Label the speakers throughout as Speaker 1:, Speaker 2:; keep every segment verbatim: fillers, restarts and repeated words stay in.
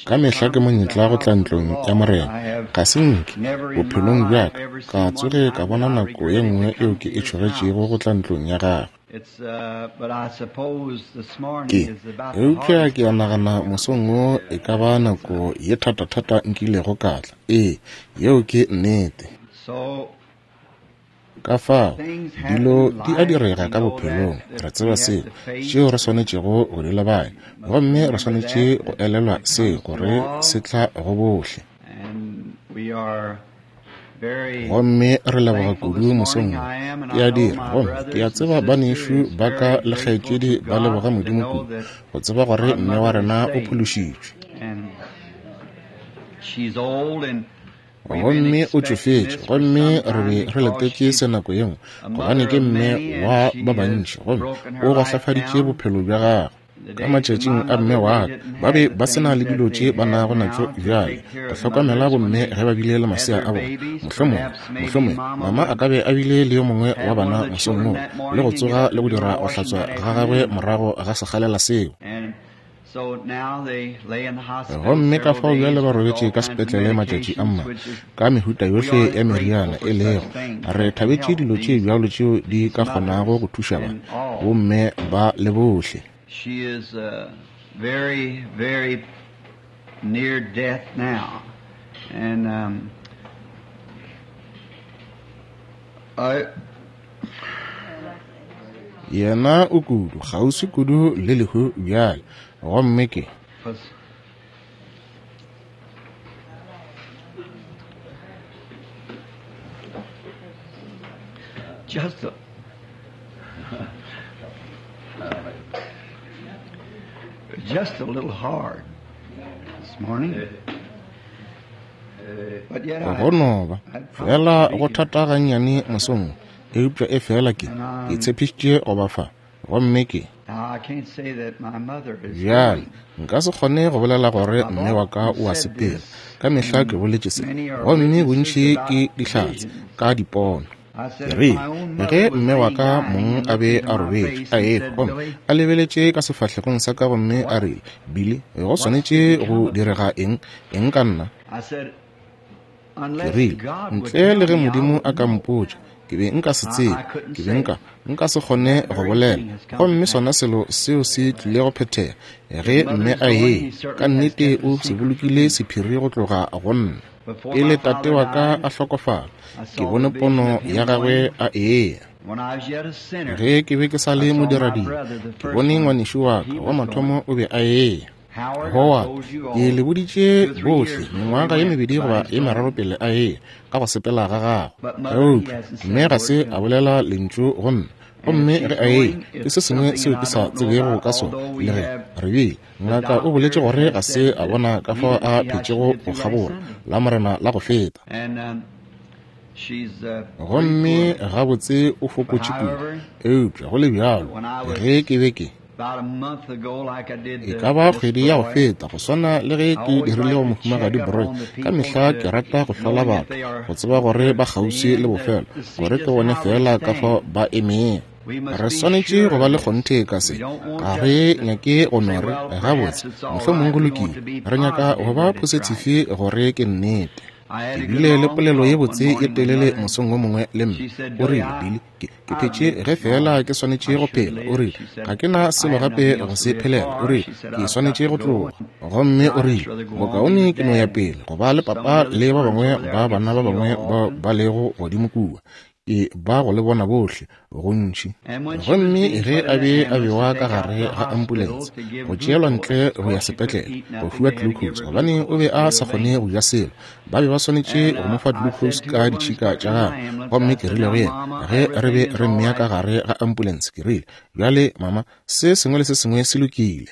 Speaker 1: Ka mehla ke monyetla go tla ntlong ya Morena. Ga se nke bophelong bja ka ka tsoge ka bona nako ye nngwe eo ke e tšhogetšego go tla ntlong ya gagwe. Ke eupša ke a nagana mosong wo e ka ba nako ye thatathata nkilego ka tla. Ee, yeo ke nnete. Ka fao dilo di a direga ka bophelong, re tseba seo, tšeo re swanetšego go di lebanya, gomme re swanetše go elelwa seo gore se tla go bohle. Gomme re leboga kudu mosong wo, ke a dira, gomme ke a tseba banešu ba ka le kgaetšedi ba leboga Modimo kudu go tseba gore mme wa rena o phološitšwe. Gomme o tšofetše, gomme re be re letetše se nako ye nngwe, gobane ke mme wa ba bantši, gomme o gohlafaditše bophelo bja gagwe. Ka matšatšing a mme wa ka, ba be ba se na le dilo tše ba nago natšo bjale go hlokomela bomme ge ba bile le masea a bona. Mohlomongwe, mohlomongwe mama a ka be a bile le yo mongwe wa bana mosong woo, le go tsoga le go dira go hlatswa ga gagwe morago ga sekgalela seo. Gomme ka fao bjale ba robetše ka sepetlele matšatši a mmalwa ka mehuta yohle ya meriana e lego. Re thabetše dilo tše bjalo tšeo di ka kgonago go thuša ba bomme ba le bohle. Yena o kudu, kgauswi kudu le lehu bjale. Gomme ke
Speaker 2: just a, just a little hard this morning. But yet
Speaker 1: go no ba fela go thata gannyane mosong, eupša e fela ke ke tshepišitše go ba fa. Gomme ke bjale nka se kgone go bolela gore mme wa ka o a sepela. Ka mehla ke boletše se, gomme bontši ke dihlatse ka dipono. Ke rile ge mme wa ka mong a be a robetše a ehwa, gomme a lebeletše ka sefahlegong sa ka, gomme a rile, Billy, go swanetše go direga eng eng ka nna? Ke rile, ntle le ge Modimo a ka mpotša, ke be nka se tsebe, ke be nka nka se kgone go bolela. Gomme sona selo seo se tlile go phethega ge mme a ye. Ka nnete o se bolokile sephiri go tloga go nna. Pele tate wa ka a hlokofala, ke bone pono ya gagwe a eya. Ge ke be ke sa le modiradibe, ke bone ngwanešu wa ka wa mathomo o be a eya. Howard, ke le boditše bohle mengwaga ye mebedi goba ye meraro pele a eya ka go sepela ga gagwe. Eupša mme ga se a bolela lentšu go nna. Gomme ge a eya, ke se sengwe seo ke sa tsebego ka sona. Le ge re bile, ngaka o boletše gore ga se a bona ka fao a phetšego go kgabola la Morena la go feta. Gomme gabotse o fokotše kudu. Eupša go le bjalo, ge ke be ke e ka ba kgwedi ya go feta, go swana le ge ke dirile go Mohumagadi Broy, ka mehla ke rata go hlola batho go tseba gore ba kgauswi le bofelo, gore ke bone fela ka fao ba emego. Re swanetše go ba le kgonthe ka se. Ga re nyake go no re gabotse mohlomongwe go lokile. Re nyaka go ba positive gore ke nnete. Ke bile le polelo ye botse ye telele mosong wo mongwe le mme. O rile, Billy, ke ke phetše ge fela ke swanetše go phela. O rile, ga ke na selo gape go se phelela. O rile, ke swanetše go tloga. Gomme o rile, bokaone ke no ya pele go ba le papa le ba bangwe ba bana ba bangwe bao ba lego godimo kua. Ke ba go le bona bohle gontši. Gomme ge a be a bewa ka gare ga ambulense go tšeelwa ntle go ya sepetlele go fiwa glucose, gobane o be a sa kgone go ja selo, ba be ba swanetše go mo fa glucose ka ditšhika tša gagwe. Gomme ke rile go yena ge re be re mmea ka gare ga ambulense, ke rile, bjale mama, se sengwe le se sengwe se lokile.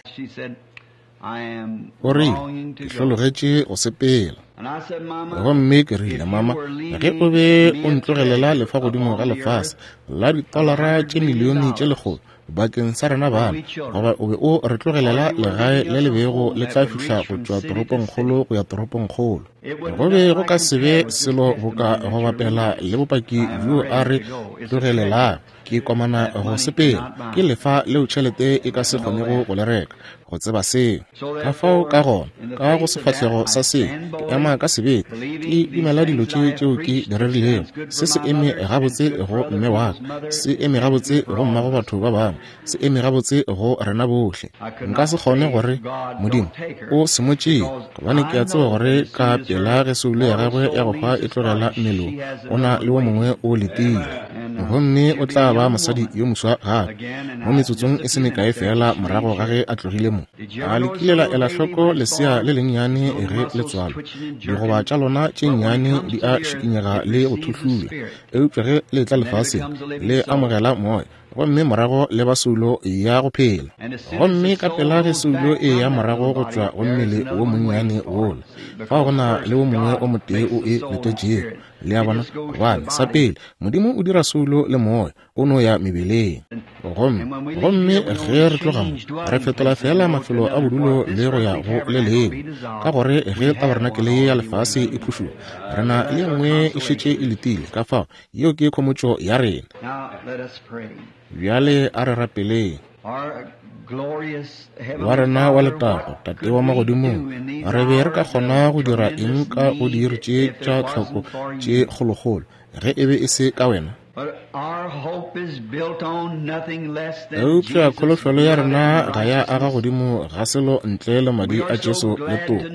Speaker 1: O rile, ke hlologetše go sepela. Gomme ke rile, mama, ge o be o ntlogelela lefa godimo ga lefase la ditolara tše milione tše lekgolo bakeng sa rena bana, goba o be o re tlogelela legae le le bego le tla fihla go tšwa toropongkgolo go ya toropongkgolo, go be go ka se be selo boka go bapela le bopaki bjo a re tlogelelang. Ke komana go sepela. Ke lefa leo tšhelete e ka se kgonego go le reka, go tseba seo. Ka fao ka gona, ka go sefahlego sa seo, ke ema ka sebete, ke dumela dilo tše tšeo ke di rerilego. Se se eme gabotse go mme wa ka, se eme gabotse go mmago batho ba bangwe, se eme gabotse go rena bohle. Nka se kgone gore Modimo o se mo tšee, gobane ke a tseba gore ka pela ge soulo ya gagwe ya go hwa e tlogela mmele, o na le wo mongwe o letile, gomme o tla ba mosadi yo moswa gape mo metsotsong e se mekae fela morago ga ge a tlogile mo. A le kile la ela hloko lesea le lennyane ge le tswalwa? Digoba tša lona tše nnyane di a šikinyega le go thuhlula, eupša ge le tla lefaseng le amogela moya, gomme morago le ba soulo ya go phela. Gomme ka pela ge soulo e ya morago go tšwa go mmele wo monnyane wola, fao go na le wo mongwe o motee o e letetšego. Le a bona? Gobane sa pele Modimo o dira soulo le moya, o no ya mebeleng. Gomme gomme ge re tloga mo, re fetola fela mafelo a bodulo le go ya go le lengwe, ka gore ge tabarenakele ye ya lefase e phušoga, re na le nngwe e šetše e letile. Ka fao yeo ke khomotšo ya rena. Bjale a re rapeleng. Wa rena wa letago, Tate wa magodimong, re be re ka kgona go dira eng ka go diiri tše tša tlhoko tše kgolokgolo ge e be e se ka wena? Eupša kholofelo ya rena ga ya aga godimo ga selo ntle le madi a Jesu le toka.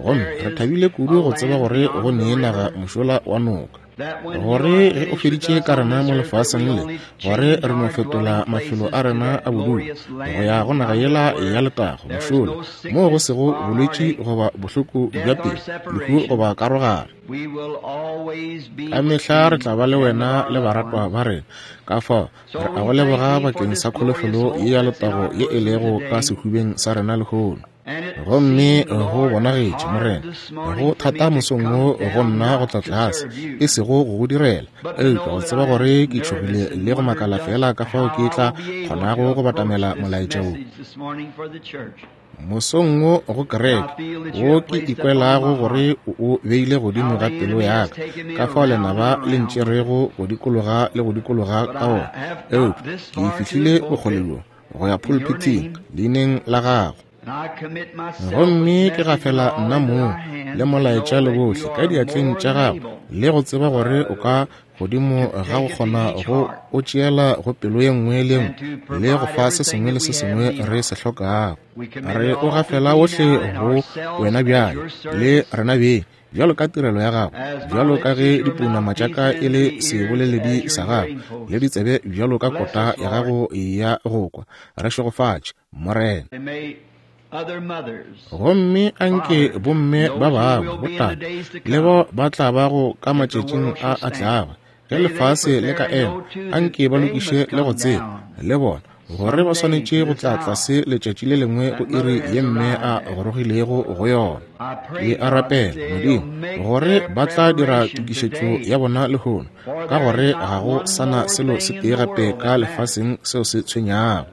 Speaker 1: Gomme re thabile kudu go tseba gore go nee naga mošola wa noka, gore ge o feditše ka rena mo lefaseng le, gore re no fetola mafelo a rena a bodulo go ya go naga yela ya letago mošola, moo go sego bolwetši goba bohloko bja pelo, lehu goba karogano. Ka mehla re tla ba le wena le baratwa ba rena. Ka fao re a go leboga bakeng sa kholofelo ye ya letago ye e lego ka sehubeng sa rena lehono. Gomme go bonagetše, Morena, go thata mosong wo go nna go tla tlase, e sego go go direla, eupša go tseba gore ke tšhogile le go makala fela ka fao ke tla kgonago go batamela molaetša wo mosong wo go kereke, wo ke ikwelago gore o o beile godimo ga pelo ya ka, ka fao lenaba le ntšerego go dikologa le go dikologa ka wona. Eupša ke fihlile bokgole bjo go ya pulpiting leineng la gago, gomme ke gafela nna mong le molaetša le bohle ka diatleng tša gago, le go tseba gore o ka godimo ga go kgona go o tšeela go pelo ye nngwe le nngwe le go fa se sengwe le se sengwe re se hlokago. Re o gafela ohle go wena bjale le rena beng, bjalo ka tirelo ya gago, bjalo ka ge dipounama tša ka e le seboleledi sa gago, le ditsebe bjalo ka kota ya gago ya go kwa. Re šegofatše, Morena. Gomme anke bomme ba bangwe, botate le bao ba tla bago ka matšatšing a a tlago, ge lefase le ka ema, anke ba lokiše le go tseba le bona gore ba swanetše go tla tlase letšatši le lengwe go iri ye mme a gorogilego go yona. Ke a rapela, Modimo, gore ba tla dira tokišetšo ya bona lehono, ka gore ga go sana selo se tee gape ka lefaseng seo se tshwenyago.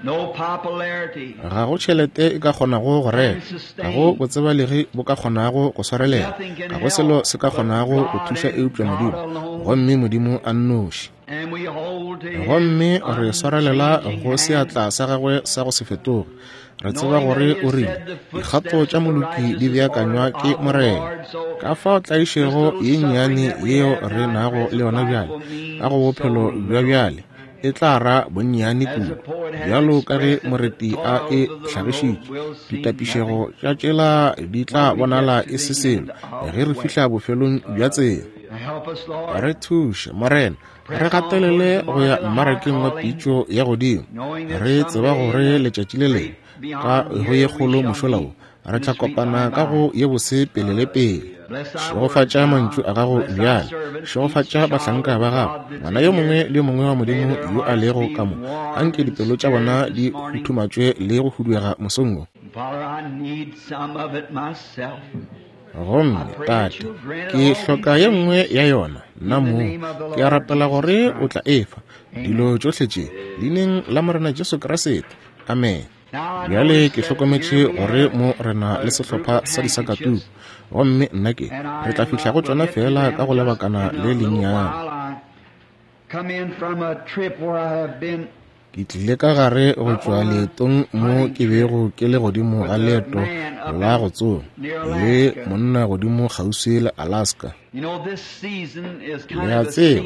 Speaker 1: Ga go tšhelete e ka kgonago go reka, ga go botsebalegi bo ka kgonago go swarelela, ga go selo se ka kgonago go thuša eupša Modimo, gomme Modimo a nnoši. Gomme re swarelela go seatla sa gagwe sa go se fetoge. Re tseba gore o rile dikgato tša moloki di beakanywa ke Morena. Ka fao tlaišego ye nnyane yeo re nago le yona bjale ka go bophelo bja bjale e tla ra bonnyane kudu, bjalo ka ge moreti a e hlagišitše. Ditapišego tša tšela di tla bonala e se selo ge re fihla bofelong bja tsela. Re thuše, Morena, re gatelele go ya mmarakeng wa pitšo ya godimo, re tseba gore letšatši le lengwe ka go ye kgolo mošola wo re tla kopana ka go ye bose pele le pele. Šegofatša mantšu a gago bjale, šegofatša bahlanka ba gago, ngwana yo mongwe le yo mongwe wa Modimo yo a lego ka mo. Anke dipelo tša bona di huthumatšwe le go huduega mosong wo. Gomme Tate, ke hloka ye nngwe ya yona nna mong. Ke a rapela gore o tla efa dilo tšohle tše leineng la Morena Jesu Kriste. Amen. Bjale ke hlokometše gore mo re na le sehlopha sa disakatuku, gomme nna ke re tla fihla go tšona fela ka go lebakana le lennyane. Ke tlile ka gare go tšwa leetong mo ke bego ke le godimo ga leeto la go tsoma le monna godimo kgauswi le Alaska. Le a tseba,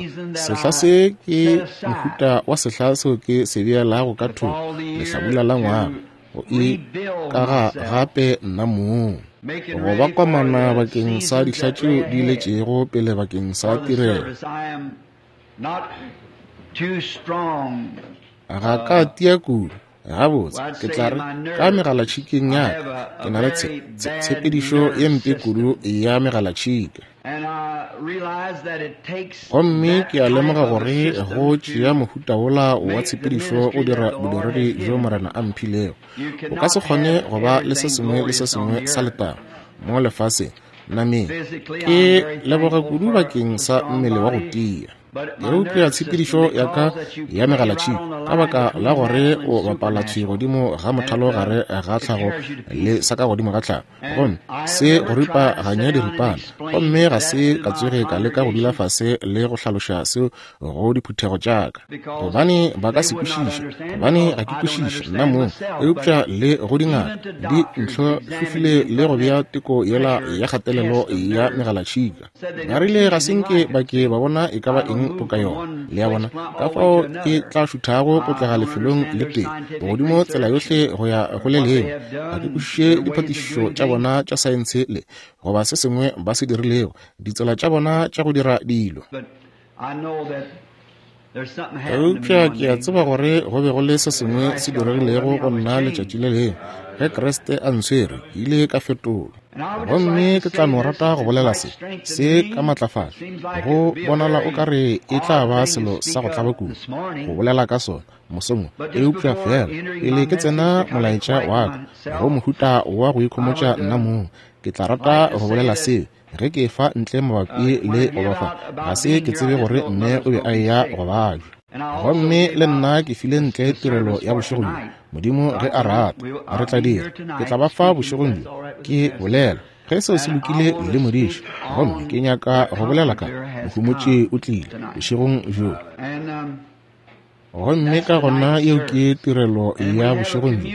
Speaker 1: sehla se ke mohuta wa sehla seo ke se beelago ka thoko lehlabula la ngwaga, go ikaga gape nna mong, go ba komana bakeng sa dihla tšeo di letšego pele bakeng sa tirelo. Ga ka tia kudu, gabotse ke tla re ka megalatšhikeng ya ka ke na le tshepedišo ye mpe kudu ya megalatšhika. Gomme ke a lemoga gore go tšea mohuta wola wa tshepedišo go dira bodiredi bjo Morena a mphilego. O ka se kgone go ba le se sengwe le se sengwe sa letago mo lefaseng nameng. Ke leboga kudu bakeng sa mmele wa go tia. Eupša tshepedišo ya ka ya megalatšhika, ka baka la gore o bapala thwi godimo ga mothalo gare ga tlhago le sa ka godimo ga tlhago, gomme se go ripaganya diripana, gomme ga se ka tsoge ka leka go dula fase le go hlaloša seo go diphuthego tša ka, gobane ba ka se kwešiše, gobane ga ke kwešiše nna mong. Eupša le go dingaka di ntlhohlofile le go bea teko yela ya kgatelelo ya megalatšhika. Ba rile ga se nke ba ke ba bona e ka ba eng boka yona. Le a bona ka fao ke tla šuthago go tloga lefelong le tee godimo tsela yohle go ya go le lengwe. Ga ke kwešiše diphatišišo tša bona tša saense le goba se sengwe ba se dirilego, ditsela tša bona tša go dira dilo. Eupša ke a tseba gore go be go le se sengwe se diregilego go nna letšatši le lengwe ge Kriste a ntshwere, ke ile ka fetolwa. Gomme ke tla no rata go bolela se se ka matlafalo. Go bonala o ka re e tla ba selo sa go tlaba kudu go bolela ka sona mosong, eupša fela pele ke tsena molaetša wa ka go mohuta wa go ikhomotša nna mong, ke tla rata go bolela seo ge ke fa ntle mabapi le go ba fa. Ga se ke tsebe gore mme o be a eya go babja. Gomme le nna ke file ntle tirelo ya bošegong bjo. Modimo ge a rata, re tla dira. Ke tla ba fa bošegong bjo ke bolela ge seo se lokile le modiši. Gomme ke nyaka go bolela ka Mohumotši o tlile bošegong bjo. Gomme ka gona yeo ke tirelo ya bošegong bjo.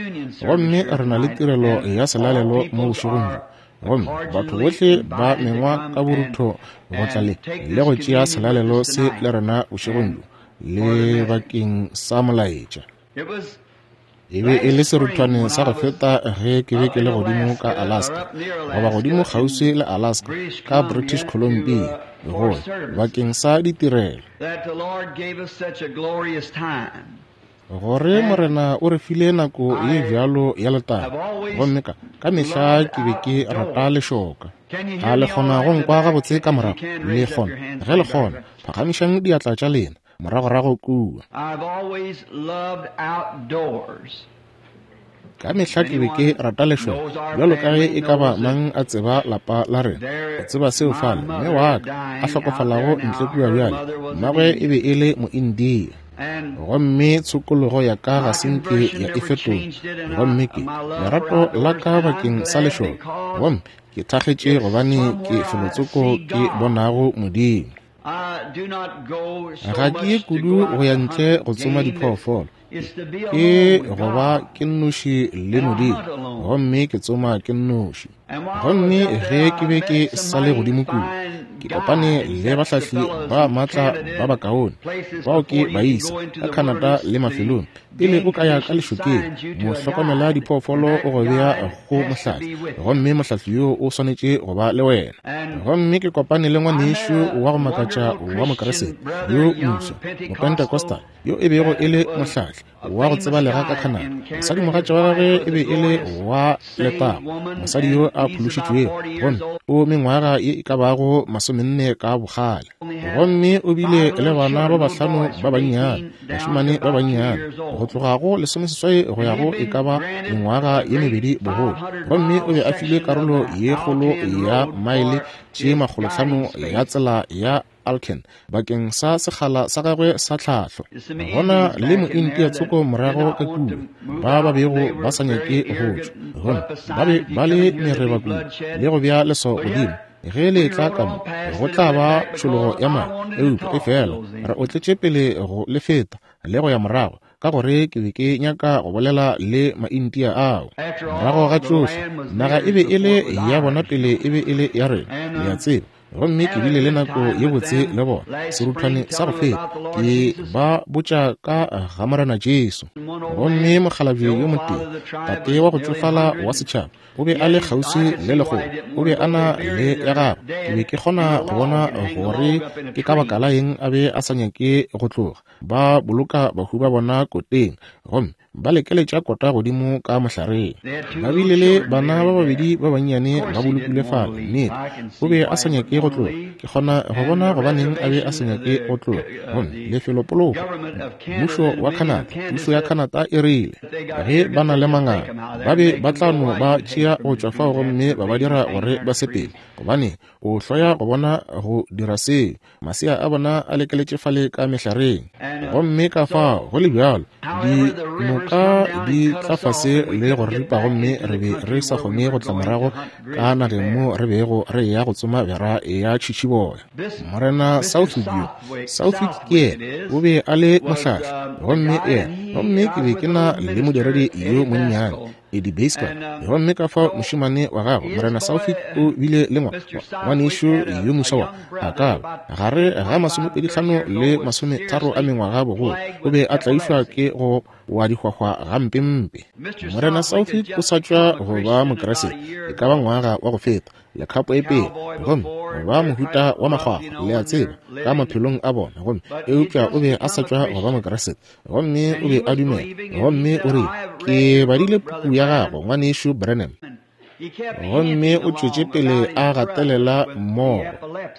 Speaker 1: Gomme re na le tirelo ya selalelo mo bošegong bjo. Gomme batho bohle ba mengwa ka borutho go tla le le go tšea selalelo se le rena bošegong bjo le bakeng sa molaetša. E be e le seruthwane sa go feta ge ke be ke le godimo ka Alaska, goba godimo kgauswi le Alaska ka British Columbia, go bakeng sa ditirelo, gore Morena o re file nako ye bjalo ya letago. Gomme ka ka mehla ke be ke rata lešoka. A le kgona go nkwa gabotse ka morago? Le kgona? Ge le kgona, phagamišang diatla tša lena moragorago kua. Ka mehla ke be ke rata lešoka, bjalo ka ge e ka ba mang a tseba lapa la rena. O tseba seo fale mme wa ka a hlokofalago ntle kua bjale, mmagwe e be e le Moindia. Gomme tshokologo ya ka ga se nke ya e fetola. Gomme ke lerato la ka bakeng sa lešoka, gomme ke thakgetše gobane ke felotsoko ke bonago Modimo. Ga ke ye kudu go ya ntle go tsoma diphoofolo, ke go ba ke nnoši le Modimo, gomme ke tsoma ke nnoši. Gomme ge ke be ke sa le godimo kudu, ke kopane le bahlahli ba maatla ba bakaone bao ke baisa ka Canada le mafelong. Pele o ka ya ka lešokeng, mohlokomela diphoofolo o go bea go mohlahli, gomme mohlahli yo o swanetše go ba le wena. Gomme ke kopane le ngwanešu wa go makatša wa Mokeresete yo moswa, Mopentecostal, yo e bego e le mohlahli wa go tsebalega ka Canada. Mosadimogatša wa gagwe e be e le wa letago, mosadi yo a phološitšwego, gomme o mengwaga ye e ka bago masomenne ka bokgale. Gomme o bile le bana ba bahlano ba bannyane, bašemane ba bannyane, go tloga go lesomeseswai go ya go e ka ba mengwaga ye mebedi bogolo. Gomme o be a filwe karolo ye kgolo ya maele tše makgolohlano ya tsela ya Alken bakeng sa sekgala sa gagwe sa tlhahlo. Gona le mointia tsoko morago ka kua ba ba bego ba sa nyake go tšwa, gomme ba be ba le mereba kudu le go bea leswao godimo Ge le tla ka mo, go tla ba tšhologo ya madi. Eupša efela re otletše pele go le feta le go ya morago, ka gore ke be ke nyaka go bolela le Maindia ao. Morago ga tšohle, naga e be e le ya bona pele e be e le ya rena, le a tseba. Gomme ke bile le nako ye botse le bona seruthwane sa go feta, ke ba botša ka ga Morena Jesu. Gomme mokgalabje yo motee, tate wa go tšofala wa setšhaba, o be a le kgauswi le legolo, o be a na le ya gagwe. Ke be ke kgona go bona gore ke ka baka la eng a be a sa nyake go tloga. Ba boloka bahu ba bona koteng, gomme ba lekeletša kota godimo ka mohlareng. Ba bile le bana ba babedi ba bannyane ba bolokile fale. Nnete, o be a sa nyake go tloga. Ke kgona go bona gobaneng a be a sa nyake go tloga. Gomme lefelopoloko, mmušo wa Canada, pušo ya Canada e rile ge ba na le manganga, ba be ba tla no ba tšea go tšwa fao gomme ba ba dira gore ba sepele, gobane o hloya go bona go dira seo. Masea a bona a lekeletše fale ka mehlareng. Gomme ka fao go le bjalo, dinoka di tla fase le go ripa, gomme re be re sa kgone go tla morago ka nageng mo re bego re eya go tsoma bera ya tšhitšhiboya. Morena Southwick yo, Southwick ke yena, o be a le mohlahli, gomme yena, gomme ke be ke na le modiredi yo monnyane, Eddie Baseball. Gomme ka fao mošemane wa gagwe, Morena Southwick, o bile le ngwanešu yo moswa wa a ka ba gare ga masomepedi hlano le masometharo a mengwaga bogolo, o be a tlaišwa ke go wa dihwahwa gampempe. Morena Southwick o sa tšwa go ba Mokriste e ka ba ngwaga wa go feta, lekgapo e pele, gomme ba mohuta wa makgwakgwa, le a tseba, ka maphelong a bona. Gomme eupša o be a sa tšwa go ba Mokriste, gomme o be a dumela. Gomme o rile, ke badile puku ya gago, ngwanešu Branham. Gomme o tšwetše pele a gatelela mmogo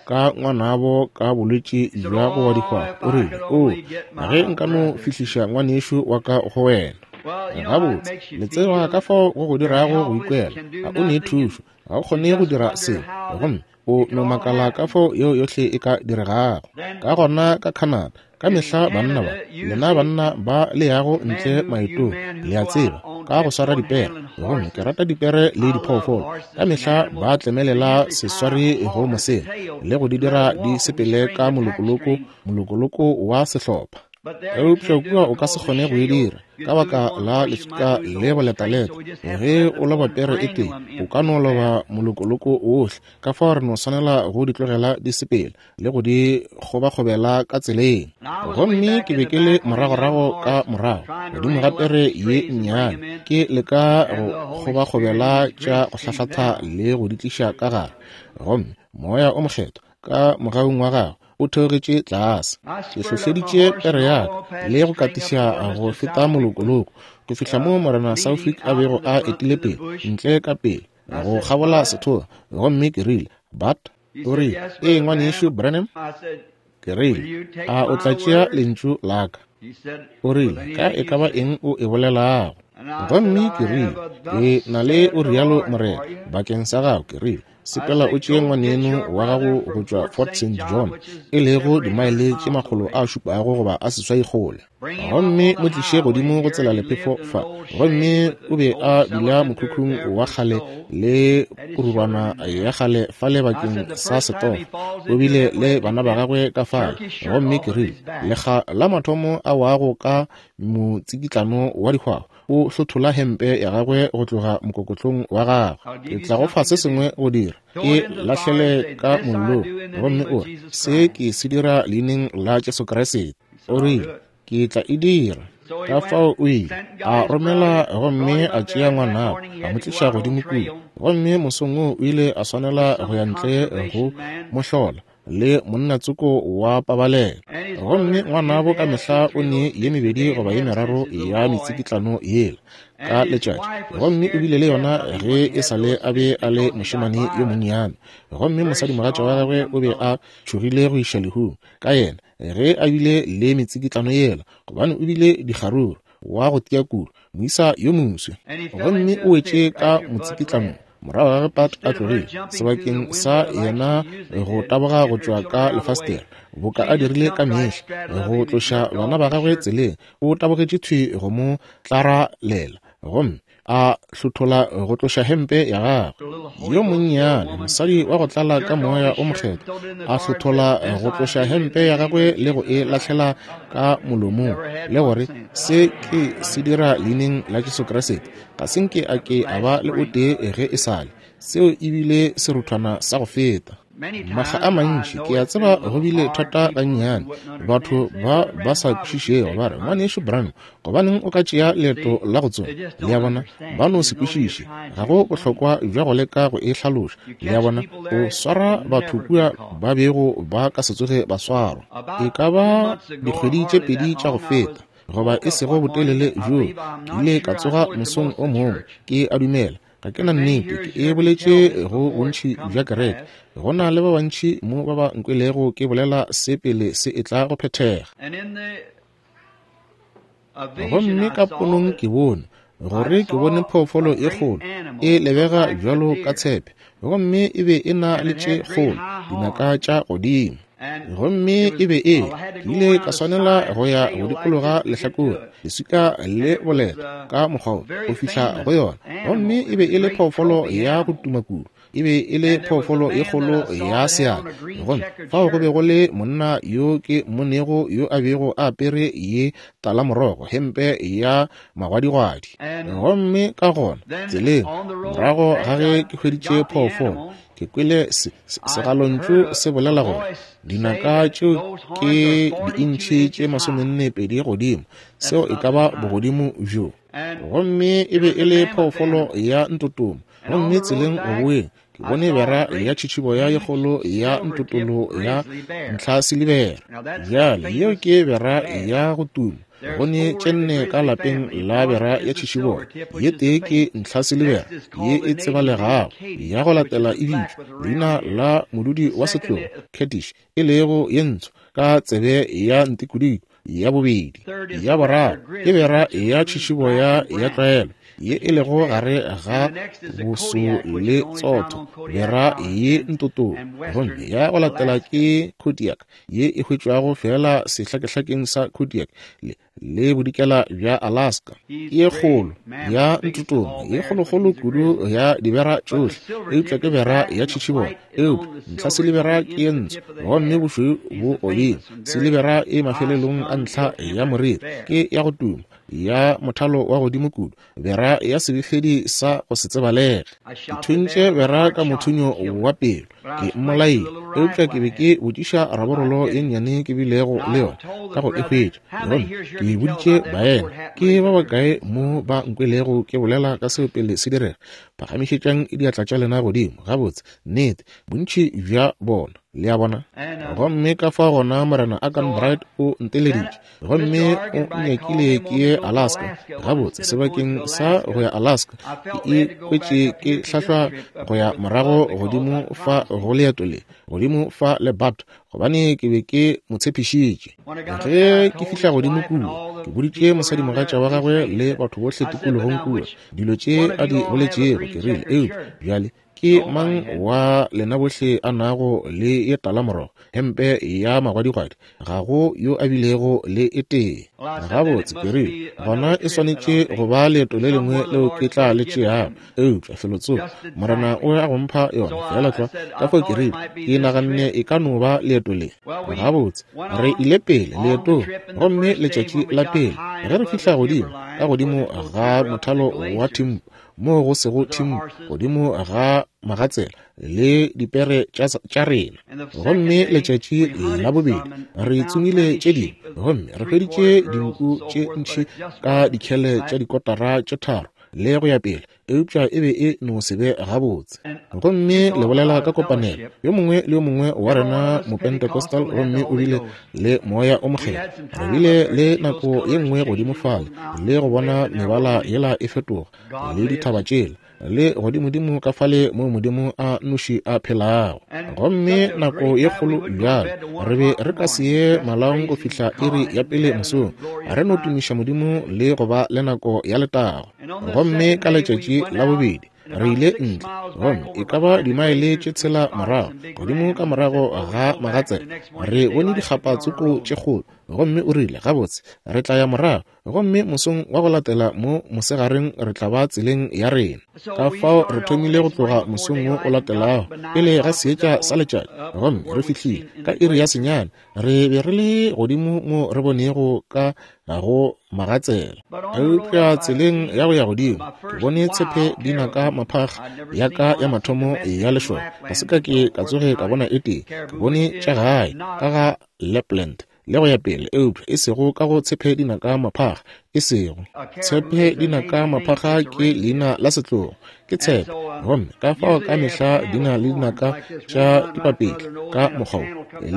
Speaker 1: ka ngwanabo ka bolwetši bja go wa dihwahwa. O rile, o, ge nka no fihliša ngwanešu wa ka go wena. Gabotse, le tseba ka fao go go dirago go ikwela. Ga o ne thušo, ga o kgone go dira selo, gomme o no makala ka fao yeo yohle e ka diregago. Ka gona ka Canada, ka mehla banna ba, lena banna ba le yago ntle maetong, le a tseba, ka go swara dipere, gomme ke rata dipere le diphoofolo, ka mehla ba tlemelela seswari go mosela le go di dira di sepele ka molokoloko, molokoloko wa sehlopha. Eupša kua o ka se kgone go e dira ka baka la lefika le boletaleta. Ge o loba pere e tee, o ka no loba molokoloko ohle. Ka fao re no swanela go di tlogela di sepele le go di kgobakgobela ka tseleng. Gomme ke be ke le moragorago ka morago godimo ga pere ye nnyane, ke leka go kgobakgobela tša go hlahlatha le go di tliša ka gare. Gomme moya o mokgethwa ka mogaung wa gagwe o theogetše tlase. Ke hlohleditše pere ya ka le go katiša go feta molokoloko go fihla mo Morena Southwick a bego a etile pele ntle ka pele go kgabola sethoa. Gomme ke rile, But o rile, ee ngwanešu Branham. Ke rile, a o tla tšea lentšu la ka? O rile, ka e ka ba eng o e bolelago? Gomme ke rile, ke na le o rialo Morena bakeng sa gago. Ke rile, sepela o tšee ngwaneno wa gago go tšwa Fort Saint John, e lego dimaele tše makgolo a šupago goba a seswai kgole, gomme mo tliše godimo go tsela lephefo fa. Gomme o be a dula mokhukhung wa kgale le kurubana ya kgale fale bakeng sa setofo. O bile le bana ba gagwe ka fale. Gomme ke rile, lekga la mathomo a wago ka motsikitlano wa dihwahwa, o hlothola hempe ya gagwe go tloga mokokotlong wa gagwe. Ke tla go fa se sengwe go dira, ke lahlele ka mollong. Gomme o re, se ke se dira leineng la Jesu Kriste. O rile, ke tla e dira. Ka fao o ile a romela gomme a tšea ngwanabo a mo tliša godimo kua. Gomme mosong woo o ile a swanela go ya ntle go mohlola le monnatsoko wa pabalelo. Gomme ngwanabo ka mehla o ne ye mebedi goba ye meraro ya metsikitlano yela ka letšatši, gomme o bile le yona ge e sa le a be a le mošemane yo monnyane. Gomme mosadimogatša wa gagwe o be a tšhogile go iša lehung ka yena ge a bile le metsikitlano yela, gobane o bile dikgaruru wa go tia kudu, moisa yo moswi. Gomme o wetše ka motsikitlano morago ga ge Pat a tlogile, sebakeng sa yena go taboga go tšwa ka lefastere boka a dirile ka mehla go tloša bana ba gagwe tseleng, o tabogetše thwi go mo tlaralela gomme a hlothola go tloša hempe ya gagwe. Yo monnyane mosadi wa go tlala ka moya o mokgethwa a hlothola go tloša hempe ya gagwe le go e lahlela ka molomong, le gore se ke se dira leineng la Jesu Kriste. Ga se nke a ke a ba le o tee ge e sale. Seo ebile seruthwana sa go feta. Makga a mantši ke a tseba go bile thata gannyane, batho ba ba sa kwešišego ba re, Ngwanešu Branham, gobaneng o ka tšea leeto la go tsoma? Le a bona, ba no se kwešiše, ga go bohlokwa bja go leka go e hlaloša. Le a bona, o swara batho kua ba bego ba ka se tsoge ba swarwa. E ka ba dikgwedi tše pedi tša go feta, goba e sego botelele bjoo, ke ile ka tsoga mosong o mongwe, ke a dumela ga ke na nnete, ke e boletše go bontši bja kereke. Go na le ba bantši mo ba ba nkwelego ke bolela se pele se etla go phethega. Gomme ka ponong ke bone gore ke bone phoofolo e kgolo e lebega bjalo ka tshepe, gomme e be e na le tše kgolo dinaka tša godimo. Gomme e be e ke ile ka swanela go ya go dikologa lehlakore leswika le boleta ka mokgwa wo go fihla go yona. Gomme e be e le phoofolo ya go tuma kudu, e be e le phoofolo e kgolo ya seatla. Gomme fao go be go le monna yo ke mmonego yo a bego a apere ye talamorogo, hempe ya magwadigwadi. Gomme ka gona tseleng morago ga ge ke hweditše phoofolo, ke kwele segalontšu se bolela gore dinaka tšeo ke diintšhi tše masomenne pedi godimo, seo e ka ba bogodimo bjo. Gomme e be e le phoofolo ya ntotoma. Gomme tseleng go boeng ke bone bera ya tšhitšhiboya ye kgolo ya ntotolo ya ntlhasilibera. Bjale yeo ke bera ya go tuma. Go ne tše nne ka lapeng la bera ya tšhitšhiboya. Ye tee ke ntlhasilibera ye e tsebalegago, ya go latela e bitšwa leina la modudi wa setlogo Kurdish, e lego ye ntsho ka tsebe ya ntikodiko. Ya bobedi, ya boraro ke bera ya tšhitšhiboya ya tlwaelo ye e lego gare ga boso le tsotho, bera ye ntotolo. Gomme ya go latela ke Kodiak ye e hwetšwago fela sehlakehlakeng sa Kodiak le le bodikela bja Alaska. Ke ye kgolo ya ntotoma, ye kgolokgolo kudu ya dibera tšohle, eupša ke bera ya tšhitšhiboya. Eupša ntlhasilibera ke ye ntsho, gomme bošweu bo godimo. Silibera e mafelelong a ntlha ya moriri, ke ya go tuma, ya mothalo wa godimo kudu, bera ya sebefedi sa go se tsebalege. Ke thuntše bera ka mothunyo wa pelo, ke mmolaile, eupša ke be ke botšiša raborolo ye nnyane ke bilego le yona ka go e hwetša. Gomme ke boditše baena, ke ba bakae mo ba nkwelego ke bolela ka seo pele se direga? Phagamišetšang diatla tša lena godimo. Gabotse, nnete, bontši bja bona. Le a bona? Gomme ka fa gona Morena Arganbright o nteleditše, gomme o nyakile ke ye Alaska. Gabotse, sebakeng sa go ya Alaska, ke ikwetše ke hlahlwa go ya morago godimo fa go leeto le, godimo fa le Bat, gobane ke be ke mo tshepišitše. Ge ke fihla godimo kua, ke boditše mosadimogatša wa gagwe le batho bohle tikologong kua dilo tše a di boletšego. Ke rile, eupša bjale ke mang wa lena bohle a nago le ye talamorogo, hempe ya magwadigwadi? Ga go yo a bilego le e tee. Gabotse, ke rile, gona e swanetše go ba leeto le lengwe leo ke tla le tšeago, eupša felotsoko Morena o ya go mpha yona fela tlwa. Ka fao ke rile, ke naganne e ka no ba leeto le. Gabotse, re ile pele leetong, gomme letšatši la pele ge re fihla godimo ka godimo ga mothalo wa Thimpu, moo go sego Thimpu, godimo ga magatsela le dipere tša rena. Gomme letšatši la bobedi re tsomile tše dingwe, gomme re hweditše dinku tše ntši ka dikhele tša dikotara tše tharo le go ya pele, eupša e be e no se be gabotse. Gomme le bolela ka kopanelo, yo mongwe le yo mongwe wa rena Mopentecostal, gomme o bile le moya o mokgethwa. Re bile le nako ye nngwe godimo fale le go bona mebala yela e fetoga le dithaba tšela le godimodimo ka fale mo Modimo a noši a phelago. Gomme nako ye kgolo bjalo, re be re ka se ye malaong go fihla iri ya pele mosong, re no tumiša Modimo le go ba le nako ya letago. Gomme ka letšatši la bobedi re ile ntle, gomme e ka ba dimaele tše tshela morago godimo ka morago ga magatsela, re bone dikgapa tsoko tše kgolo Gomme o rile, gabotse, re tla ya morago, gomme mosong wa go latela mo mosegareng re tla ba tseleng ya rena. Ka fao re thomile go tloga mosong wo o latelago pele ga seetša sa letšatši, gomme re fihlile ka iri ya senyane. Re be re le godimo mo re bonego ka go magatsela. Eupša tseleng ya go ya godimo ke bone tshepe di naka maphakga ya ka ya mathomo ya lešoka. Ga se ka ke ka tsoge ka bona e tee. Ke bone tša gae ka ga Lapland le go ya pele, eupša e sego ka go tshepe dinaka maphakga. E sego tshepe dinaka maphakga ke leina la setlogo, ke tshepe, gomme ka fao ka mehla di na le dinaka tša dipapetla ka mokgwa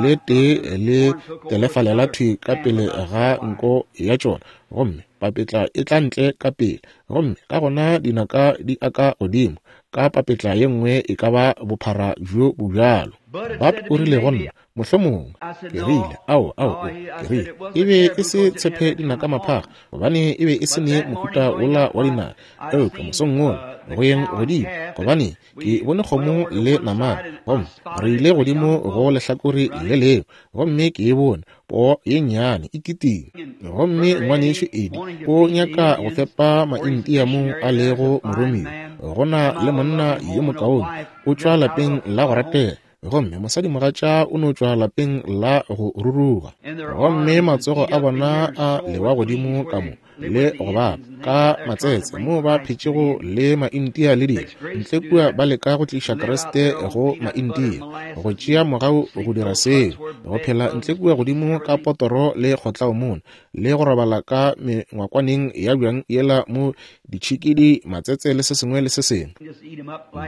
Speaker 1: le tee le telefalela thwi ka pele ga nko ya tšona, gomme papetla e tla ntle ka pele, gomme ka gona dinaka di aka godimo ka papetla ye nngwe e ka ba bophara bjo bo bjalo. Bat o rile go nna, mohlomongwe. Ke rile, ao, ao, ke rile, e be e se tshepe dinaka maphakga, gobane e be e se ne mohuta wola wa dinaka. Eupša mosong wola go yeng godimo, gobane ke bone kgomo le namane, gomme re ile godimo go lehlakore le lengwe, gomme ke e bone poo ye nnyane e kitima. Gomme ngwanešu Eddie o nyaka go fepa maintia mo a lego moromiwa. Go na le monna yo mokaone, o tšwa lapeng la go ratega, gomme mosadimogatša o no tšwa lapeng la go ruruga, gomme matsogo a bona a lewa godimo ka mo le go bapa ka matsetse mo ba phetšego le maintia le dilo ntle kua, ba leka go tliša Kriste go maintia, go tšea mogau go dira seo, go phela ntle kua godimo ka potoro le kgotlaomone, le go robala ka mengwakwaneng ya bjang yela mo ditšhikidi, matsetse le se sengwe le se sengwe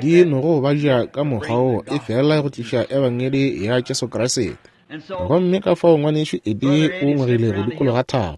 Speaker 1: di nogo ba ja ka mokgwa wo, e fela go tliša ebangedi ya Jesu Kriste. Gomme ka fao ngwanešu Eddie o ngwegile go dikologa thaba,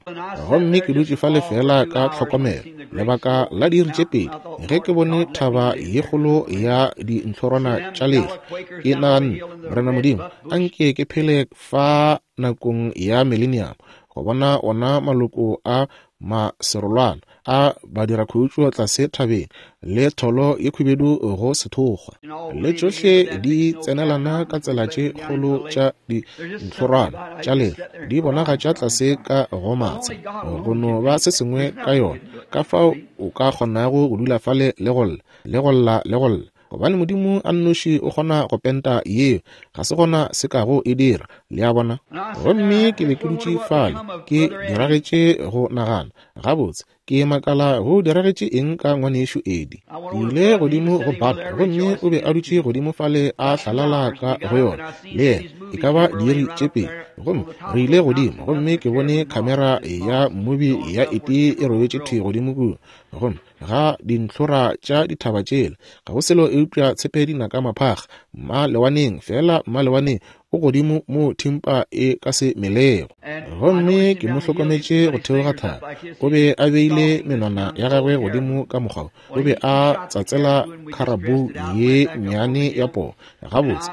Speaker 1: gomme ke dutše fale fela ka tlhokomelo lebaka la diiri tše pedi ge ke bone thaba ye kgolo ya dintlhorwana tša lehlwa. Ke naganne, Morena Modimo, anke ke phele fa nakong ya millennium go bona ona maloko a maserolwana a badirakhutšo tlase thabeng le tholo ye khubedu go sethokgwa, le tšohle di tsenelana ka tsela tše kgolo tša dintlhorwana tša lehlwa di bonagatša tlase ka go matsha. Go no ba se sengwe ka yona, ka fao o ka kgonago go dula fale le go lla le go lla le go lla, gobane Modimo a nnoši o kgona go penta yeo, ga se gona se kago e dira. Le a bona? Gomme ke be ke dutše fale ke diragetše go nagana, gabotse, ke makala go diragetše eng ka ngwanešu Eddie. Ke ile godimo go Bat, gomme o be a dutše godimo fale a hlalala ka go yona le yena e ka ba diiri tše pedi. Gomme re ile godimo, gomme ke bone khamera ya mmobi ya Eddie e robetše thwi godimo kua, gomme ga dintlhora tša dithaba tšela ga go selo eupša tshepe dinaka maphakga mmalewaneng, fela mmalewaneng o godimo mo thimpa e ka se melego. Gomme ke mo hlokometše go theoga thaba, o be a beile menwana ya gagwe godimo ka mokgwa, o be a tsatsela kharabou ye nnyane ya poo. Gabotse,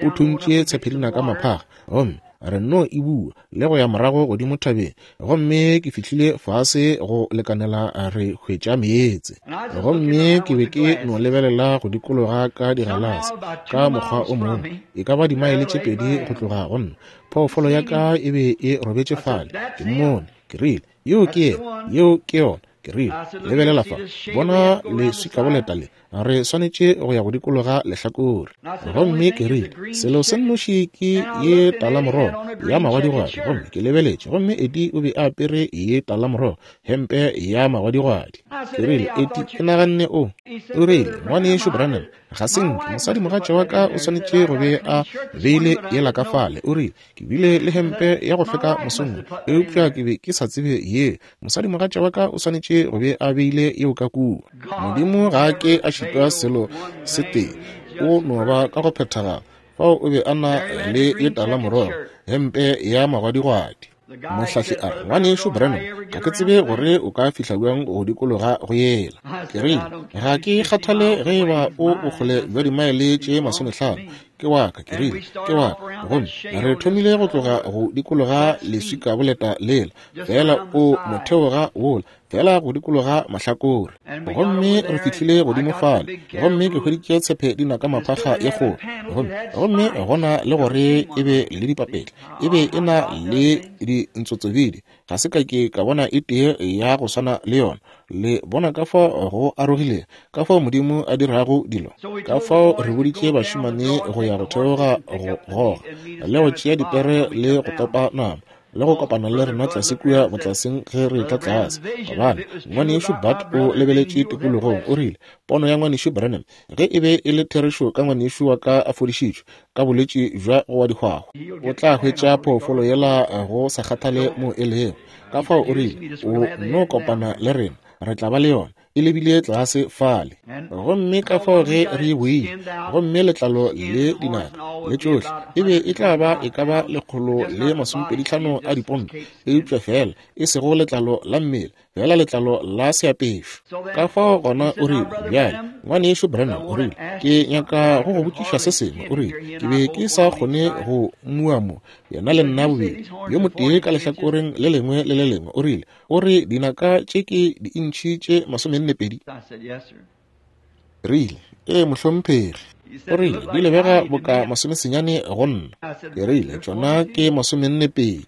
Speaker 1: o thuntše tshepe dinaka maphakga, gomme re no e bua le go ya morago godimo thabeng, gomme ke fihlile fase go lekanela re hwetša meetse. Gomme ke be ke no lebelela go dikologa ka digalase ka mokgwa o mongwe, e ka ba dimaele tše pedi go tloga go nna. Phoofolo ya ka e be e robetše fale. Ke mmone, ke rile, yeo ke yena, yeo ke yona. Ke rile, lebelela fa, bona leswikaboleta le, re swanetše go ya go dikologa lehlakore. Gomme ke rile, selo se nnoši ke ye talamorogo ya magwadigwadi. Gomme ke lebeletše, gomme Eddie o be a apere ye talamorogo, hempe ya magwadigwadi. Ke rile, Eddie, ke naganne o. O rile, ngwanešu Branham, ga se nke mosadimogatša wa ka o swanetše go be a beile yela ka fale. O rile, ke bile le hempe ya go hlweka mosong, eupša ke be ke sa tsebe ye. Mosadimogatša wa ka o swanetše go be a beile yeo ka kua. Modimo ga a ke a šitwa selo se tee, o no ba ka go phethagala. Fao o be a na le ye talamorogo, hempe ya magwadigwadi. Mohlahli a re, ngwanešu Branham, ga ke tsebe gore o ka fihla bjang go dikologa go yela. Ke rile, ga ke kgathale ge eba o bokgole bja dimaele tše masomehlano, Ke wa ka, ke rile, ke wa ka. Gomme re thomile go tloga go dikologa leswika boleta lela, fela o motheoga wola, fela go dikologa mahlakore. Gomme re fihlile godimo fale, gomme ke hweditše tshepe dinaka maphakga ye kgolo. Gomme gomme gona le gore e be le dipapetla, e be e na le dintsotsobidi. Ga se ka ke ka bona e tee ya go swana le yona. Le bona ka fao go arogile, ka fao Modimo a dirago dilo. Ka fao re boditše bašemane go ya go theoga go goga, le go tšea dipere le go topa nama, le go kopana le rena tlase kua botlaseng ge re tla tlase. Gobane ngwanešu Bud o lebeletše tikologong, o rile, pono ya ngwanešu Branham, ge e be e le therešo ka ngwanešu wa ka a fodišitšwe ka bolwetši bja go wa dihwahwa, o tla hwetša phoofolo yela go sa kgathale mo e lego. Ka fao o rile, o no kopana le rena, re tla ba le yona. E lebile tlase fale. Gomme ka fao ge re boile, gomme letlalo le dinaka le tšohle e be e tla ba e ka ba lekgolo le masomepedihlano a diponto, eupša fela e sego letlalo la mmele, fela letlalo la seapešo. Ka fao gona o rile, bjale ngwanešu Branham, o rile, ke nyaka go go botšiša se sengwe. O rile, ke be ke sa kgone go mua mo, yena le nna bobedi, yo motee ka lehlakoreng le lengwe le le lengwe. O rile, o re dinaka tše ke diintšhi tše masomenne pedi? Rile, ee mohlomphegi. O rile, di lebega boka masomesenyane go nna. Ke rile, tšona ke masomenne pedi.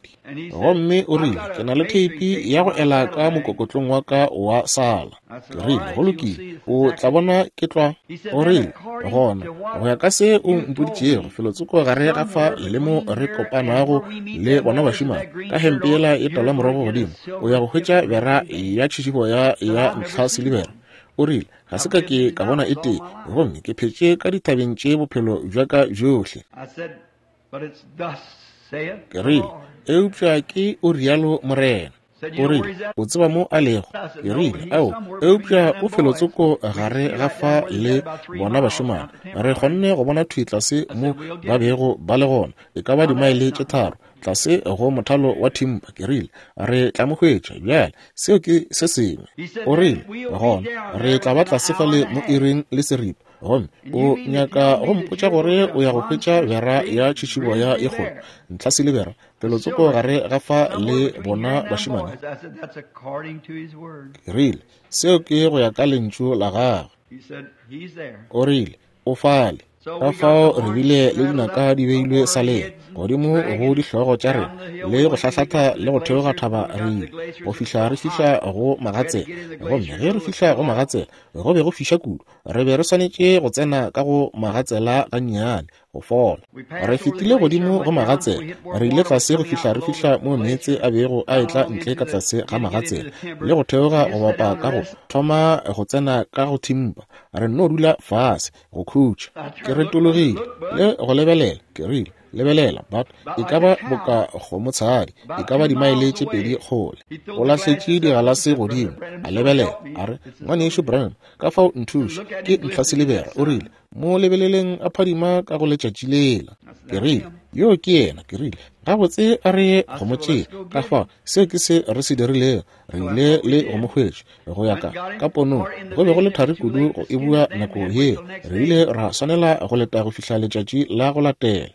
Speaker 1: Gomme o rile, ke na le theipi ya go ela ka mokokotlong wa ka wa sala. Ke rile, go lokile, o tla bona ke tlwa. O rile, gona go ya ka se o mpoditšego, felotsoko gare ga fa le mo re kopanago le bona bašemane ka hempe yela e tala morogo godimo, o ya go hwetša bera ya tšhišiboya ya ntlha silibera. O rile, ga se ka ke ka bona e tee, gomme ke phetše ka dithabeng tše bophelo bja ka bjohle. Ke rile, eupša ke o rialo Morena. O rile, o tseba mo a lego? Ke rile, ao, eupša o felotsoko gare ga fa le bona bašemane. Re kgonne go bona thwi tlase mo ba bego ba le gona, e ka ba dimaele tše tharo tlase go mothalo wa thimpa. Ke rile, re tla mo hwetša bjale, seo ke se sengwe. O rile, gona re tla ba tlase fale mo iring le seripa. Gomme o nyaka go mpotša gore o ya go hwetša bera ya tšhišiboya ye kgolo, ntlha silibera, felotsoko gare ga fa le bona bašemane? Ke rile, seo ke go ya ka lentšu la gagwe. O rile, o fale. Ka fao re bile le dinaka di beilwe saleng godimo go dihlogo tša rena, le go hlahlatha le go theoga thaba re ile go fihla re fihla go magatsela. Gomme ge re fihla go magatsela, go be go fiša kudu, re be re swanetše go tsena ka go magatsela gannyane go fola. Re fetile godimo go magatsela, re ile tlase go fihla re fihla mo meetse a bego a etla ntle ka tlase ga magatsela, le go theoga go bapa ka go thoma go tsena ka go thimpa. Re nno dula fase go khutša. Ke retologile le go lebelela. Ke rile, lebelela, but e ka ba boka kgomotshadi, e ka ba dimaele tše pedi kgole. O lahletše digalase godimo, a lebelela, a re, ngwanešu Branham, ka fao nthuše, ke ntlha silibera. O rile, mo lebeleleng a phadima ka go letšatši lela. Ke rile, yo ke yena. Ke rile, gabotse a re ye go mo tšea. Ka fao seo ke se re se dirilego. Re ile le go mo hwetša go ya ka ka ponong. Go be go le thari kudu go e bua nako yeo. Re ile ra swanela go leta go fihla letšatši la go latela.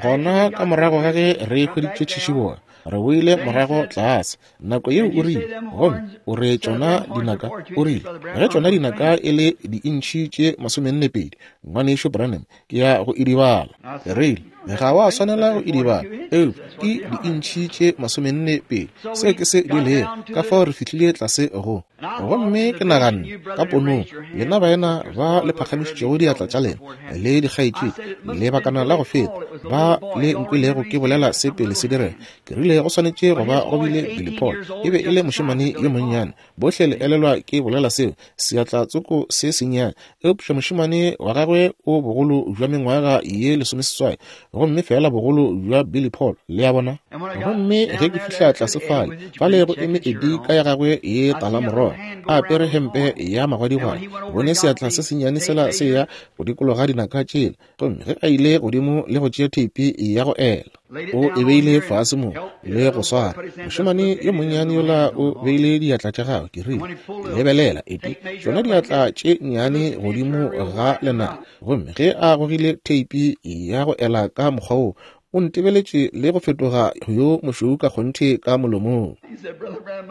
Speaker 1: Gona ka morago ga ge re hweditše tšhišiboya, re boile morago tlase. Nako yeo o rile, gomme o re tšona dinaka, o rile, ge tšona dinaka e le diintšhi tše masomenne pedi, ngwanešu Branham, ke ya go idibala. Ke rile, ga wa swanela go idibala, eupša ke diintšhi tše masomenne pedi, seo ke se di lego. Ka fao re fihlile tlase go. Gomme ke naganne ka ponong, lena baena ba le phagamišitšego diatla tša lena le dikgaetšedi lebakana la go feta, ba le nkwelego ke bolela se pele se direga. Ke rile, go swanetše go ba go bile Billy Paul, e be e le mošemane yo monnyane. Bohle le elelwa ke bolela seo, seatla tsoko se sennyane, eupša mošemane wa gagwe o bogolo bja mengwaga ye lesomeseswai, gomme fela bogolo bja Billy Paul, le a bona. Gomme ge ke fihla tlase fale, fale go eme Eddie ka ya gagwe ye tala morogo, a apere hempe ya magwadigwadi, bone seatla se sennyane sela se ya go dikologa dinaka tšela. Gomme ge a ile godimo le go tšea theipi ya go ela, O e beile fase mo le go swara. Mošemane yo monnyane yola o beile diatla tša gagwe. Ke rile, lebelela, ete tšona diatla tše nnyane godimo ga lenaka. Gomme ge a gogile theipi ya go ela ka mokgwa wo, o ntebeletše le go fetoga yo mošweu ka kgonthe ka molomong.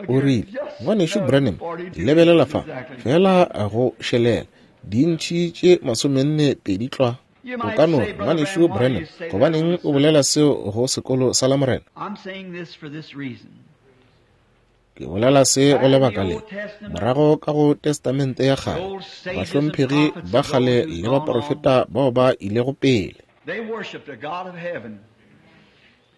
Speaker 1: O rile, Ngwanešu Branham, lebelela fa, fela go šelela, dintšhi tše masomenne pedi tlwa. O ka no, Ngwanešu Branham, gobaneng o bolela seo go sekolo sa Lamorena? Ke bolela se go lebaka le. Morago ka go Testamente ya kgale, bahlomphegi ba kgale le baprofeta bao ba ilego pele,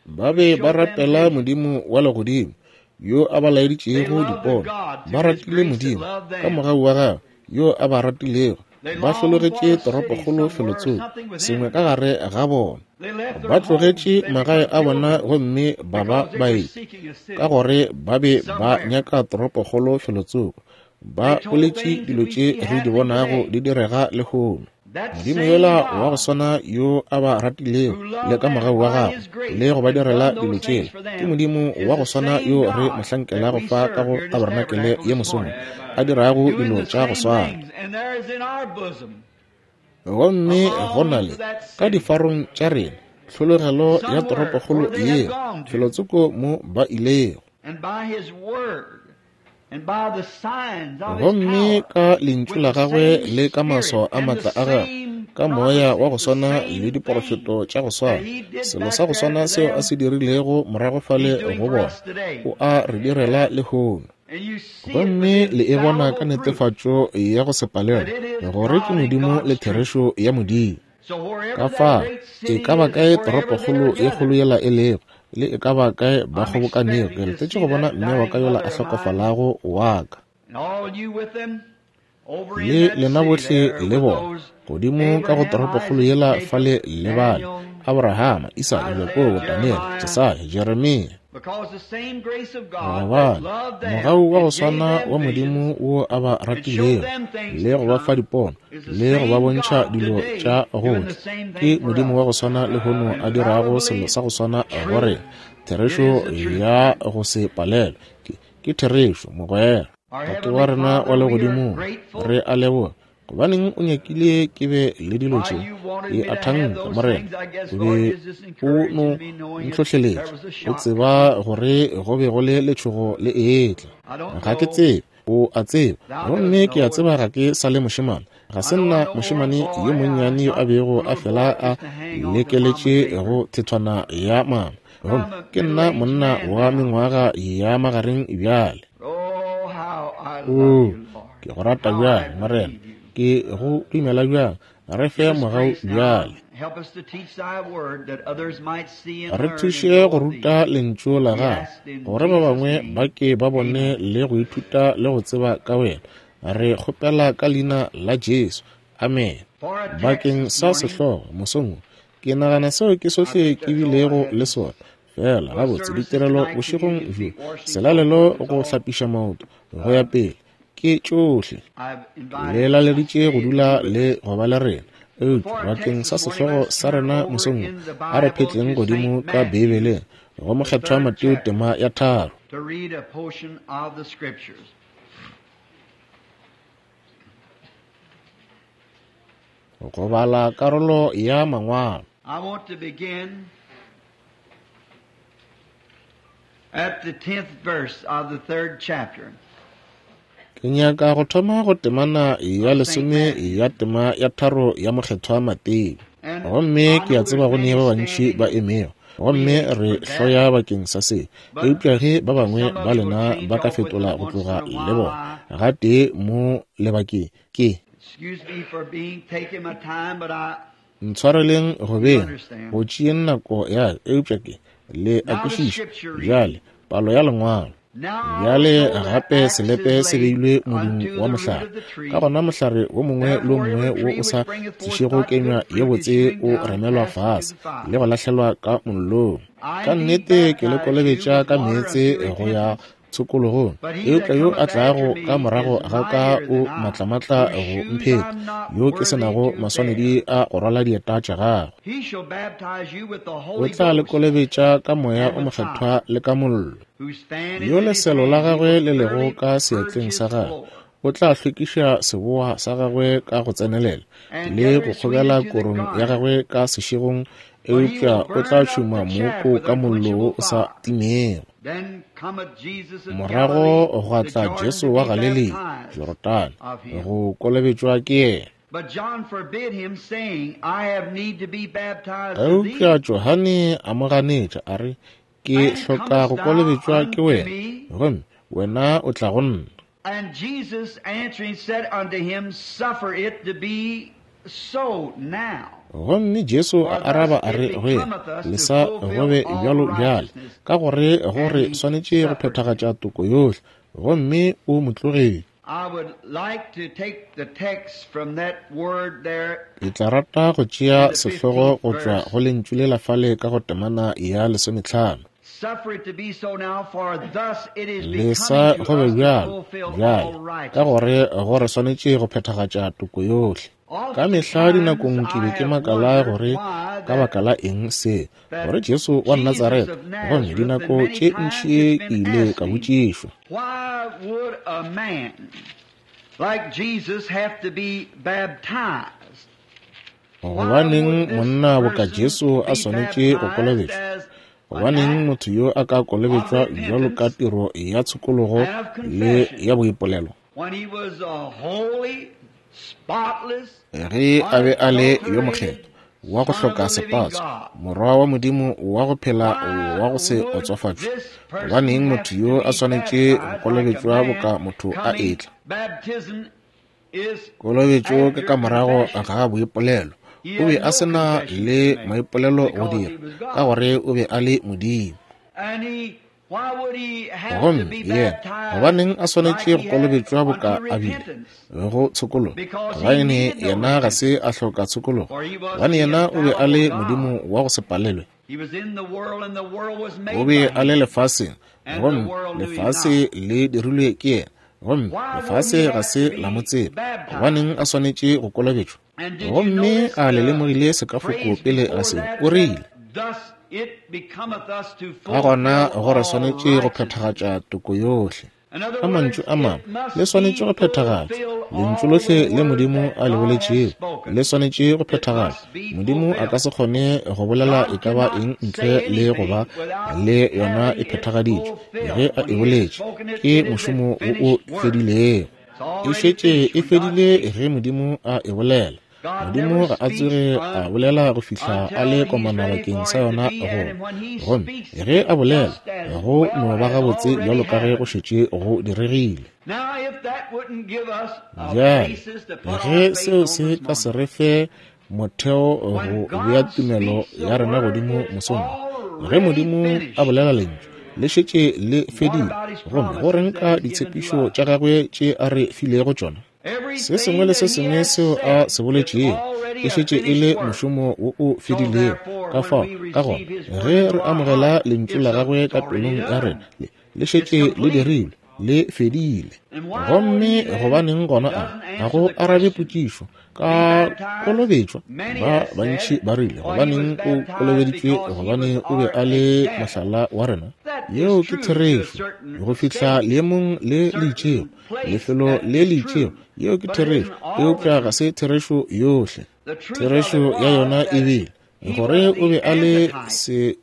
Speaker 1: ba be ba rapela Modimo wa legodimo yo a ba laeditšego dipono. Ba ratile Modimo ka mogau wa gagwe yo a ba ratilego. Ba hlologetše toropokgolo felotsoko, sengwe ka gare ga bona. Ba tlogetše magae a bona gomme ba ba baeti, ka gore ba be ba nyaka toropokgolo felotsoko. Ba boletše dilo tše re di bonago di direga lehono. Modimo yola wa go swana yo a ba ratilego le ka mogau wa gagwe le go ba direla dilo tšela, ke Modimo wa go swana yo re mo hlankelago fa ka go tabarenakele ye mosong, a dirago dilo tša go swana. Gomme go na le ka difarong tša rena tlhologelo ya toropokgolo yeo, felotsoko mo ba ilego. Gomme ka lentšu la gagwe le ka maswao a matla a gagwe, ka moya wa go swana le diporofeto tša go swana, selo sa go swana seo a se dirilego morago fale go bona, o a re direla lehono. Gomme le e bona ka netefatšo ya go se palelwe gore ke Modimo le therešo ya Modimo. Ka fa e ka ba kae toropokgolo ye kgolo yela e lego, le e ka ba kae ba kgobokanego, ke letetše go bona mme wa ka yola a hlokofalago wa ka, le lena bohle le bona godimo ka go toropokgolo yela fale le bale, Abrahama, Isaka, Jakobo, Daniel, Jesaya, Jeremia. Gobane mogau wa go swana wa Modimo wo a ba ratilego le go ba fa dipono le go ba bontšha dilo tša go tla, ke Modimo wa go swana lehono a dirago selo sa go swana go rena. Therešo ya go se palelwe ke therešo, mogwera. Tate wa rena wa legodimong, re a leboga gobaneng o nyakile ke be le dilo tše. Ke a thanka, Morena, o be o no ntlhohleletša, o tseba gore go be go le letšhogo le etla. Ga ke tsebe, o a tseba, gomme ke a tseba ga ke sa le mošemane. Ga se nna mošemane yo monnyane yo a bego a fela a lekeletše go thethwana ya mama, gomme ke nna monna wa mengwaga ya magareng bjale. O, ke go rata bjang, Morena, ke go dumela bjang, re fe mogau bjale. Re thuše go ruta lentšu la gago, gore ba bangwe ba ke ba bone le go ithuta le go tseba ka wena. Re kgopela ka leina la Jesu, amen. Bakeng sa sehlogo mosong, ke nagana seo ke sohle ke bilego le sona. Fela gabotse ditirelo bošegong bjo, selalelo, go hlapiša maoto, go ya pele, ke tšohle. Le laleditše go dula le go ba le rena. Eupša bakeng sa sehlogo sa rena mosong, a re phetleng godimo ka Beibeleng go Mokgethwa Mateo tema ya tharo. Go bala karolo ya mangwalo.
Speaker 2: At the tenth verse of the third chapter.
Speaker 1: Ke nyaka go thoma go temana ya lesome ya tema ya tharo ya Mokgethwa Mateo. Gomme ke a tseba go ne ba bantši ba emego, gomme re hloya bakeng sa se. Eupša ge ba bangwe ba lena ba ka fetola go tloga le bona gatee mo lebakeng, ke ntshwareleng go beng go tšeeng nako ya, eupša ke le a kwešiša bjale palo ya lengwalo. Bjale gape selepe se beilwe modung wa mohlare, ka gona mohlare wo mongwe le wo mongwe wo o sa tlišego kenywa ye botse o remelwa fase le go lahlelwa ka mollong. Ka nnete ke le kolobetša ka meetse go ya tshokologong, eupša yo a tlago ka morago ga ka o matlamatla go mpheta, yo ke se nago maswanedi a go rwala dieta tša gagwe. O tla le kolobetša ka Moya o Mokgethwa le ka mollo, yo leselo la gagwe le lego ka seatleng sa gagwe. O tla hlwekiša seboa sa gagwe ka go tsenelela le go kgobela korong ya gagwe ka sešegong, eupša o tla tšhuma mooko ka mollo wo o sa timego. Morago gwa tla Jesu wa Galilea, Jorodane, go kolobetšwa ke yena. Eupša Johane a mo ganetša a re, ke hloka go kolobetšwa ke wena, gomme wena o tla go nna.
Speaker 2: And Jesus answering said unto him, Suffer it to be so now.
Speaker 1: Gomme Jesu a araba a re go yena, lesa go be bjalo bjale, ka gore go re swanetše go phethagatša toko yohle. Gomme o mo tlogetše.
Speaker 2: I would like to take the text from that word there.
Speaker 1: Ke tla rata go tšea sehlogo go tšwa go lentšu le la fale ka go temana ya lesometlhano.
Speaker 2: Suffer it to be so now, for thus it is
Speaker 1: Lesa
Speaker 2: becoming
Speaker 1: go
Speaker 2: to
Speaker 1: be
Speaker 2: us to
Speaker 1: bjalo
Speaker 2: fulfill
Speaker 1: bjale,
Speaker 2: all
Speaker 1: ka
Speaker 2: righteousness.
Speaker 1: gore go re swanetše go phethagatša toko yohle. Ka mehla dinakong ke be ke
Speaker 2: Oftentimes I have
Speaker 1: makala
Speaker 2: wondered
Speaker 1: gore
Speaker 2: why
Speaker 1: ka
Speaker 2: that
Speaker 1: baka la eng se, gore
Speaker 2: that
Speaker 1: Jesu wa
Speaker 2: Jesus
Speaker 1: Nazaretha,
Speaker 2: of
Speaker 1: gomme
Speaker 2: Nazareth, and
Speaker 1: dinako
Speaker 2: many
Speaker 1: tše
Speaker 2: times
Speaker 1: ntši
Speaker 2: it's
Speaker 1: ke
Speaker 2: been
Speaker 1: ile
Speaker 2: asked
Speaker 1: ka
Speaker 2: me,
Speaker 1: botšišwa,
Speaker 2: why would a man like Jesus have to be baptized? Why
Speaker 1: gobaneng
Speaker 2: would this
Speaker 1: monna boka
Speaker 2: person
Speaker 1: Jesu a
Speaker 2: be
Speaker 1: swanetše go
Speaker 2: baptized
Speaker 1: kolobetšwa?
Speaker 2: as an
Speaker 1: Gobaneng
Speaker 2: act
Speaker 1: motho yo a ka
Speaker 2: of
Speaker 1: kolobetšwa bjalo ka
Speaker 2: repentance
Speaker 1: tiro ya tshokologo
Speaker 2: and of
Speaker 1: le
Speaker 2: confession
Speaker 1: ya boipolelo?
Speaker 2: when he was a holy, spotless,
Speaker 1: Ge a be a le yo
Speaker 2: unadulterated
Speaker 1: mokgethwa, wa go
Speaker 2: Son of
Speaker 1: hloka
Speaker 2: the living
Speaker 1: sepatso,
Speaker 2: God?
Speaker 1: morwa wa Modimo wa go phela
Speaker 2: Why
Speaker 1: wa go se
Speaker 2: would
Speaker 1: otsofatšwe,
Speaker 2: this person
Speaker 1: gobaneng
Speaker 2: have
Speaker 1: motho
Speaker 2: to
Speaker 1: yo a
Speaker 2: be
Speaker 1: swanetše go
Speaker 2: baptized like a
Speaker 1: kolobetšwa
Speaker 2: man
Speaker 1: boka motho a
Speaker 2: coming?
Speaker 1: etla?
Speaker 2: Baptism is
Speaker 1: Kolobetšo ke
Speaker 2: after
Speaker 1: ka morago
Speaker 2: confession.
Speaker 1: ga boipolelo.
Speaker 2: He
Speaker 1: O be
Speaker 2: had
Speaker 1: a
Speaker 2: no
Speaker 1: se na
Speaker 2: confession
Speaker 1: le
Speaker 2: to make
Speaker 1: maipolelo go
Speaker 2: because he
Speaker 1: dira,
Speaker 2: was
Speaker 1: ka
Speaker 2: God.
Speaker 1: gore o be a le Modimo.
Speaker 2: And he, why would he have to
Speaker 1: Gomme
Speaker 2: be
Speaker 1: yena,
Speaker 2: baptized
Speaker 1: gobaneng a
Speaker 2: like
Speaker 1: swanetše
Speaker 2: he
Speaker 1: go
Speaker 2: had
Speaker 1: kolobetšwa
Speaker 2: unto
Speaker 1: boka a bile
Speaker 2: repentance?
Speaker 1: go tshokologo?
Speaker 2: Because he
Speaker 1: Gobane
Speaker 2: needed no
Speaker 1: yena ga
Speaker 2: repentance,
Speaker 1: se a hloka tshokologo,
Speaker 2: for he was
Speaker 1: gobane
Speaker 2: the
Speaker 1: yena o be a le
Speaker 2: infallible God.
Speaker 1: Modimo wa go se palelwe.
Speaker 2: He was in the world, and the world was
Speaker 1: O
Speaker 2: made
Speaker 1: be
Speaker 2: by
Speaker 1: a le
Speaker 2: him,
Speaker 1: lefaseng,
Speaker 2: and the
Speaker 1: gomme
Speaker 2: world knew him
Speaker 1: lefase
Speaker 2: not.
Speaker 1: le dirilwe ke yena, gomme
Speaker 2: Why would
Speaker 1: lefase
Speaker 2: he
Speaker 1: ga
Speaker 2: have to
Speaker 1: se la mo
Speaker 2: be
Speaker 1: tseba.
Speaker 2: baptized?
Speaker 1: Gobaneng a swanetše go kolobetšwa?
Speaker 2: And did you
Speaker 1: Gomme
Speaker 2: notice
Speaker 1: a le
Speaker 2: the
Speaker 1: lemogile sekafoko
Speaker 2: phrase
Speaker 1: pele ga
Speaker 2: before
Speaker 1: se,
Speaker 2: that
Speaker 1: o rile,
Speaker 2: that thus it becometh us to
Speaker 1: ka gona
Speaker 2: fulfill
Speaker 1: go re
Speaker 2: all
Speaker 1: swanetše go
Speaker 2: righteousness.
Speaker 1: phethagatša toko yohle.
Speaker 2: In other
Speaker 1: Ka mantšu
Speaker 2: words,
Speaker 1: a mangwe,
Speaker 2: it must
Speaker 1: le swanetše
Speaker 2: be
Speaker 1: go phethagatšwa.
Speaker 2: fulfilled
Speaker 1: Lentšu
Speaker 2: all
Speaker 1: lohle
Speaker 2: the
Speaker 1: le
Speaker 2: word
Speaker 1: Modimo
Speaker 2: that
Speaker 1: a le
Speaker 2: God hath
Speaker 1: boletšego
Speaker 2: spoken.
Speaker 1: le swanetše go
Speaker 2: It
Speaker 1: phethagatšwa.
Speaker 2: must be
Speaker 1: Modimo a ka
Speaker 2: fulfilled.
Speaker 1: se kgone go bolela
Speaker 2: God
Speaker 1: e ka ba
Speaker 2: cannot
Speaker 1: eng
Speaker 2: say
Speaker 1: ntle le go ba
Speaker 2: anything without
Speaker 1: le yona e
Speaker 2: having it
Speaker 1: phethagaditšwe. Ge
Speaker 2: fulfilled.
Speaker 1: a
Speaker 2: When
Speaker 1: e
Speaker 2: he has
Speaker 1: boletše,
Speaker 2: spoken it,
Speaker 1: ke
Speaker 2: it is a
Speaker 1: mošomo wo o
Speaker 2: finished work.
Speaker 1: fedilego.
Speaker 2: It's
Speaker 1: E
Speaker 2: already
Speaker 1: šetše
Speaker 2: finished
Speaker 1: e
Speaker 2: when God
Speaker 1: fedile
Speaker 2: speaks.
Speaker 1: ge Modimo a e bolela.
Speaker 2: God
Speaker 1: Modimo
Speaker 2: never
Speaker 1: ga a
Speaker 2: speaks
Speaker 1: tsoge a
Speaker 2: un,
Speaker 1: bolela go fihla a
Speaker 2: until
Speaker 1: le
Speaker 2: he's
Speaker 1: komana
Speaker 2: ready
Speaker 1: bakeng
Speaker 2: for
Speaker 1: sa
Speaker 2: it to
Speaker 1: yona
Speaker 2: be,
Speaker 1: go
Speaker 2: and when he
Speaker 1: gomme
Speaker 2: speaks
Speaker 1: ge a
Speaker 2: it
Speaker 1: bolela
Speaker 2: just as
Speaker 1: go
Speaker 2: well
Speaker 1: no ba
Speaker 2: as
Speaker 1: gabotse
Speaker 2: already
Speaker 1: bjalo ka ge go
Speaker 2: happened.
Speaker 1: šetše go diregile.
Speaker 2: Now, if that wouldn't give us a
Speaker 1: Bjale
Speaker 2: basis to put our
Speaker 1: ge
Speaker 2: faith
Speaker 1: seo
Speaker 2: on
Speaker 1: se
Speaker 2: this
Speaker 1: ka se
Speaker 2: morning,
Speaker 1: re fe motheo go
Speaker 2: when
Speaker 1: bea
Speaker 2: God
Speaker 1: tumelo
Speaker 2: speaks the
Speaker 1: ya rena
Speaker 2: word,
Speaker 1: godimo
Speaker 2: it's
Speaker 1: mosong wo, ge
Speaker 2: already
Speaker 1: Modimo a
Speaker 2: finished.
Speaker 1: bolela lentšu le šetše le
Speaker 2: What
Speaker 1: fedile,
Speaker 2: about his
Speaker 1: gomme go
Speaker 2: promises
Speaker 1: reng
Speaker 2: that
Speaker 1: ka
Speaker 2: he's given to
Speaker 1: ditshepišo
Speaker 2: us?
Speaker 1: tša gagwe tše a re filego tšona? Se sengwe
Speaker 2: Everything
Speaker 1: le se
Speaker 2: that he
Speaker 1: sengwe
Speaker 2: has
Speaker 1: seo a
Speaker 2: said
Speaker 1: se
Speaker 2: is
Speaker 1: boletšego e
Speaker 2: already a
Speaker 1: šetše e
Speaker 2: finished
Speaker 1: le
Speaker 2: work.
Speaker 1: mošomo wo o
Speaker 2: So
Speaker 1: fedilego.
Speaker 2: therefore,
Speaker 1: Ka
Speaker 2: when
Speaker 1: fao,
Speaker 2: we
Speaker 1: ka gona
Speaker 2: receive his word
Speaker 1: ge
Speaker 2: into
Speaker 1: re
Speaker 2: our
Speaker 1: amogela
Speaker 2: heart,
Speaker 1: lentšu
Speaker 2: it's,
Speaker 1: la
Speaker 2: a,
Speaker 1: gagwe
Speaker 2: it's
Speaker 1: ka
Speaker 2: already
Speaker 1: pelong ya
Speaker 2: done.
Speaker 1: rena, le le
Speaker 2: It's
Speaker 1: šetše le
Speaker 2: complete.
Speaker 1: dirilwe, le fedile.
Speaker 2: And why would
Speaker 1: Gomme
Speaker 2: he then
Speaker 1: gobaneng gona a
Speaker 2: doesn't
Speaker 1: ga
Speaker 2: answer
Speaker 1: go
Speaker 2: the
Speaker 1: arabe
Speaker 2: question?
Speaker 1: potšišo
Speaker 2: Be
Speaker 1: ka
Speaker 2: baptized?
Speaker 1: kolobetšwa?
Speaker 2: Many
Speaker 1: Ba
Speaker 2: have
Speaker 1: bantši
Speaker 2: said,
Speaker 1: ba rile,
Speaker 2: why he was
Speaker 1: gobaneng o
Speaker 2: baptized
Speaker 1: kolobeditšwe?
Speaker 2: because he
Speaker 1: Gobane
Speaker 2: was
Speaker 1: o be
Speaker 2: our
Speaker 1: a le
Speaker 2: example.
Speaker 1: mohlala wa rena.
Speaker 2: That is
Speaker 1: Yeo ke
Speaker 2: true to a
Speaker 1: therešo
Speaker 2: certain
Speaker 1: go fihla
Speaker 2: stage,
Speaker 1: leemong le le
Speaker 2: certain
Speaker 1: itšego,
Speaker 2: place.
Speaker 1: lefelo
Speaker 2: That
Speaker 1: le
Speaker 2: is
Speaker 1: le itšego.
Speaker 2: true.
Speaker 1: Yeo ke
Speaker 2: But it
Speaker 1: therešo,
Speaker 2: isn't all the
Speaker 1: eupša ga
Speaker 2: truth.
Speaker 1: se therešo yohle.
Speaker 2: The truth of
Speaker 1: Therešo
Speaker 2: it
Speaker 1: ya yona
Speaker 2: was
Speaker 1: e
Speaker 2: that
Speaker 1: bile
Speaker 2: he
Speaker 1: gore
Speaker 2: was
Speaker 1: o be
Speaker 2: the
Speaker 1: a le
Speaker 2: antitype.
Speaker 1: se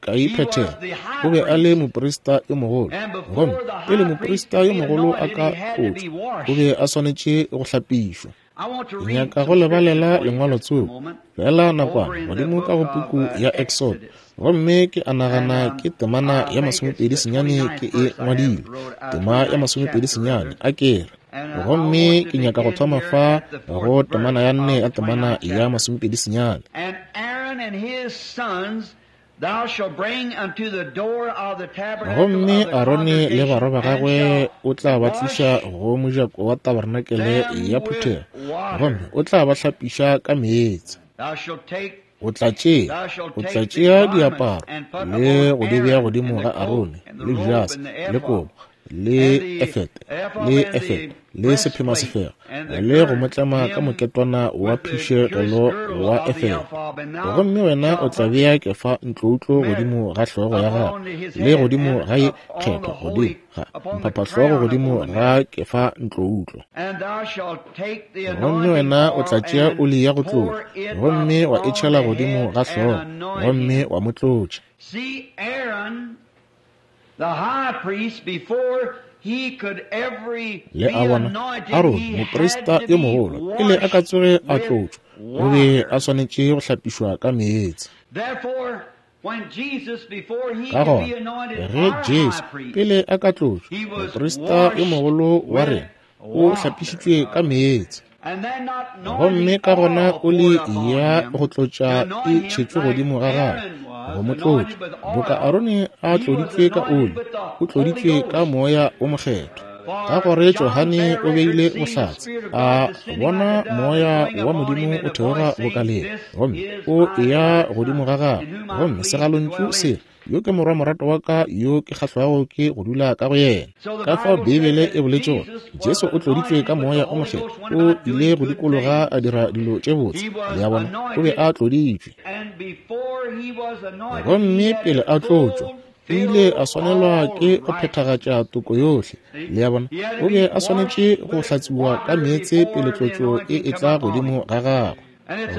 Speaker 2: He was
Speaker 1: phethego,
Speaker 2: the
Speaker 1: o
Speaker 2: high
Speaker 1: be a le
Speaker 2: priest.
Speaker 1: moprista yo mogolo,
Speaker 2: And
Speaker 1: gomme
Speaker 2: before the
Speaker 1: pele
Speaker 2: high priest
Speaker 1: moprista
Speaker 2: could
Speaker 1: yo
Speaker 2: be
Speaker 1: mogolo a
Speaker 2: anointed,
Speaker 1: ka
Speaker 2: he had to
Speaker 1: tlotšwa,
Speaker 2: be
Speaker 1: o
Speaker 2: washed.
Speaker 1: be a swanetše go hlapišwa.
Speaker 2: I want to
Speaker 1: Ke
Speaker 2: read
Speaker 1: nyaka go
Speaker 2: some
Speaker 1: le
Speaker 2: scripture
Speaker 1: balela
Speaker 2: for you
Speaker 1: lengwalo
Speaker 2: just a
Speaker 1: tsoko
Speaker 2: moment
Speaker 1: fela
Speaker 2: over
Speaker 1: nakwana
Speaker 2: in the
Speaker 1: godimo ka
Speaker 2: book
Speaker 1: go
Speaker 2: of
Speaker 1: puku
Speaker 2: uh,
Speaker 1: ya Exodo,
Speaker 2: Exodus.
Speaker 1: gomme ke a
Speaker 2: And
Speaker 1: nagana
Speaker 2: um,
Speaker 1: ke temana
Speaker 2: I
Speaker 1: ya
Speaker 2: think it's
Speaker 1: masomepedi
Speaker 2: the
Speaker 1: senyane
Speaker 2: twenty-ninth
Speaker 1: ke e
Speaker 2: verse I have
Speaker 1: ngwadile,
Speaker 2: wrote, uh,
Speaker 1: tema ya
Speaker 2: twenty-ninth
Speaker 1: masomepedi
Speaker 2: chapter
Speaker 1: senyane
Speaker 2: rather.
Speaker 1: a kere.
Speaker 2: And uh, I
Speaker 1: Gomme
Speaker 2: want to
Speaker 1: ke nyaka go
Speaker 2: begin
Speaker 1: thoma
Speaker 2: here
Speaker 1: fa
Speaker 2: at the
Speaker 1: go
Speaker 2: fourth
Speaker 1: temana
Speaker 2: verse
Speaker 1: ya nne
Speaker 2: of
Speaker 1: ya
Speaker 2: the
Speaker 1: temana
Speaker 2: twenty-ninth
Speaker 1: ya
Speaker 2: chapter.
Speaker 1: masomepedi senyane.
Speaker 2: And Aaron and his sons thou shalt bring unto the door of the tabernacle
Speaker 1: Gomme
Speaker 2: of the
Speaker 1: Arone le barwa
Speaker 2: congregation,
Speaker 1: ba
Speaker 2: and
Speaker 1: gagwe
Speaker 2: shall
Speaker 1: o tla ba tliša
Speaker 2: wash
Speaker 1: go mojako wa tabernakelele
Speaker 2: them
Speaker 1: ya
Speaker 2: with
Speaker 1: phuthego, gomme
Speaker 2: water.
Speaker 1: o tla ba hlapiša ka meetse.
Speaker 2: Thou shalt take
Speaker 1: O tla tšea
Speaker 2: thou shalt
Speaker 1: o tla
Speaker 2: take the
Speaker 1: tšea
Speaker 2: garments
Speaker 1: diaparo
Speaker 2: and put
Speaker 1: le
Speaker 2: upon
Speaker 1: go di bea
Speaker 2: Aaron
Speaker 1: godimo
Speaker 2: and
Speaker 1: ga
Speaker 2: the coat
Speaker 1: Arone
Speaker 2: and the
Speaker 1: le
Speaker 2: robe
Speaker 1: jase
Speaker 2: and the
Speaker 1: le
Speaker 2: ephod
Speaker 1: kobo le efete, le efete, le sephemasefega, le go mo tlema ka moketwana wa phišegelo wa efete. Gomme wena o tla bea kefa ntloutlo godimo ga hlogo ya gagwe, le godimo ga ye kgethwa godimo ga mphaphahlogo godimo ga kefa ntloutlo. Gomme wena o tla tšea oli ya go tlotša, gomme wa e tšhela godimo ga hlogo, gomme wa mo tlotša. Le a bona, Arone, moprista yo mogolo, pele a ka tsoge a tlotšwa, o be a swanetše go hlapišwa ka meetse. Ka gona, ge Jesu pele a ka tlotšwa, moprista yo mogolo wa rena, o hlapišitšwe ka meetse. Gomme ka gona oli ya go tlotša e tšhetšwe godimo ga gagwe go mo tlotša, boka Arone a tloditšwe ka oli, o tloditšwe ka moya o mokgethwa. Ka gore Johane o beile bohlatse, a bona moya wa Modimo o theoga boka lee, gomme o eya godimo ga gagwe, gomme segalontšu se, yo ke morwa morato wa ka yo ke kgahlwago ke go dula ka go yena. Ka fao Beibele e boletše gore Jesu o tloditšwe ka moya o mokgethwa, o ile go dikologa a dira dilo tše botse. Le a bona, o be a tloditšwe. Gomme pele a tlotšwa, o ile a swanelwa ke go phethagatša toko yohle. Le a bona, o be a swanetše go hlatsiwa ka meetse pele tlotšo e etla godimo ga gagwe.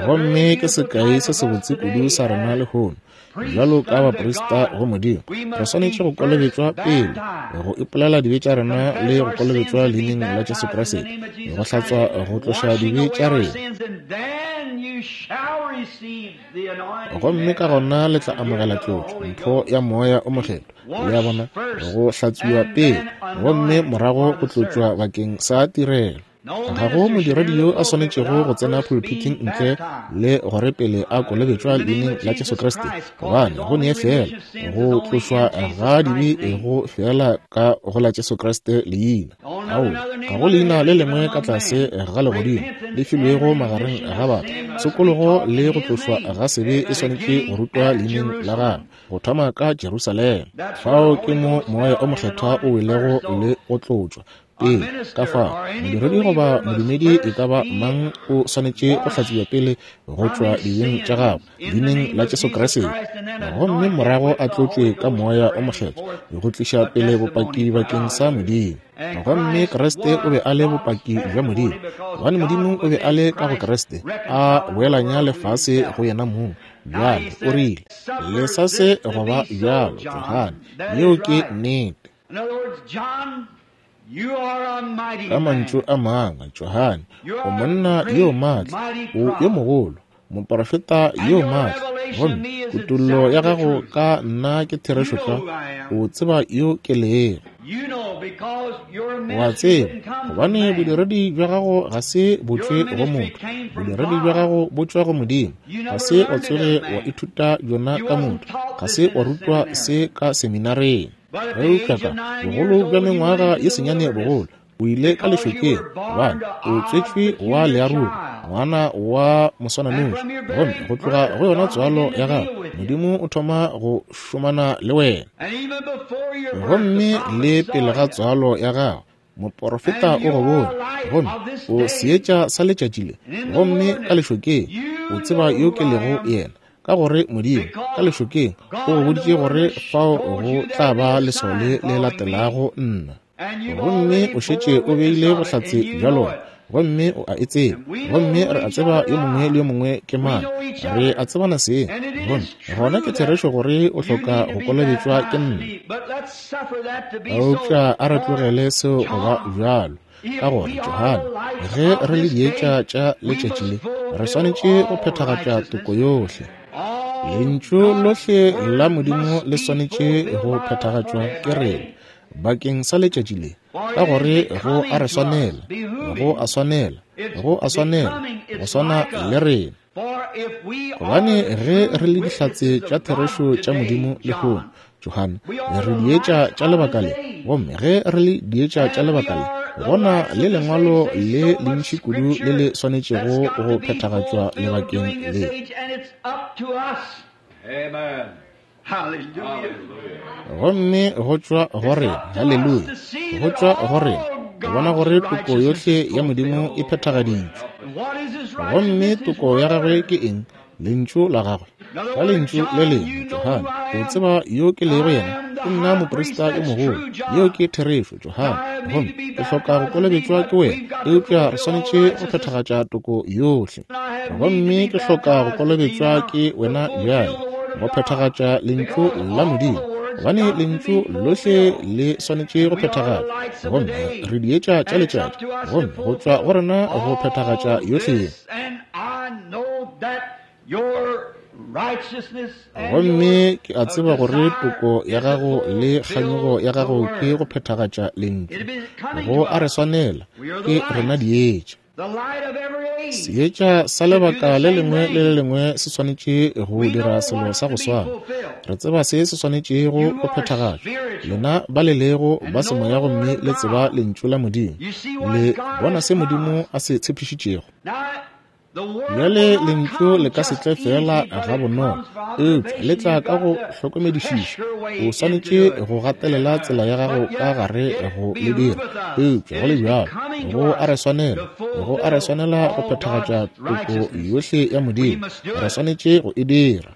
Speaker 1: Gomme ke sekai se sebotse kudu sa rena lehono. Bjalo ka baprista go Modimo, re swanetše go kolobetšwa pele, go ipolela dibe tša rena le go kolobetšwa leineng la Jesu Kriste, go hlatswa go tloša dibe tša rena. Gomme ka gona le tla amogela tlotšo, mpho ya moya o mokgethwa. Le a bona, go hlatswiwa pele, gomme morago go tlotšwa bakeng sa tirelo. Ga go modiredi yo a swanetšego go tsena pulpiting ntle le gore pele a kolobetšwa leineng la Jesu Kriste, gobane go nee fela go tlošwa ga dibe go fela ka go la Jesu Kriste leina. Ao, ga go leina le lengwe ka tlase ga legodimo le filwego magareng ga batho. Tshokologo le go tlošwa ga sebe e swanetše go rutwa leineng la gagwe, go thoma ka Jerusalema. Fao ke mo moya o mokgethwa o welego le go tlotšwa pele. Ka fao modiredi goba modumedi e ka ba mang o swanetše go hlatsiwa pele go tšwa dibeng tša gagwe leineng la Jesu Kriste, gomme morago a tlotšwe ka moya o mokgethwa go tliša pele bopaki bakeng sa Modimo. Gomme Kriste o be a le bopaki bja Modimo, gobane Modimo o be a le ka go Kriste, a boelanya lefase go yena mong. Bjale o rile, lesa se go ba bjalo, Johane. Yeo ke nnete. Ka mantšu a mangwe, Johane, o monna yo maatla, o yo mogolo, moprofeta yo maatla, gomme kutollo ya gago ka nna ke therešo tlwa. O tseba yo ke lego. O a tseba, gobane bodiredi bja gago ga se bo tšwe go motho, bodiredi bja gago bo tšwa go Modimo. Ga se wa tsoge wa ithuta bjona ka motho, ga se wa rutwa se ka seminareng. Eupša ka bogolo bja mengwaga ye senyane bogolo, o ile ka lešokeng, gobane o tswetšwe wa learogi, ngwana wa moswananoši. Gomme go tloga go yona tswalo ya gago, Modimo o thoma go šomana le wena. Gomme le pele ga tswalo ya gago, moporofeta o go bone, gomme o seetša sa letšatši le. Gomme ka lešokeng, o tseba yo ke lego yena, ka gore Modimo ka lešokeng o go boditše gore fao go tla ba leswao le le latelago nna. Gomme o šetše o beile bohlatse bja lona, gomme o a e tseba. Gomme re a tseba yo mongwe le yo mongwe ke mang, re a tsebana seng. Gomme gona ke therešo gore o hloka go kolobetšwa ke nna. Eupša a re tlogele seo go ba bjalo, ka gore Johane, ge re le dietša tša letšatši le, re swanetše go phethagatša toko yohle. Lentšu lohle la Modimo le swanetše go phethagatšwa ke rena bakeng sa letšatši le, ka gore go a re swanela, go a swanela, go a swanela, go swana le rena. Gobane ge re le dihlatse tša therešo tša Modimo lehono, Johane, re dietša tša lebaka le. Gomme ge re le dietša tša lebaka le, gona le lengwalo le lentši kudu le le swanetšego go phethagatšwa lebakeng le. Gomme go tšwa go rena, haleluya, go tšwa go rena go bona gore toko yohle ya Modimo e phethagaditšwe. Gomme toko ya gagwe ke eng? Lentšu la gagwe. Ka lentšu le lengwe, Johane, o tseba yo ke lego yena? Ke nna moprista yo mogolo. Yeo ke therešo, Johane. Gomme ke hloka go kolobetšwa ke wena, eupša re swanetše go phethagatša toko yohle. Gomme ke hloka go kolobetšwa ke wena bjale, go phethagatša lentšu la Modimo, gobane lentšu lohle le swanetše go phethagatšwa. Gomme re dietša tša letšatši, gomme go tšwa go rena go phethagatša yohle. Gomme ke a tseba gore toko ya gago le kganyogo ya gago ke go phethagatša lentšu. Go a re swanela, ke rena dietša. Seetša sa lebaka le lengwe le le lengwe se swanetše go dira selo sa go swana. Re tseba se se swanetšego go phethagatšwa. Lena ba le lego ba semoya gomme le tseba lentšu la Modimo. Le bona se Modimo a se tshepišitšego. Bjale lentšu le ka se tle fela ga bonolo, eupša le tla ka go hlokomedišiša. O swanetše go gatelela tsela ya gago ka gare go le dira, eupša go le bjalo go a re swanela, go a re swanela go phethagatša toko yohle ya Modimo. Re swanetše go e dira.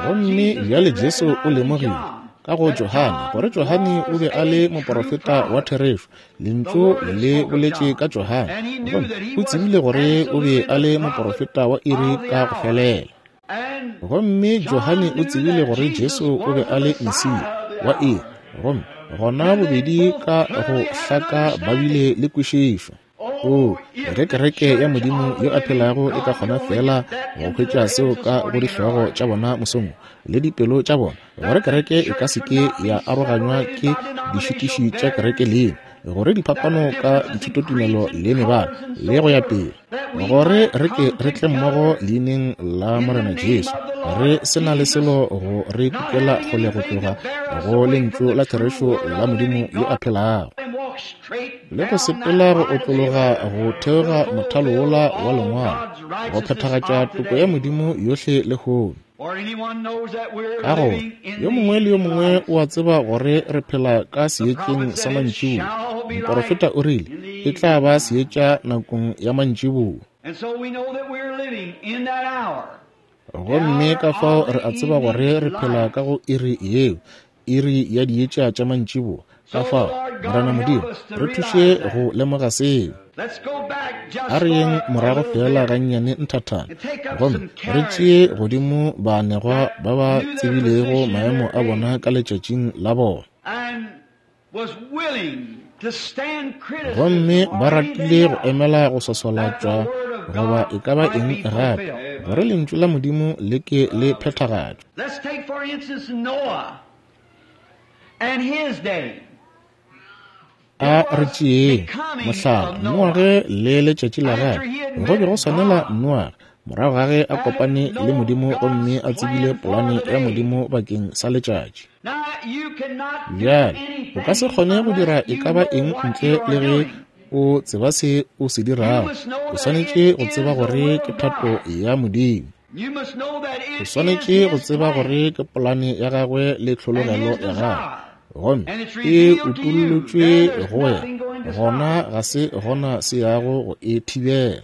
Speaker 1: Gomme bjale Jesu o lemogile ka go Johane gore Johane o be a le moporofeta wa therešo. Lentšu le boletše ka Johane, gomme o tsebile gore o be a le moporofeta wa iri ka go felela. Gomme Johane o tsebile gore Jesu o be a le Mesia wa iri, gomme gona bobedi ka go hlaka ba bile le kwešišo. O, ge kereke ya Modimo yo a phelago e ka kgona fela go hwetša seo ka go dihlogo tša bona mosong le dipelo tša bona, gore kereke e ka se ke ya aroganywa ke dišitiši tša kereke lena, gore diphapano ka dithutotumelo le mebala le go ya pele, gore re ke re tle mmogo leineng la Morena Jesu, re se na le selo go re kukela kgole go tloga go lentšu la therešo la Modimo yo a phelago, le go sepela go otlologa go theoga mothalo wola wa lengwalo, go phethagatša toko ya Modimo yohle lehono. Ka gore yo mongwe le yo mongwe o a tseba gore re phela ka seetšeng sa mantšiboa. Moporofeta o rile e tla ba seetša nakong ya mantšiboa. Gomme ka fao re a tseba gore re phela ka go iri yeo, iri ya dietša tša mantšiboa. Ka fao, Morena Modimo, re thuše go lemoga seo. A re yeng morago fela gannyane nthathana, gomme re tšee godimo baanegwa ba ba tsebilego maemo a bona ka letšatšing la bona. Gomme ba ratile go emela go swaswalatšwa goba e ka ba eng gape, gore lentšu la Modimo le ke le phethagatšwe. A re tšeeng mohlala Noage le letšatši la gagwe. Go be go swanela Noage morago ga ge a kopane le Modimo gomme a tsebile polane ya Modimo bakeng sa letšatši. Bjale o ka se kgone go dira e ka ba eng ntle le ge o tseba se o se dirago. O swanetše go tseba gore ke thato ya Modimo. O swanetše go tseba gore ke polane ya gagwe le tlhologelo ya gagwe, gomme e utollotšwe go wena, gona ga se gona se yago go e thibela.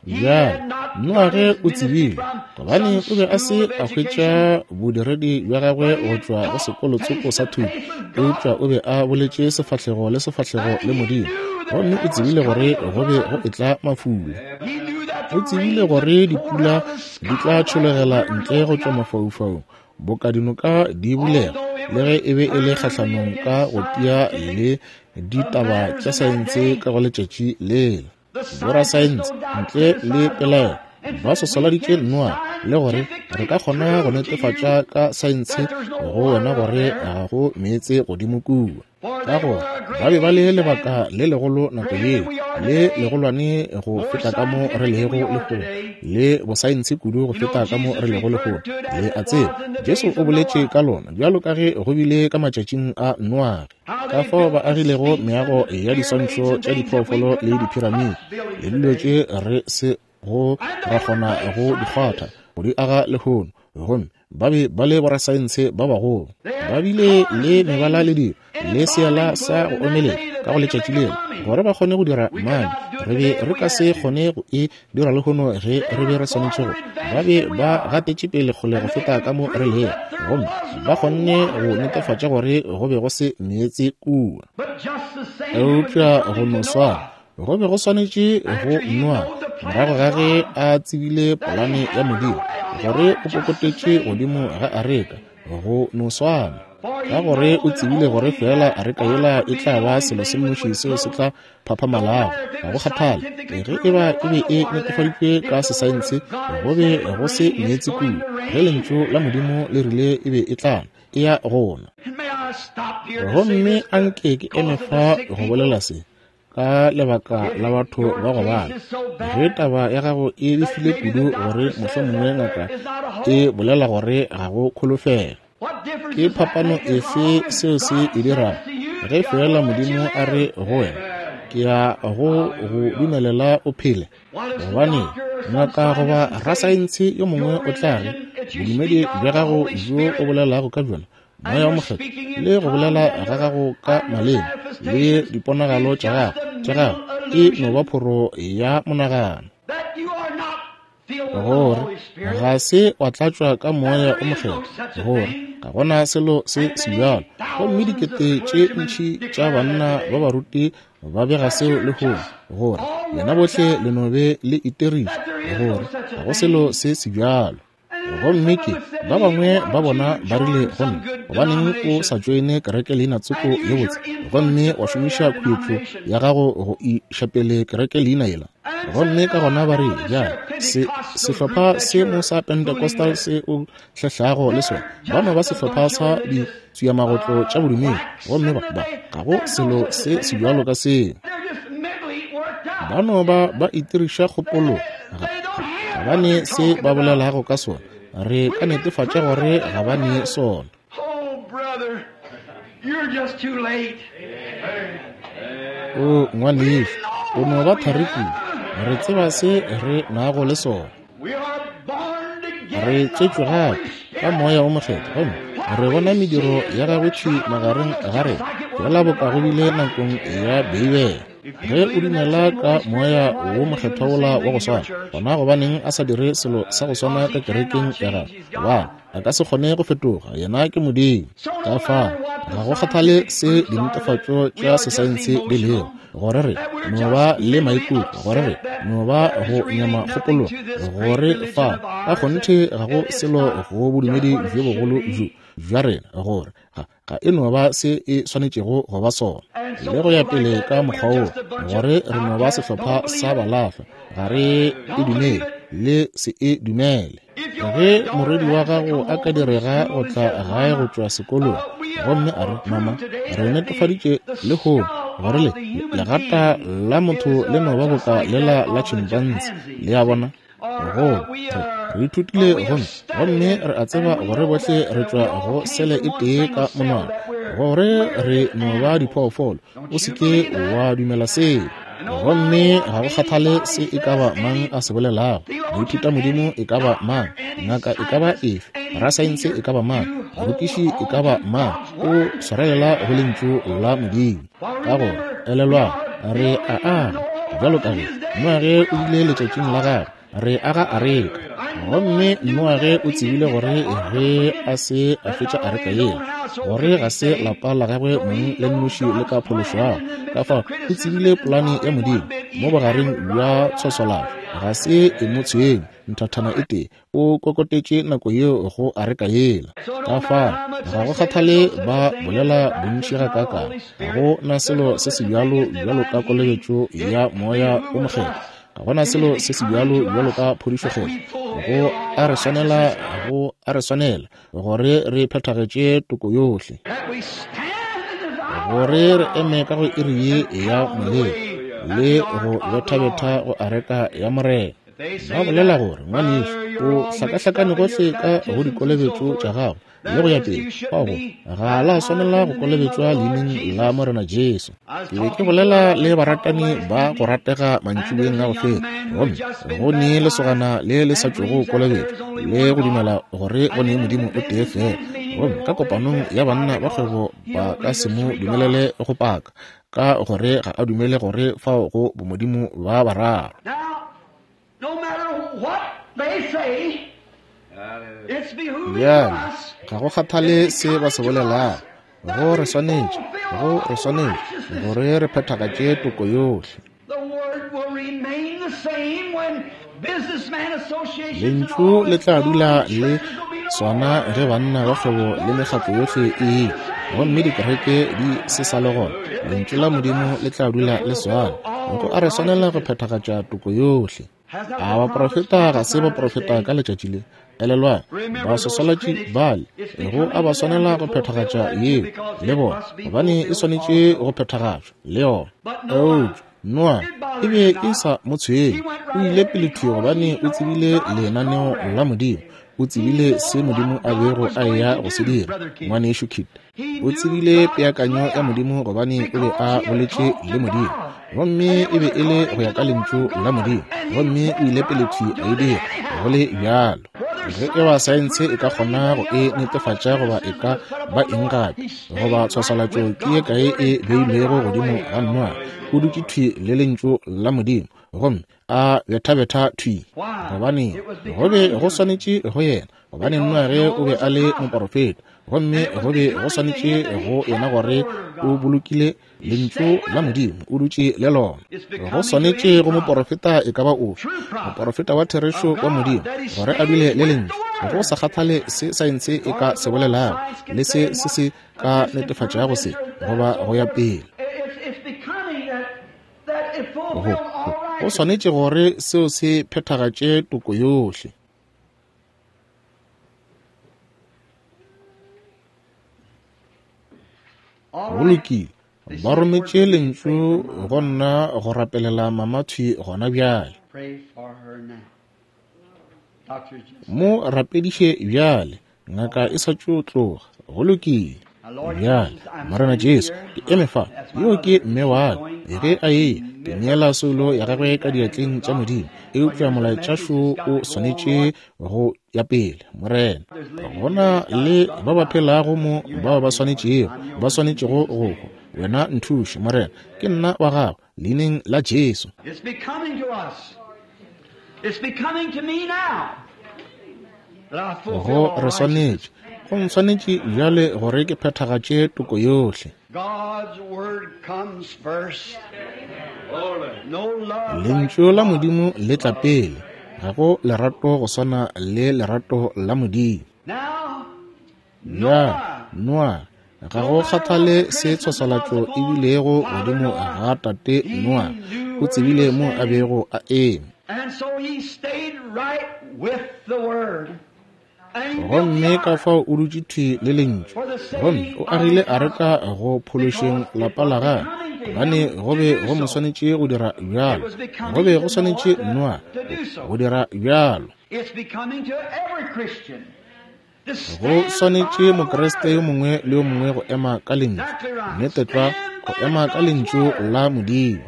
Speaker 1: Bjale Noage o tsebile, gobane o be a se a hwetša bodiredi bja gagwe go tšwa go sekolotsoko sa thuto, eupša o be a boletše sefahlego le sefahlego le Modimo, gomme o tsebile gore go be go etla mafula. O tsebile gore dipula di tla tšhologela ntle go tšwa mafaufaung, boka dinoka di bulega, le ge e be e le kgahlanong ka go tia le ditaba tša saense ka go letšatši lela. Borasaense ntle le pelaelo ba sosoladitše Noa le gore re ka kgona go netefatša ka saense go wena gore ga go meetse godimo kua. Ka gore ba be ba le lebaka le legolo nako yeo, le legolwane go feta ka mo re lego lehono, le bosaense kudu go feta ka mo re lego lehono. Le a tseba, Jesu o boletše ka lona bjalo ka ge go bile ka matšatšing a Noage, ka fao ba agilego meago ya diswantšho tša diphoofolo le diphiramiti le dilo tše re se go ra kgona go di kgwatha go di aga lehono. Gomme ba be ba le borasaense ba bagolo. Ba bile le mebala le dilo, le seala sa go omelela ka go letšatši lela, gore ba kgone go dira mane. Re be re ka se kgone go e dira lehono ge re be re swanetše go. Ba be ba gatetše pele kgole go feta ka mo re lego, gomme ba kgonne go netefatša gore go be go se meetse kua. Eupša go no swana, go be go swanetše go nwa morago ga ge a tsebile polane ya Modimo, gore o kokotetše godimo ga areka, go no swana, ka gore o tsebile gore fela areka yela e tla ba selo se nnoši seo se tla phaphamalago. Ga go kgathale ge e ba e be e netefaditšwe ka sesaense, go be go se meetse kua, ge lentšu la Modimo le rile e be e tla e ya gona. Gomme anke ke eme fa go bolela se ka lebaka la batho ba go bala. Ge taba ya gago e befile kudu gore mohlomongwe ngaka e bolela gore ga go kholofelo, ke phapano efe seo se e dirago? Ge fela Modimo a re go wena, ke ya go go dumelela o phele, gobane ngaka goba rasaense yo mongwe o tla re bodumedi bja gago bjo o bolelago ka bjona, Moya o Mokgethwa, le go bolela ga gago ka maleme le diponagalo tša gago tša gago e no ba phoro ya monagano, gore ga se wa tlatšwa ka Moya o Mokgethwa, gore ga gona selo se se bjalo. Gomme dikete tše ntši tša banna ba baruti ba bega seo lehono, gore lena bohle le no be le iteriša, gore ga go selo se se bjalo. Gomme ke ba bangwe ba bona ba rile go nna, gobaneng o sa tšoene kereke leina tsoko ye botse, gomme wa šomiša khuetšo ya gago go iša pele kereke leina yela? Gomme ka gona ba re, ya se sehlopha se mo sa Pentecostal se o hlehlago le sona, ba no ba sehlopha sa ditswiamagotlo tša bodumedi, gomme ba ba ga go selo se se bjalo ka seo. Ba no ba ba itiriša kgopolo, ga ga ba ne se ba bolelago ka sona. Re ka netefatša gore ga ba ne sona. O ngwanešu, o no ba thari kudu. Re tseba se re nago le sona. Re tšetšwe gape ka Moya o Mokgethwa, gomme re bona mediro ya gagwe thwi magareng ga rena, fela boka go bile nakong ya Beibele. Ge o dumela ka Moya wo Mokgethwa wola wa go swana, gona gobaneng a sa dire selo sa go swana ka kerekeng ya gagwe? Gobane a ka se kgone go fetoga, yena ke Modimo. Ka fao ga go kgathale se dinetefatšo tša sesaense di lego, gore re no ba le maikutlo, gore re no ba go nyama kgopolo, gore fa ka kgonthe ga go selo go bodumedi bjo bogolo bjo bja rena, gore ga ga e no ba se e swanetšego go ba sona, le go ya pele ka mokgwa wo, gore re no ba sehlopha sa balahlwa, ga re e dumele le se e dumele. Ge morwedi wa gago a ka direga go tla gae go tšwa sekolong, gomme a re, mama, re netefaditše lehono gore le legata la motho le no ba boka lela la chimpanzee, le a bona, go re re ithutile gomme gomme re a tseba gore bohle re tšwa go sele e tee ka monwana, gore re no ba diphoofolo. O se ke wa dumela seo. Gomme ga go kgathale se e ka ba mang a se bolelago, moithuta modimo e ka ba mang, ngaka e ka ba efe, rasaense e ka ba mang, morutiši e ka ba mang, o swarelela go lentšu la Modimo. Ka gore elelwang, re a aga bjalo ka ge Noage o bile letšatšing la gagwe, re aga areka. Gomme Noage o tsebile gore ge a se a fetša areka yela, gore ga se lapa la gagwe mong le nnoši le ka phološwago. Ka fao o tsebile polane ya Modimo mo bogareng bja tshwaswalano, ga se e mo tshwenye nthathana e tee, o kokotetše nako yeo go areka yela. Ka fao ga go kgathale ba bolela bontši gakaakang, ga go na selo se se bjalo bjalo ka kolobetšo ya Moya o Mokgethwa, ga gona selo se se bjalo bjalo ka phodišo kgethwa. Go a re swanela, go a re swanela gore re phethagetše toko yohle, gore re eme ka go iri ye ya molelo le go bethabetha go areka ya Morena. Ba bolela gore, ngwanešu, o hlakahlakane gohle ka go dikolobetšo tša gago le go ya pele. Fao ga la swanela go kolobetšwa leineng la Morena Jesu. Ke be ke bolela le baratani ba go ratega mantšiboeng a go feta, gomme go ne lesogana le le sa tšogo kolobetšwa le go dumela gore go ne Modimo o tee fela. Gomme ka kopanong ya banna ba kgwebo ba ka se mo dumelele go paka, ka gore ga a dumele gore fao go bomodimo ba bararo. Bjale, ga go kgathale se ba se bolelago, go re swanetše, go re swanetše gore re phethagatše toko yohle. Lentšu le tla dula le swana ge banna ba kgwebo le mekgatlo yohle e, gomme dikereke di se sa le gona. Lentšu la Modimo le tla dula le swana. Go a re swanela go phethagatša toko yohle. A baprofeta ga se baprofeta ka letšatši le? Elelwang, baswaswalatši bale go a ba swanela go phethagatša yeo le bona, gobane e swanetše go phethagatšwa le yona. Eupša Noa e be e sa mo tshwenye, o ile pele thwi gobane o tsebile lenaneo la Modimo. O tsebile se Modimo a bego a eya go se dira. Ngwanešu Kit o tsebile peakanyo ya Modimo gobane o be a boletše le Modimo, gomme e be e le go ya ka lentšu la Modimo, gomme o ile pele thwi a e dira go le bjalo. Ge e ba saense e ka kgona go e netefatša goba e ka ba eng gape, goba tshwaswalatšo ke ye kae e beilwego godimo ga Noa, o dutše thwi le lentšu la Modimo gomme a bethabetha thwi, gobane go be go swanetše go yena, gobane Noage o be a le moporofeta, gomme go be go swanetše go yena gore o bolokile lentšu la Modimo, o dutše le lona. Go swanetše go moporofeta e ka ba ofe, moporofeta wa therešo wa Modimo, gore a dule le lentšu, go sa kgathale se saense e ka se bolelago le se se se ka netefatšago se goba go ya pele. Go, go swanetše gore seo se phethagatše toko yohle. Go lokile, ba rometše lentšu go nna go rapelela mama thwi gona bjale. Mo rapediše bjale, ngaka e sa tšo tloga. Go lokile. Bjale, Morena Jesu, ke eme fa, yo ke mme wa ka. Ge a eya, ke neela soulo ya gagwe ka diatleng tša Modimo, eupša molaetšašo o swanetše go ya pele. Morena, gona le ba ba phelago mo bao ba swanetšego, ba swanetšego go hwa. Wena nthuše, Morena, ke nna wa gago, leineng la Jesu. Go re swanetše, go ntshwanetše bjale gore ke phethagatše toko yohle. Lentšu la Modimo le tla pele, ga go lerato go swana le lerato la Modimo. Bjale, Noa, ga go kgathale se tshwaswalatšo e bilego godimo ga tate Noa, o tsebile mo a bego a eme. Gomme ka fao o dutše thwi le lentšu, gomme o agile areka go phološeng lapa la gagwe, gobane go be go mo swanetše go dira bjalo, go be go swanetše Noa go dira bjalo. Go swanetše Mokriste yo mongwe le yo mongwe go ema ka lentšu, nnete tlwa, go ema ka lentšu la Modimo.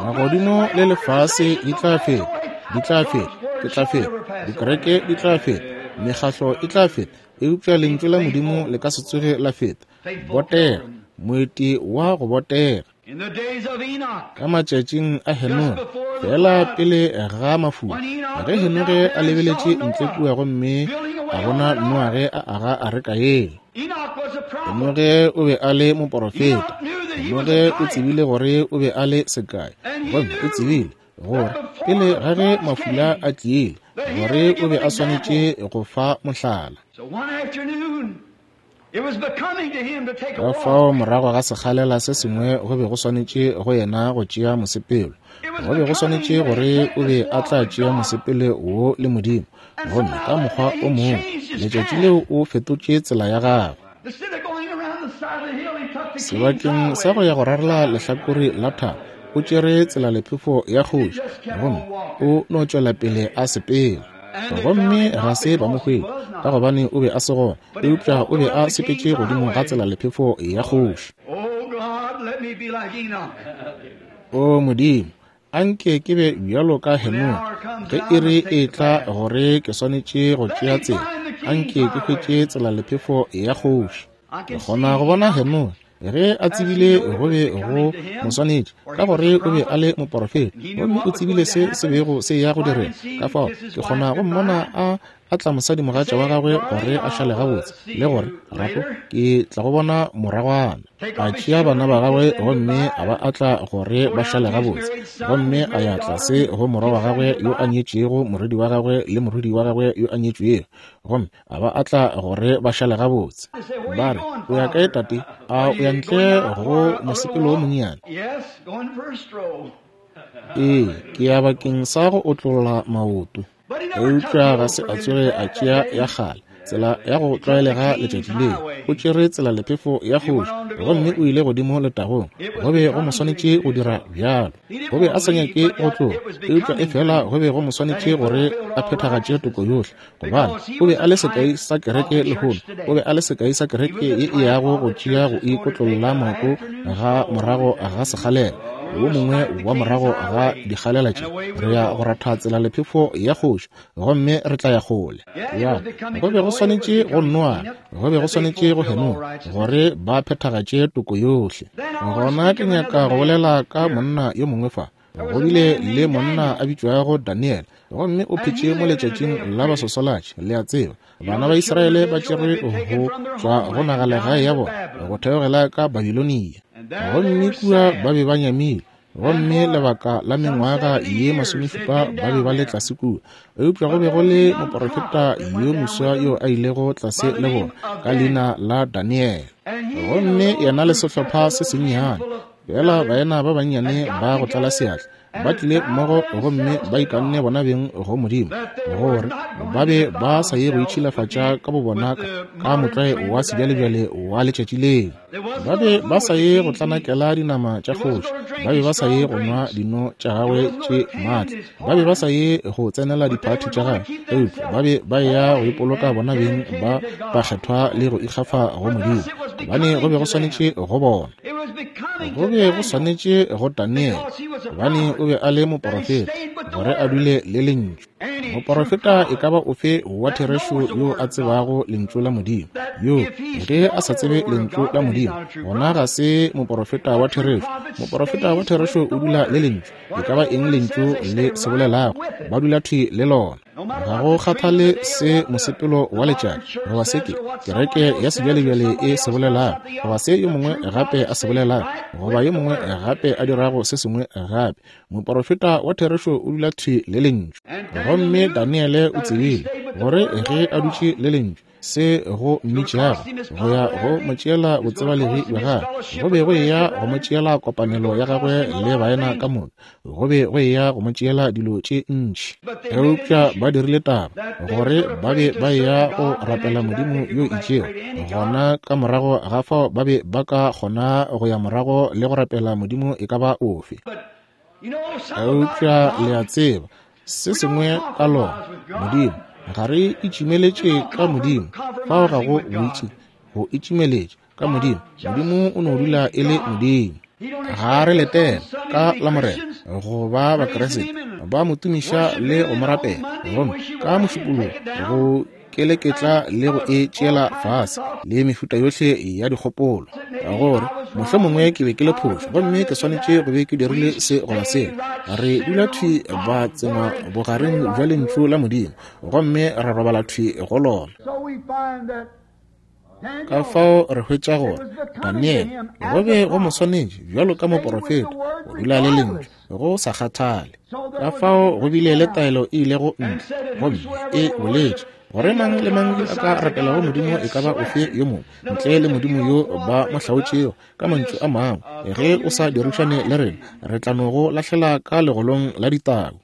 Speaker 1: Magodimo le lefase di tla feta, di tla feta, ke tla feta, dikereke di tla feta, mekgatlo e tla feta, eupša lentšu la Modimo le ka se tsoge la feta. Botega, moeti wa go botega. Ka matšatšing a Henoge, fela pele ga mafula, ge Henoge a lebeletše ntle kua gomme a bona Noage a aga areka yela. Henoge o be a le moporofeta. Henoge o tsebile gore o be a le sekai, gomme o tsebile gore pele ga ge mafula a tlile, gore o be a swanetše go fa mohlala. Ka fao morago ga sekgalela se sengwe go be go swanetše go yena go tšea mosepelo. Go be go swanetše gore o be a tla tšea mosepelo wo le Modimo, gomme ka mokgwa o mongwe letšatši leo o fetotše tsela ya gagwe. Sebakeng sa go ya go rarela lehlakore la thaba, o tšere tselalephefo ya kgoši, gomme o no tšwela pele a sepela. Gomme ga se ba mo hwetša, ka gobane o be a se gona, eupša o be a sepetše godimo ga tselalephefo ya kgoši. O Modimo, anke ke be bjalo ka Henoge, ge iri e tla gore ke swanetše go tšea tsela, anke ke hwetše tselalephefo ya kgoši. Ke kgona go bona Henoge ge a tsebile go be go mo swanetše, ka gore o be a le moporofeta, gomme o tsebile se se bego se ya go direga. Ka fao ke kgona go mmona a atla mosadimogatša wa gagwe gore a šale gabotse, le gore rapo ke tla go bona moragwana. A tšea bana ba gagwe gomme a ba atla gore ba šale gabotse, gomme a ya tlase go morwa wa gagwe yo a nyetšego morwedi wa gagwe le morwedi wa gagwe yo a nyetšwego, gomme a ba atla gore ba šale gabotse. Ba re, o ya kae tate? A o ya ntle go mosepelo wo monnyane? Ee, ke ya bakeng sa go otlolla maoto. Eupša ga se a tsoge a tšea ya kgale tsela ya go tlwaelega letšatši leo. O tšere tselalephefo ya kgoši, gomme o ile godimo letagong. Go be go mo swanetše go dira bjalo. Go be a sa nyake go tloga, eupša efela go be go mo swanetše gore a phethagatše toko yohle, gobane o be a le sekai sa kereke lehono. O be a le sekai sa kereke ye e yago go tšea go ikotlolla maoto ga morago ga sekgalela wo mongwe wa morago ga dikgalela tše. Re ya go ratha tselalephefo ya kgoši, gomme re tla ya kgole. Ya, go be go swanetše go Noa, go be go swanetše go Henoge gore ba phethagatše toko yohle. Gona ke nyaka go bolela ka monna yo mongwe fa. Go bile le monna a bitšwago Daniel, gomme o phetše mo letšatšing la basosolatši. Le a tseba, bana ba Israele ba tšerwe go tšwa go nagalegae ya bona go theogela ka Babilonia, gomme kua ba be ba nyamile, gomme lebaka la mengwaga ye masomešupa ba be ba le tlase kua. Eupša go be go le moporofeta yo moswa yo a ilego tlase le bona ka leina la Daniel, gomme yena le sehlopha se sennyane fela baena ba bannyane ba go tlala seatla ba tlile mmogo, gomme ba ikanne bona beng go Modimo gore ba be ba sa ye go itšhilafatša ka bobona ka motlwae wa sebjalebjale wa letšatši leo. Ba be ba sa ye go tlanakela dinama tša kgoši, ba be ba sa ye go nwa dino tša gagwe tše maatla, ba be ba sa ye go tsenela diphathi tša gagwe, eupša ba be ba ya go ipoloka bona beng ba bakgethwa le go ikgafa go Modimo, gobane go be go swanetše go bona. Go be go swanetše go Daniel, gobane o be a le moporofeta, gore a dule le lentšu. Moporofeta e ka ba ofe wa therešo yo a tsebago lentšu la Modimo? Yo ge a sa tsebe lentšu la Modimo, gona ga se moporofeta wa therešo. Moporofeta wa therešo o dula le lentšu, e ka ba eng lentšu le se bolelago, ba dula thwi le lona. Ga go kgathale se mosepelo wa letšatši goba se ke kereke ya sebjalebjale e se bolelago, goba se yo mongwe gape a se bolelago, goba yo mongwe gape a dirago se sengwe gape, moporofeta wa therešo o dula thwi le lentšu. Gomme Daniele o tsebile gore ge a dutše le lentšu, se go mmitšago go ya go mo tšeela botsebalegi bja gagwe, go be go eya go mo tšeela kopanelo ya gagwe le baena ka moka, go be go eya go mo tšeela dilo tše ntši. Eupša ba dirile taba gore ba be ba eya go rapela Modimo yo itšego, gona ka morago ga fao ba be ba ka kgona go ya morago le go rapela Modimo e ka ba ofe. Eupša le a tseba se sengwe ka lona Modimo, ga re itšimeletše ka Modimo. Fao ga go boitši go itšimeletša ka Modimo. Modimo o no dula e le Modimo. Ga re letela ka la Morena go ba Bakreste ba mo tumiša le go mo rapela, gomme ka mošupologo go keleketla le go e tšeela fase le mefuta yohle ya dikgopolo, gore mohlomongwe ke be ke le phošo gomme ke swanetše go be ke dirile se goba sela. Re dula thwi ba tsengwa bogareng bja lentšu la Modimo, gomme re robala thwi go lona. Ka fao re hwetša gore Daniel go be go mo swanetše bjalo ka moporofeta go dula le lentšu go sa kgathale. Ka fao go bile le taelo e ilego ntle, gomme e boletše Gore mang le mang yo a ka rapelago Modimo e ka ba ofe yo mongwe ntle le Modimo yo ba mo hlaotšego. Ka mantšu a mangwe, ge o sa dirišane le rena, re tla no go lahlela ka legolong la ditau.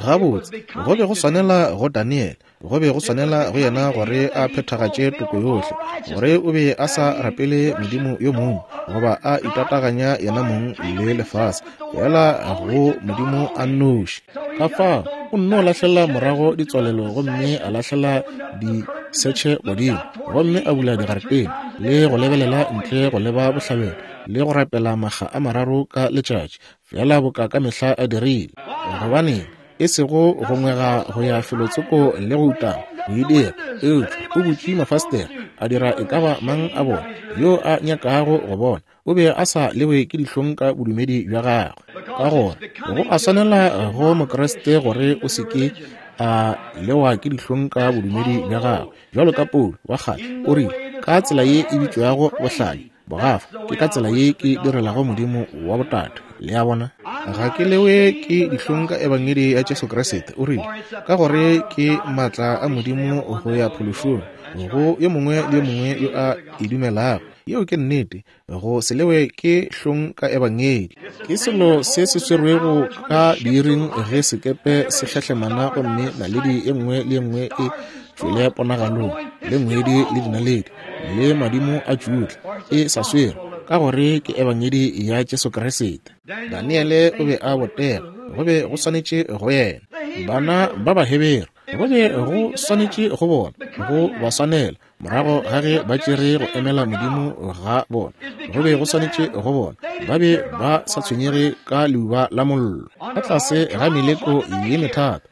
Speaker 1: Gabotse, go be go swanela go Daniel, go be go swanela go yena gore a phethagatše toko yohle, gore o be a sa rapele Modimo yo mongwe goba a itataganya yena mong le lefase, fela go Modimo a nnoši. Ka fao o nno lahlela morago ditswalelo gomme a lahlela disetšhe godimo, gomme a bula digaretene le go lebelela ntle go leba bohlabela le go rapela makga a mararo ka letšatši, fela boka ka mehla a dirile. Gobaneng e sego go ngwega go ya felotsoko le go utama go e dira, eupša o butše mafastere a dira e ka ba mang a bona yo a nyakago go bona. O be a sa lewe ke dihlong ka bodumedi bja gagwe, ka gore go a swanela go Mokriste gore o se ke a lewa ke dihlong ka bodumedi bja gagwe. Bjalo ka Paulo wa kgale o rile, ka tsela ye e bitšwago bohlale bogafa, ke ka tsela ye ke direlago Modimo wa botate. Le a bona, ga ke lewe ke dihlong ka ebangedi ya Jesu Kriste, o rile, ka gore ke maatla a Modimo go ya phološong go yo mongwe le yo mongwe yo a e dumelago. Yeo ke nnete, go se lewe ke hlong ka ebangedi. Ke selo se se swerwego ka diiring ge sekepe se hlahlemana gomme naledi e nngwe le e nngwe e tšwele ponagalong, le ngwedi le dinaledi le madimo a tšutla, e sa swerwe, ka gore ke ebangedi ya Jesu Kriste. Daniele o be a botega, go be go swanetše go yena. Bana ba Baheberu, go be go swanetše go bona, go ba swanela morago ga ge ba tšere go emela Modimo ga bona, go be go swanetše go bona. Ba be ba sa tshwenyege ka leuba la mollo. Ka tlase ga meleko ye methata,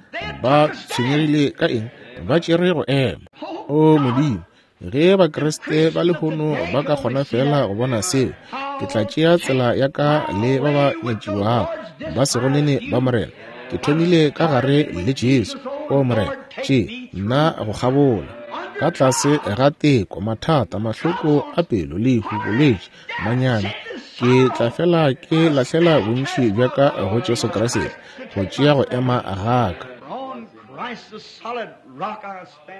Speaker 1: ba tshwenyegile ka eng? Ba tšere go ema. O Modimo, ge Bakriste ba lehono ba ka kgona fela go bona seo, ke tla tšea tsela ya ka le ba ba nyatšiwago ba sego nene ba Morena. Ke thomile ka gare le Jesu. O Morena, tše nna go kgabola. Ka tlase ga teko, mathata, mahloko a pelo, lehu, bolwetši, manyami, ke tla fela ke lahlela bontši bja ka go Jesu Kriste go tšea go ema ga ka.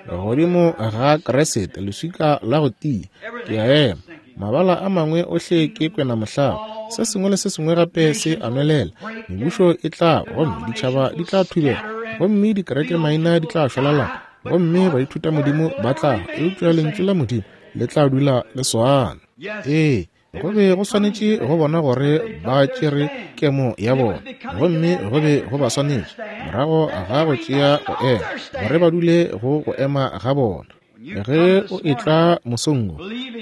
Speaker 1: Godimo ga Kriste, leswika la go tia, ke a ema. Mabala a mangwe ohle ke kwena mohlaba, se sengwe le se sengwe gape se a nwelela. Mebušo e tla, gomme ditšhaba di tla thubega, gomme dikereke maina di tla šwalalana, gomme baithuta Modimo ba tla, eupša lentšu la Modimo le tla dula le swana. Ee, go be go swanetše go bona gore ba tšere kemo ya bona, gomme go be go ba swanetše morago ga go tšea go ema, gore ba dule go go ema ga bona. Ge o etla mosong wo,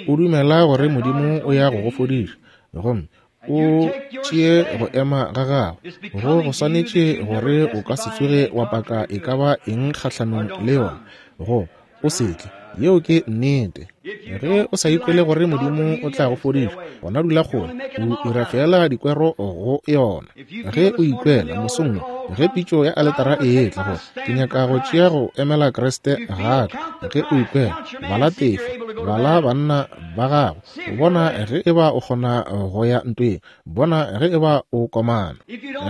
Speaker 1: o dumela gore Modimo o ya go go fodiša, gomme o tšee go ema ga gago, go go swanetše gore o ka se tsoge wa paka e ka ba eng kgahlanong le yona, go o se tle. Yeo ke nnete. Ge o sa ikwele gore Modimo o tla go fodiša, gona dula kgole, o dira fela dikwero go yona. Ge o ikwela mosong wo, ge pitšo ya aletara e etla gore ke nyaka go tšea go emela Kriste ga ka, ge o ikwela, bala tefo, bala banna ba gago, bona ge e ba o kgona go ya ntweng, bona ge e ba o komana.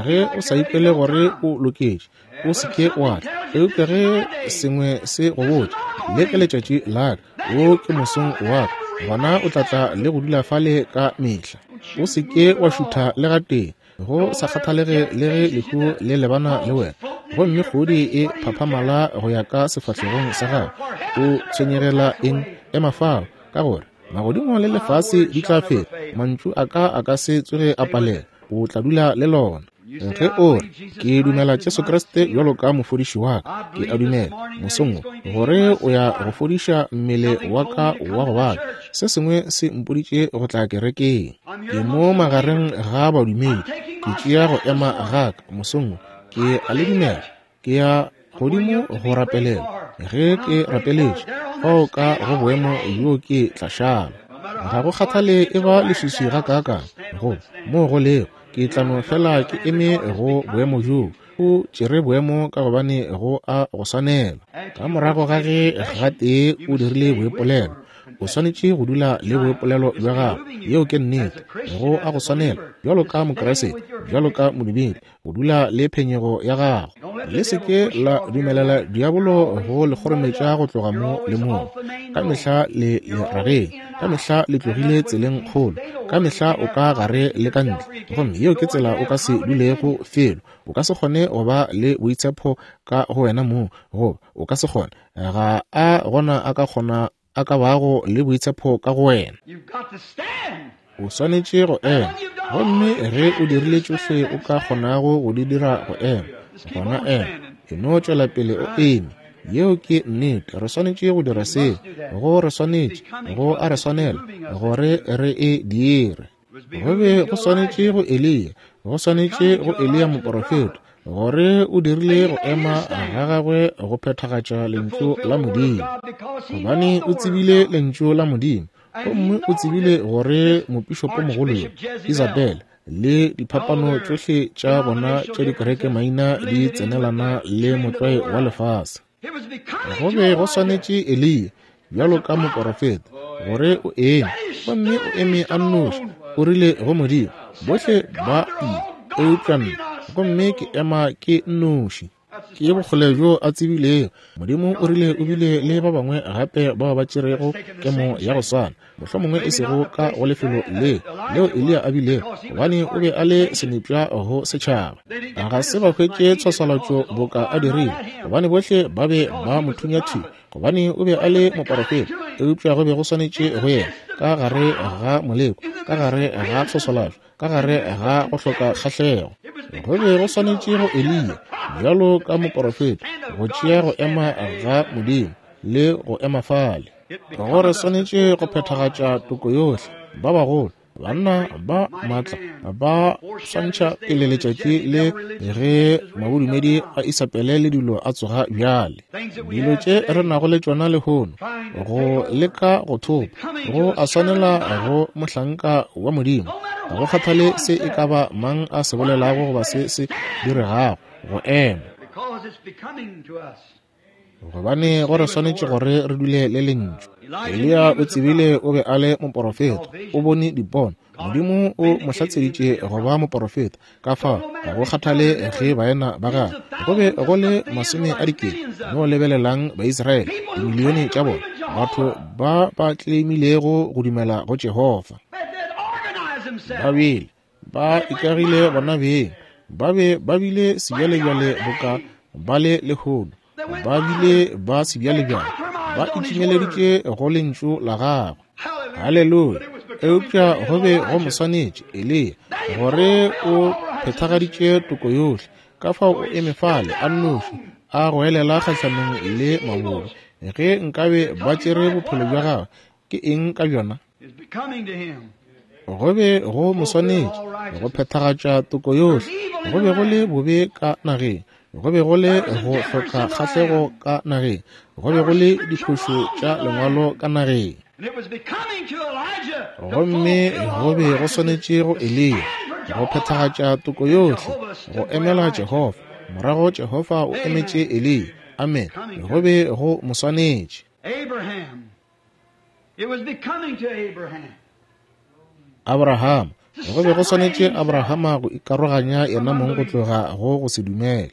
Speaker 1: Ge o sa ikwele gore o loketše, o se ke wa tla. Eupša ge sengwe se go botša, le ke letšatši la ka, wo ke mosong wa ka, gona o tla tla le go dula fale ka mehla. O se ke wa šutha le gatee, go sa kgathalege le ge lehu le lebana le wena, gomme kgodi e phaphamala go ya ka sefahlegong sa gago. O tshwenyegela eng? Ema fao, ka gore magodimo le lefase di tla feta, mantšu a ka a ka se tsoge a palela. O tla dula le lona. Ge o re, ke dumela Jesu Kriste bjalo ka mofodiši wa ka, ke a dumela mosong wo gore o ya go fodiša mmele wa ka wa go baka. Se sengwe se mpoditše go tla kerekeng. Ke mo magareng ga badumedi, ke tšea go ema ga ka mosong wo, ke a le dumela. Ke ya godimo go rapelela. Ge ke rapeletše fao ka go boemo bjo ke tla šala. Ga go kgathale e ba leswiswi ga kaakang go mo go lego, ke tla no fela ke eme go boemo bjoo. O tšere boemo ka gobane go a go swanela. Ka morago ga ge gatee o dirile boipolelo, o swanetše go dula le boipolelo bja gago. Yeo ke nnete. Go a go swanela bjalo ka Mokriste, bjalo ka modumedi, go dula le phenyego ya gago. Le se ke la dumelela diabolo go le kgorometša go tloga mo le mo. Ka mehla le le rageng, ka mehla le tlogile tseleng kgolo, ka mehla o ka gare le ka ntle. Gomme yeo ke tsela o ka se dulego felo. O ka se kgone go ba le boitshepo ka go wena mong, goba o ka se kgone. Ga a gona a ka kgona a ka bago le boitshepo ka go wena. O swanetše go ema. Gomme ge o dirile tšohle o ka kgonago go di dira go ema, gona ema. E no tšwela pele o eme. Yeo ke nnete. Re swanetše go dira seo. Go re swanetše, go a re swanela gore re e dire. Go be go swanetše go Eliya, go swanetše go Eliya moporofeta, gore o dirile go ema ga gagwe go phethagatša lentšu la Modimo. Gobane o tsebile lentšu la Modimo, gomme o tsebile gore mopišopomogolo yo, Isabel, le diphapano tšohle tša bona tša dikereke maina di tsenelana le motlwae wa lefase. Go be go swanetše Eliya, bjalo ka moporofeta, gore o eme, gomme o eme a nnoši. O rile go Modimo, bohle ba ile, eupša nna, gomme ke ema ke nnoši. Ke bokgole bjo a tsebilego. Modimo o rile o bile le ba bangwe gape bao ba tšerego kemo ya go swana, mohlomongwe e sego ka go lefelo le leo Eliya a bilego, gobane o be a le senepša go setšhaba. Ga se ba hwetše tshwaswalatšo boka a dirile, gobane bohle ba be ba mo thunya thwi, gobane o be a le moporofeta. Eupša go be go swanetše go yena ka gare ga moleko, ka gare ga tshwaswalatšo, ka gare ga go hloka kgahlego. Go be go swanetše go Eliya, bjalo ka moporofeta, go tšea go ema ga Modimo le go ema fale. Go re swanetše go phethagatša toko yohle. Ba bagolo, banna ba maatla, ba swantšha pele letšatši le ge mabodumedi a Isabele le dilo a tsoga bjale. Dilo tše re nago le tšona lehono, go leka go thopa, go a swanela go mohlanka wa Modimo. Ga go kgathale se e ka ba mang a se bolelago goba se se diregago, go ema. Gobane go re swanetše gore re dule le lentšu. Eliya o tsebile o be a le moporofeta, o bone dipono. Modimo o mo hlatseditše go ba moporofeta. Ka fao ga go kgathale ge baena ba gagwe go be go le masome a dikete, no lebelelang Baisraele, dimilione tša bona, batho ba ba tleimilego go dumela go Jehofa. Ba bile ba ikagile bona beng, ba be ba bile sebjalebjale boka ba le lehono, ba bile ba sebjalebjale, ba itšimeleditše go lentšu la gagwe. Haleluya! Eupša go be go mo swanetše Eliya gore o phethagaditše toko yohle. Ka fao o eme fale a nnoši, a goelela kgahlanong le mabobe. Ge nkabe ba tšere bophelo bja gagwe, ke eng ka bjona? Go be go mo swanetše go phethagatša toko yohle. Go be go le bobe ka nageng, go be go le go hloka kgahlego ka nageng, go be go le diphošo tša lengwalo ka nageng. Gomme go be go swanetše go Eliya go phethagatša toko yohle, go emela Jehofa. Morago Jehofa o emetše Eliya. Amen. Go be go mo swanetše. Abraham, go be go swanetše Abrahama go ikaroganya yena mong go tloga go go se dumele.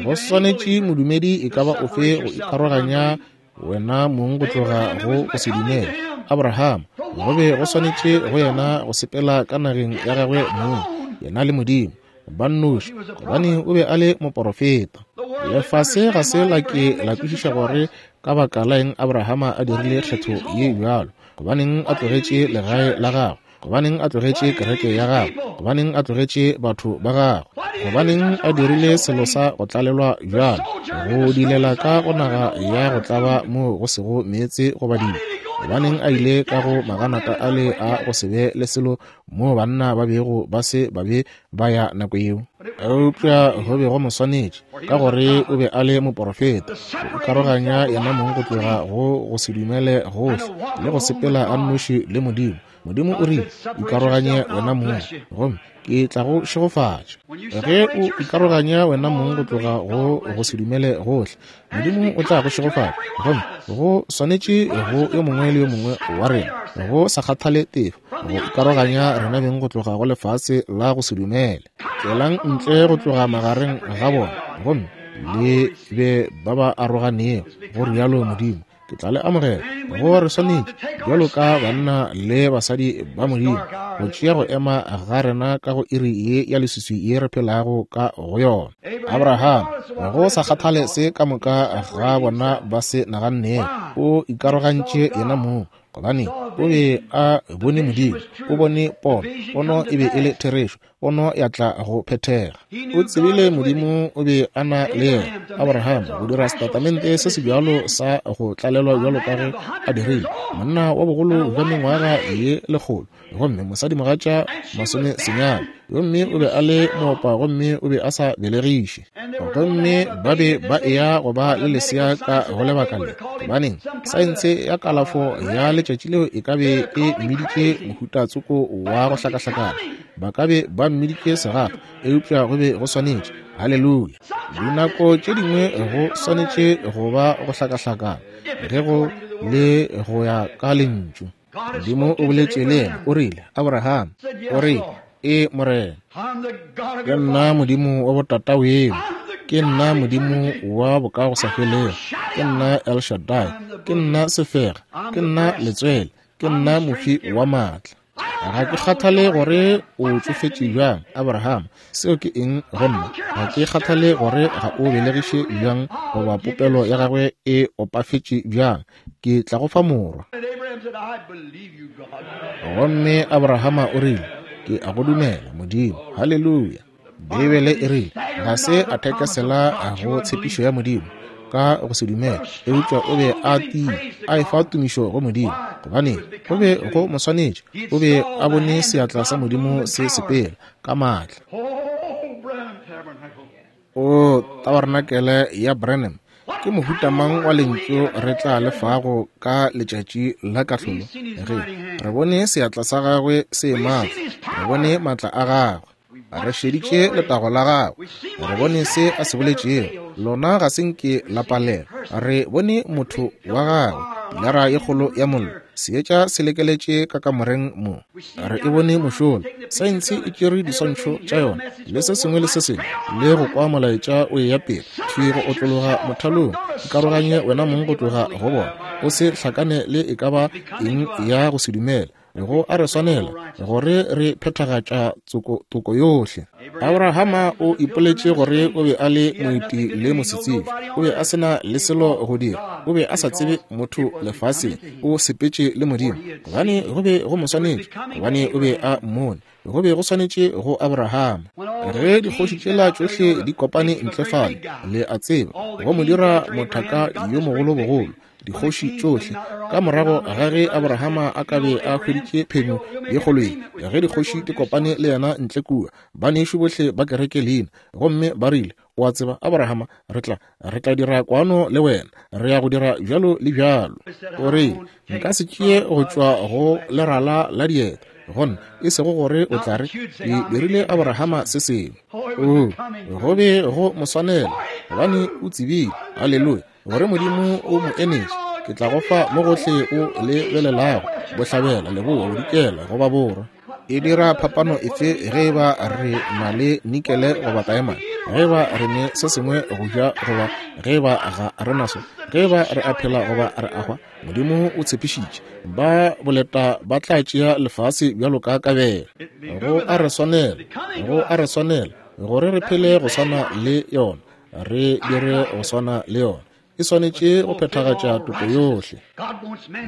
Speaker 1: Go swanetše modumedi e ka ba ofe go ikaroganya wena mong go tloga go go se dumele. Abraham, go be go swanetše go yena go sepela ka nageng ya gagwe mong, yena le Modimo ba nnoši, gobane o be a le moporofeta. Lefase ga se la ke la kwešiša gore ka baka la eng Abrahama a dirile kgetho ye bjalo, gobaneng a tlogetše legae la gagwe, gobaneng a tlogetše kereke ya gagwe, gobaneng a tlogetše batho ba gagwe, gobaneng a dirile selo sa go tlalelwa bjalo, go dilela ka go naga ya go tlaba moo go sego meetse goba dibo, gobaneng a ile ka go maganata ale a go se be le selo moo banna ba bego ba se ba be ba ya nako yeo. Eupša go be go mo swanetše, ka gore o be a le moporofeta, go ikaroganya yena mong go tloga go go se dumele gohle le go sepela a nnoši le Modimo. Modimo o rile, ikaroganye wena mong, gomme ke tla go šegofatša. Ge o ikaroganya wena mong go tloga go go se dumele gohle, Modimo o tla go šegofatša. Gomme go swanetše go yo mongwe le yo mongwe wa rena, go sa kgathale tefo, go ikaroganya rena beng go tloga go lefase la go se dumele. Tšwelang ntle go tloga magareng ga bona, gomme Le be ba ba aroganego, go rialo Modimo, ke tla le amogela. Go re swanetše bjalo ka banna le basadi ba Modimo go tšea go ema ga rena ka go iri ye ya leswiswi ye re phelago ka go yona. Abraham, go sa kgathale se ka moka ga bona ba se nagannego, o ikarogantše yena mong, gobane o be a bone Modimo, o bone pono, pono e be e le therešo, pono ya tla go phethega. O tsebile Modimo o be a na le yena. Abraham go dira setatamente se se bjalo sa go tlalelwa bjalo ka ge a dirile, monna wa bogolo bja mengwaga ye lekgolo, gomme mosadimogatša masome senyane, gomme o be a le moopa gomme o be a sa belegiše, gomme ba be ba eya go ba le lesea ka go lebaka le. Gobaneng, saense ya kalafo ya letšatši leo e ka be e mmiditše mohuta tsoko wa go hlakahlakana, ba ka be ba mmiditše segafa, eupša go be go swanetše. Haleluya. Dinako tše dingwe go swanetše go ba go hlakahlakana ge go le go ya ka lentšu. Modimo o boletše le yena, o rile, Abraham, o rile, E Morena, ke nna Modimo wa botataweno, ke nna Modimo wa bokagosafelego, ke nna El Shaddai, ke nna sefega, ke nna letswele, ke nna mofi wa maatla. Ga ke kgathale gore o tšofetše bjang, Abraham, seo ke eng go nna? Ga ke kgathale gore ga o belegiše bjang goba popelo ya gagwe e opafetše bjang, ke tla go fa morwa. Gomme Abrahama o rile, ke a go dumela, Modimo. Haleluya. Beibele e rile ga se a thekesela go tshepišo ya Modimo ka go se dumela, eupša o be a tiile, a efa tumišo go Modimo, gobane go be go mo swanetše. O be a bone seatla sa Modimo se sepela ka maatla. O tabarenakele ya Branham, ke mohuta mang wa lentšu re tla lefago ka letšatši la kahlolo? Ge re bone seatla sa gagwe se maatla, re bone maatla a gagwe, re šeditše letago la gagwe, re bone se a se boletšego, lona ga se nke la palela. Re bone motho wa gagwe, pilara ye kgolo ya mollo, seetša se lekeletše ka kamoreng mo. Re e bone mošola, saense e tšere diswantšho tša yona le se sengwe le se sengwe, le go kwa molaetša o eya pele thwi go otlologa mothalong. Ikaroganye wena mong go tloga go bona, o se hlakane le e ka ba eng ya go se dumela. Go a re swanela gore re phethagatša toko yohle. Abrahama o ipoletše gore o be a le moeti le mosetsebje, o be a se na le selo go dira, o be a sa tsebe motho lefaseng, o sepetše le Modimo, gobane go be go mo swanetše, gobane o be a mmone. Go be go swanetše go Abrahama. Ge dikgoši tšela tšohle di kopane ntle fale, le a tseba, go mo dira mothaka yo mogolo-bogolo, dikgoši tšohle, ka morago ga ge Abrahama a ka be a hweditše phenyo ye kgolo ye, ge dikgoši di kopane le yena ntle kua, banešu bohle ba kereke leina, gomme ba rile, o a tseba, Abrahama, re tla re tla dira kwano le wena, re ya go dira bjalo le bjalo. O rile, nka se tšee go tšwa go lerala la dieta, gona e sego gore o tla re ke dirile Abrahama se sengwe. O go be go mo swanela, gobane o tsebile, haleluya, gore Modimo o mo enetše. Ke tla go fa mo gohle o lebelelago, bohlabela, leboa, bodikela goba borwa. E dira phapano efe ge e ba re na le nikele goba taemane, ge e ba re ne se sengwe go ja goba ge e ba ga re naso, ge e ba re a phela goba re a hwa? Modimo o tshepišitše, ba boleta ba tla tšea lefase bjalo ka kabelo. Go a re swanela, go a re swanela gore re phele go swana le yona, re dire go swana le yona. E swanetše go phethagatša toko yohle.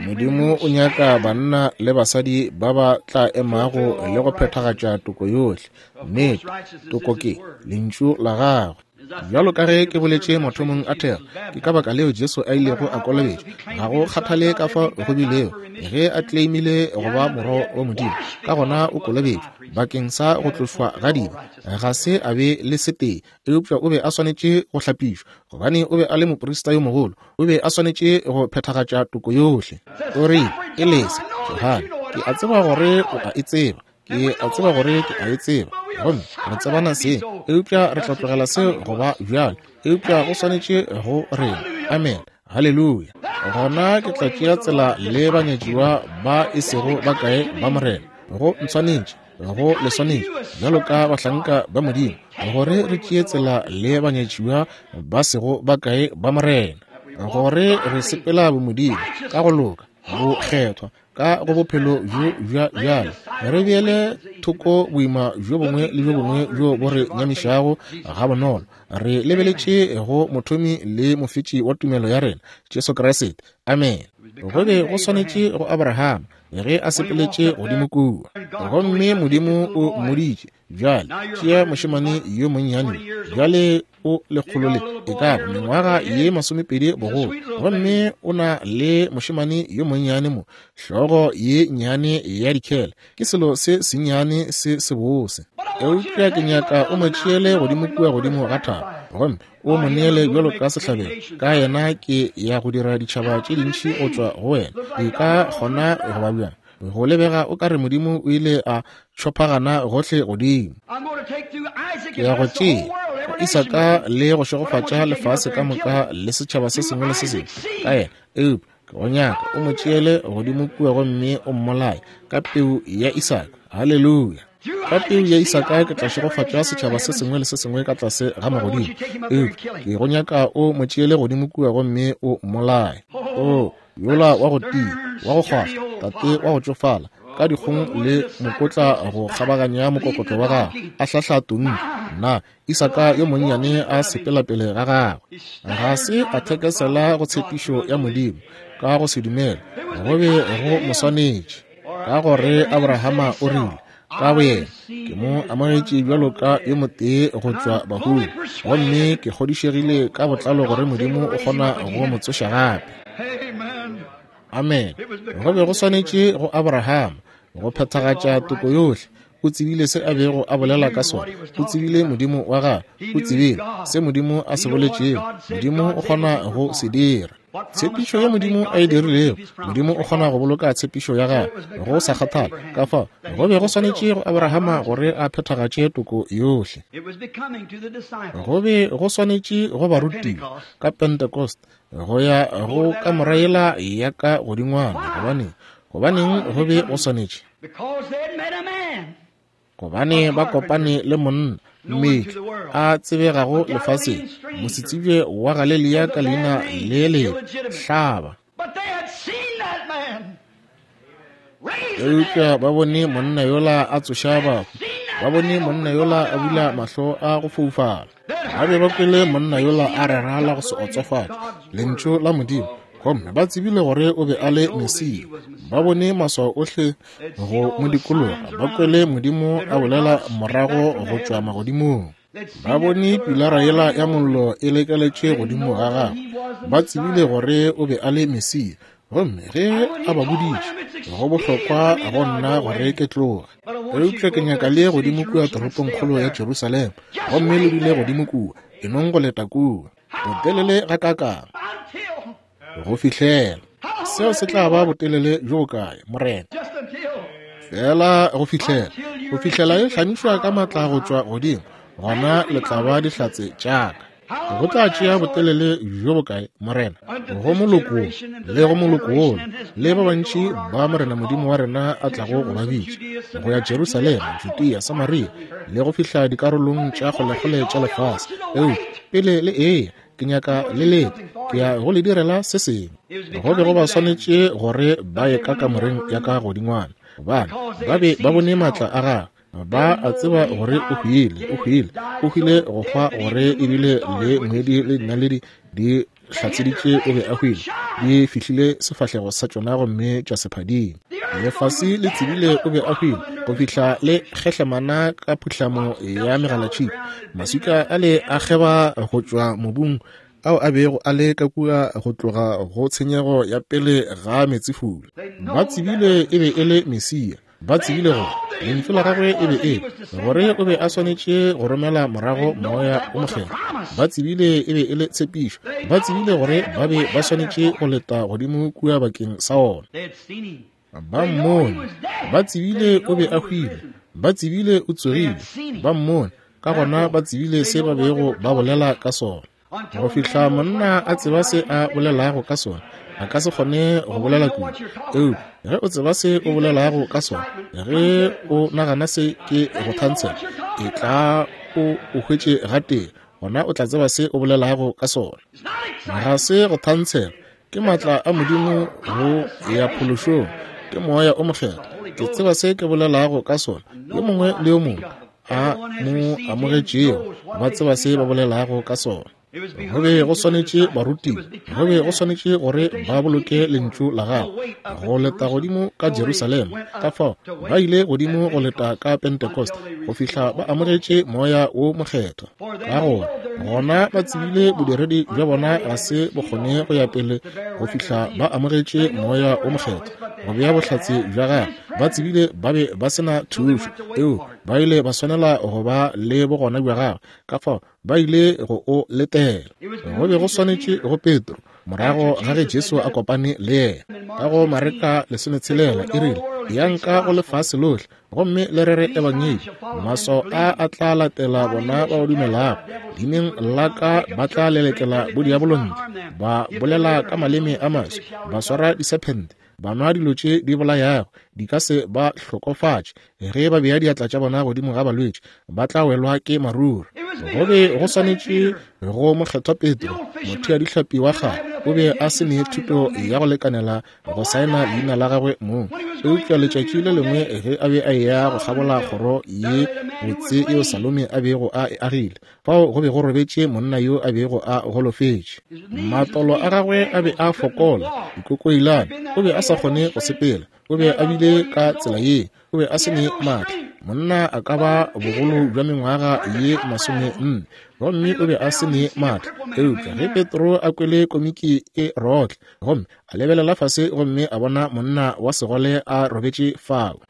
Speaker 1: Modimo o nyaka banna le basadi ba ba tla emago le go phethagatša toko yohle. Nnete, toko ke lentšu la gagwe. Bjalo ka ge ke boletše mathomong a thero, ke ka baka leo Jesu a ilego a kolobetšwa. Ga go kgathale ka fao go bilego, ge a claimile go ba morwa wa Modimo, ka gona o kolobetšwa bakeng sa go tlošwa ga dibe. Ga se a be le setee, eupša o be a swanetše go hlapišwa, gobane o be a le moprista yo mogolo, o be a swanetše go phethagatša toko yohle. O rile, e lese, Johane, ke a tseba gore o a e tseba, ke a tseba gore ke a e tseba, gomme re tsebana seng, eupša re tla tlogela seo go ba bjalo, eupša go swanetše go rena. Amen. Haleluya. Gona ke tla tšea tsela le banyatšiwa ba e sego ba kae ba Morena. Go ntshwanetše Go le swanetše bjalo ka bahlanka ba Modimo gore re tšee tsela le banyatšiwa ba sego ba kae ba Morena, gore re sepela bomodimo ka go loka, go kgethwa ka go bophelo bjo bja bjale, re beele thoko boima bjo bongwe le bjo bongwe bjo bo re nyamišago gabonolo, re lebeletše go mothomi le mofetši wa tumelo ya rena, Jesu Kriste. Amen. Go be go swanetše go Abraham ge a sepeletše godimo kua, gomme Modimo o mmoditše, bjale tšea mošemane yo monnyane, bjale o lekgolo le e ka ba mengwaga ye masomepedi bogolo, gomme o na le mošemane yo monnyane mo, hlogo ye nnyane ya dikhele, ke selo se sennyane se sebose, eupša ke nyaka o mo tšeele godimo kua godimo ga thaba, gomme o mo neele bjalo ka sehlabelo. Ka yena ke ya go dira ditšhaba tše dintši go tšwa go wena. E ka kgona go ba bjang? Go lebega o ka re Modimo o ile a tšhophagana gohle godimo. Ke ya go tšea go Isaka le go šegofatša lefase ka moka le setšhaba se sengwe le se sengwe ka yena, eupša ke go nyaka o mo tšeele godimo kua gomme o mmolaye ka peu ya Isaka. Haleluya! Ka peu ya Isaka ke tla šegofatša setšhaba se sengwe le se sengwe ka tlase ga magodimo, eupša ke go nyaka o mo tšeele godimo kua gomme o mmolaye. O yola wa go tia, wa go kgwahla, tate wa go tšofala, ka dikgong le mokotla go kgabaganya mokokotlo wa gagwe, a hlahla tonki. Na Isaka yo monnyane a sepela pele ga gagwe, ga se a thekesela go tshepišo ya Modimo ka go se dumele, go be go mo swanetše, ka gore Abrahama o rile ka boyena, ke mo amogetše bjalo ka yo motee go tšwa bahung, gomme ke kgodišegile ka botlalo gore Modimo o kgona go mo tsoša gape. Amen. Go be go swanetše go Abraham go phethagatša toko yohle. O tsebile se a bego a bolela ka sona. O tsebile Modimo wa gagwe. O tsebile se Modimo a se boletšego. Modimo o kgona go se dira. Tshepišo ya Modimo a e dirilego, Modimo o kgona go boloka tshepišo ya gagwe go sa kgathale. Ka fao go be go swanetše go Abrahama gore a phethagatše toko yohle. Go be go swanetše go barutiwa ka Pentecost go ya go kamora yela ya ka godingwana. Gobaneng? Gobaneng go be go swanetše? Gobane ba kopane le monna mmetli a tsebegago lefaseng, mosetsebje wa Galelia ka leina le le hlaba. Eupša ba bone monna yola a tsoša bahu, ba bone monna yola a bula mahlo a go foufala, ba be ba kwele monna yola a rera la go se otsofatše lentšu la Modimo, gomme ba tsebile gore o be a le Mesia. Ba bone maswao ohle go mo dikologa, ba kwele Modimo a bolela morago go tšwa magodimong, ba bone pilara yela ya mollo e lekeletše godimo ga gagwe, ba tsebile gore o be a le Mesia. Gomme ge a ba boditše, go bohlokwa go nna gore ke tloge, eupša ke nyaka le godimo kua toropongkgolo ya Jerusalema, gomme le dule godimo kua, enong go leta kua botelele gakaakang go fihlela. Seo se tla ba botelele bjo bokae, Morena? Fela go fihlela, go fihlela e hlamišwa ka matla go tšwa godimo, gona le tla ba dihlatse tša ka. Go tla tšea botelele bjo bokae, Morena? Go moloko le go moloko wola, le ba bantši ba Morena Modimo wa rena a tlago go ba bitša go ya Jerusalema, Judea, Samaria, le go fihla dikarolong tša kgolekgole tša lefase. Eupša pele le eya, ke nyaka le lete, ke ya go le direla se sengwe. Go be go ba swanetše gore ba ye ka kamoreng ya ka godingwana, gobane ba be ba bone matla a gagwe. Ba a tseba gore o hwile, o hwile, o hwile go hwa gore ebile le ngwedi le dinaledi di hlatseditše o be a hwile, di fihlile sefahlego sa tšona gomme tša se phadima. Lefase le tsebile o be a hwile go fihla le kgehlemana ka phuhlamo ya megalatšhipi. Maswika ale a kgeba go tšwa mobung ao a bego a le ka kua go tloga go tshenyego ya pele ga meetsefula. Ba tsebile e be e le Mesia. Ba tsebile gore lentšu la gagwe e be e gore o be a swanetše go romela morago moya o mokgethwa. Ba tsebile e be e le tshepišo. Ba tsebile gore ba be ba swanetše go leta godimo kua bakeng sa ona. Ba mmone. Ba tsebile o be a hwile. Ba tsebile o tsogile. Ba mmone. Ka gona ba tsebile se ba bego ba bolela ka sona. Go fihla monna a tseba se a bolelago ka sona, a ka se kgone go bolela kudu. Eupša ge o tseba se o bolelago ka sona, ge o nagana se ke go thantshela, e tla o o hwetše gatee, gona o tla tseba se o bolelago ka sona. Ga se go thantshela, ke maatla a Modimo go ya phološong, ke Moya o Mokgethwa. Ke tseba se ke bolelago ka sona. Yo mongwe le yo mongwe a mo amogetšego ba tseba se ba bolelago ka sona. Go be go swanetše barutiwa, go be go swanetše gore ba boloke lentšu la gagwe go leta godimo ka Jerusalema. Ka fao ba ile godimo go leta ka Pentecost go fihla ba amogetše Moya wo Mokgethwa. Ka gore gona ba tsebile bodiredi bja bona ga se bo kgone go ya pele go fihla ba amogetše Moya wo Mokgethwa go bea bohlatse bja gagwe. Ba tsebile ba be ba se na thušo, eo ba ile ba swanela go ba le bogona bja gagwe. Ka fao ba ile go o letela. Go be go swanetše go Petro morago ga ge Jesu a kopane le yena. Ka go Mareka lesometshelela e rile, yang ka go lefase lohle gomme le rere ebangedi, maswao a a tla latela bona ba ba dumelago, leineng la ka ba tla lelekela bodiabolo ntle, ba bolela ka maleme a maswa, ba swara disephente, ba nwa dilo tše di bolayago, di ka se ba hlokofatše. Ge ba bea diatla tša bona godimo ga balwetši, ba tla welwa ke maruri. Go be go swanetše go mokgethwa Petro, mothea-dihlapi wa kgale, o be a se ne thuto ya go lekanela go saena leina la gagwe mong. Eupša letšatši le lengwe ge a be a eya go kgabola kgoro ye botse yeo Salome a bego a e agile, fao go be go robetše monna yo a bego a golofetše. Matolo a gagwe a be a fokola, dikokoilane, o be a sa kgone go sepela, o be a bile ka tsela ye, o be a se ne maatla. Monna a ka ba bogolo bja mengwaga ye masome nne, gomme o be a se ne maatla. Eupša ge Petro a kwele komiki e rotla, gomme a lebelela fase gomme a bona monna wa segole a robetše fao,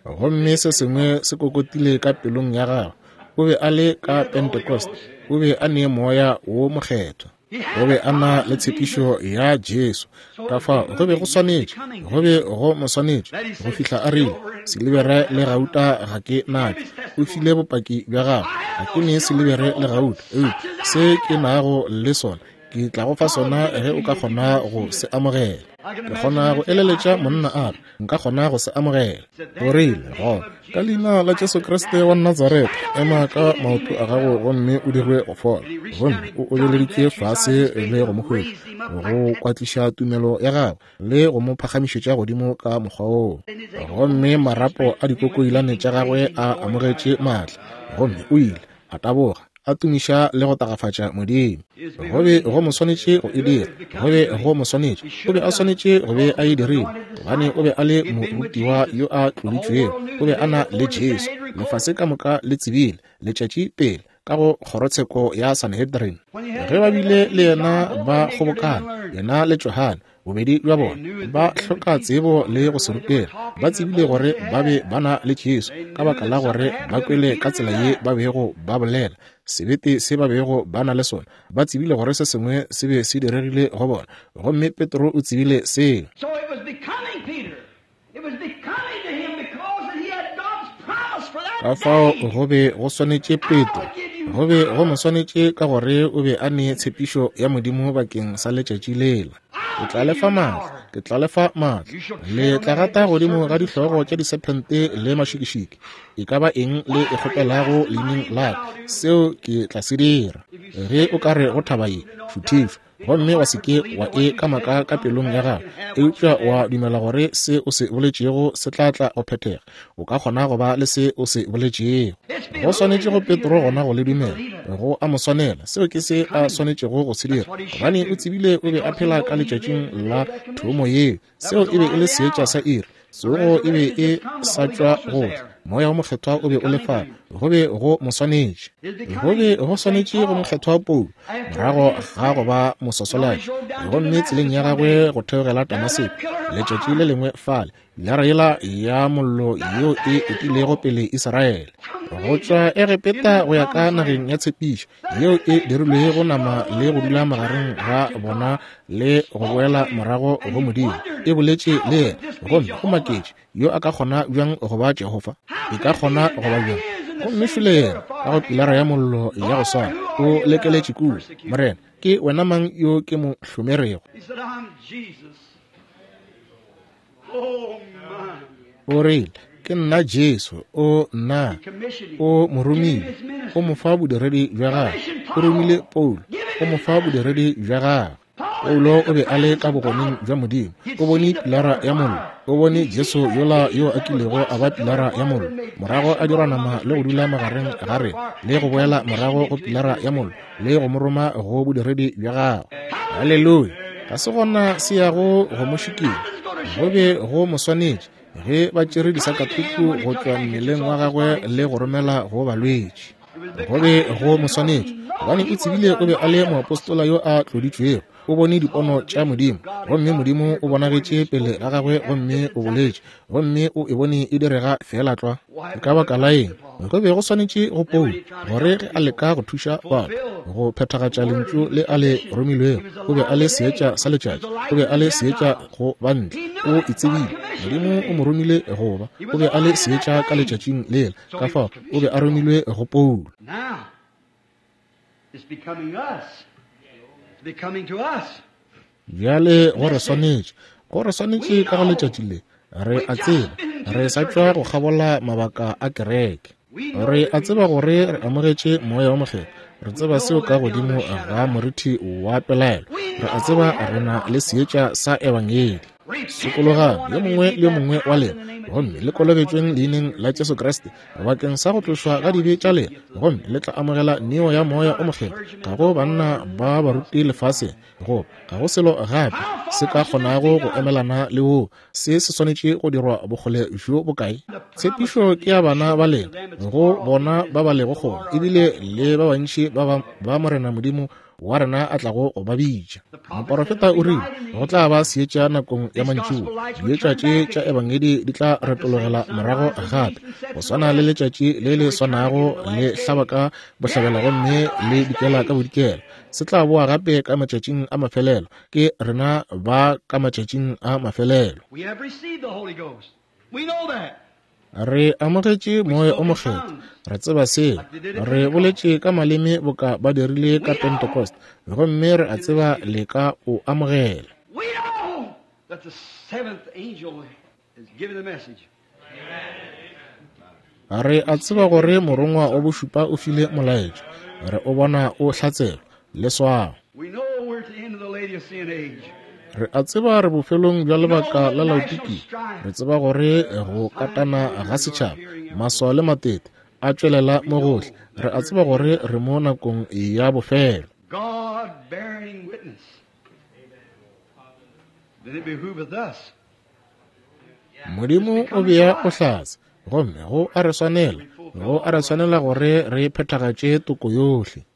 Speaker 1: gomme se sengwe se kokotile ka pelong ya gagwe. O be a le ka Pentecost, o be a ne Moya wo Mokgethwa, o be a na le tshepišo ya Jesu. Ka fao go be go swanetše, go be go mo swanetše go fihla a rile, silibere le gauta ga ke natšo. O file bopaki bja gagwe, ga ke ne silibere le gauta, eupša se ke nago le sona ke tla go fa sona ge o ka kgona go se amogela. Ke kgona go eleletša monna a re, nka kgona go se amogela. O rile, gona ka leina la Jesu Kriste wa Nazaretha, ema ka maoto a gago gomme o dirwe go fola. Gomme o obeleditše fase le go mo hwetša, go kwatliša tumelo ya gagwe le go mo phagamišetša godimo ka mokgwa woo. Gomme marapo a dikokoilane tša gagwe a amogetše maatla, gomme o ile a taboga, a tumiša le go tagafatša Modimo. Go be go mo swanetše go e dira, go be go mo swanetše, o be a swanetše go be a e dirile, gobane o be a le morutiwa yo a tloditšwego, o be a na le Jesu. Lefase ka moka le tsebile letšatši pele ka go kgorotsheko ya Sanhedrin. Ge ba bile le yena ba kgobokana, yena le Johane, bobedi bja bona ba hloka tsebo le go se rutega. Ba tsebile gore ba be ba na le Jesu ka baka la gore ba kwele ka tsela ye ba bego ba bolela, sebete se ba bego ba na le sona. Ba tsebile gore se sengwe se be se diregile go bona, gomme Petro o tsebile seo. Ka fao go be go swanetše Petro, go be go mo swanetše ka gore o be a ne tshepišo ya Modimo bakeng sa letšatši lela. Ke tla lefa maatla, ke tla lefa maatla. Le tla gata godimo ga dihlogo tša disephente le mašikišiki. E ka ba eng le e kgopelago leineng la ka, seo ke tla se dira. Ge o ka re go thaba ye, šuthišwa, gomme wa se ke wa e kamaka ka pelong ya gago, eupša wa dumela gore se o se boletšego se tla tla go phethega, o ka kgona go ba le se o se boletšego. Go swanetše go Petro gona go le dumela, go a mo swanela. Seo ke se a swanetšego go se dira, gobane o tsebile o be a phela ka letšatšing la thomo yeo. Seo e be e le seetša sa iri, tsogo e be e sa tšwa go tla, Moya wo Mokgethwa o be o le fao. Go be go mo swanetše, go be go swanetše go mokgethwa Paulo morago ga go ba moswasolaki, gomme tseleng ya gagwe go theogela Damaseko letšatši le lengwe fale, lara yela ya mollo yeo e etilego pele Israele go tšwa Egepeta go ya ka nageng ya tshepišo, yeo e dirilwego nama le go dula magareng ga bona le go boela morago go Modimo, e boletše le yena. Gomme go maketše, yo a ka kgona bjang go ba Jehofa? E ka kgona go ba bjang? Gomme šole yena, ka go pilara ya mollo ya go swana, o lekeletše kua. Morena, ke wena mang yo ke mo hlomerego? O rile, ke nna Jesu. O nna, o mo romile, o mo fa bodiredi bja gagwe. O romile Paulo, o mo fa bodiredi bja gagwe. Paulo o be a le ka bogoneng bja Modimo. O bone pilara ya mollo. O bone Jesu yola yo a kilego a ba pilara ya mollo, morago a dirwa nama le go dula magareng ga rena, le go boela morago go pilara ya mollo, le go mo roma go bodiredi bja gagwe. Haleluya! Ga se gona se yago go mo šikinya. Go be go mo swanetše ge ba tšere disakatuku go tšwa mmeleng wa gagwe le go romela go balwetši. Go be go mo swanetše gobane o tsebile o be a le moapostola yo a tloditšwego. O bone dipono tša Modimo, gomme Modimo o bonagetše pele ga gagwe gomme o boletše, gomme o e bone e direga feela tlwa. Ka baka la eng? Go be go swanetše go Paulo gore ge a leka go thuša batho go phethagatša lentšu le a le romilwego, o be a le seetša sa letšatši, o be a le seetša go bantle. O e tsebile Modimo o mo romile go ba, o be a le seetša ka letšatšing lela, ka fao o be a romilwe go Paulo. Bjale go re swanetše, go re swanetše ka go letšatši le. Re a tseba re sa tšwa go kgabola mabaka a kereke. Re a tseba gore re amogetše Moya wa Mokgethwa. Re tseba seo ka godimo ga morithi wa pelaelo. Re a tseba re na le seetša sa ebangedi. Sokologang yo mongwe le yo mongwe wa lena, gomme le kolobetšweng leineng la Jesu Kriste bakeng sa go tlošwa ga dibe tša lena, gomme le tla amogela neo ya Moya o Mokgethwa. Ga go banna ba baruti lefaseng, goba ga go selo gape se ka kgonago go emelana le woo. Se se swanetše go dirwa bokgole bjo bokae? Tshepišo ke ya bana ba lena, go bona ba ba lego kgole, ebile le ba bantši ba ba Morena Modimo wa rena a tlago go ba bitša. Moporofeta o rile go tla ba seetša nakong ya mantšiboa. Dietša tše tša ebangedi di tla retologela morago gape, go swana le letšatši le le swanago le hlaba ka bohlabela gomme le dikela ka bodikela. Se tla boa gape ka matšatšing a mafelelo. Ke rena ba ka matšatšing a mafelelo. Re amogetše Moya o Mokgethwa. Re tseba seo. Re boletše ka maleme boka ba dirile ka Pentecost, gomme re a tseba le ka o amogela. Re a tseba gore morongwa wa bošupa o file molaetša. Re o bona o hlatselwa leswao. Re a tseba re bofelong bja lebaka la Laodikia. Re tseba gore go katana ga setšhaba, maswao le matete a tšwelela mo gohle. Re a tseba gore re mo nakong ya bofelo. Modimo o bea bohlatse, gomme go a re swanela, go a re swanela gore re phethagatše toko yohle.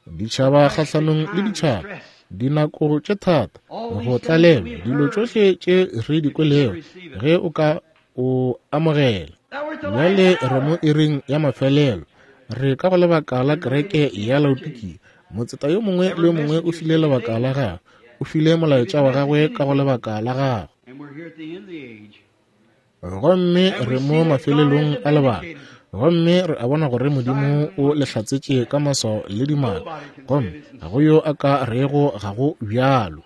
Speaker 1: Ditšhaba kgahlanong le ditšhaba, dinako tše thata, go tlalelwa, dilo tšohle tše re di kwelego, ge o ka o amogela. Bjale re mo iring ya mafelelo. Re ka go lebaka la kereke ya Laodikia. Motseta yo mongwe le yo mongwe o file lebaka la gagwe, o file molaetša wa gagwe ka go lebaka la gagwe. Gomme re mo mafelelong a lebaka, gomme re a bona gore Modimo o le hlatsetše ka maswao le dimaka, gomme ga go yo a ka rego ga go bjalo.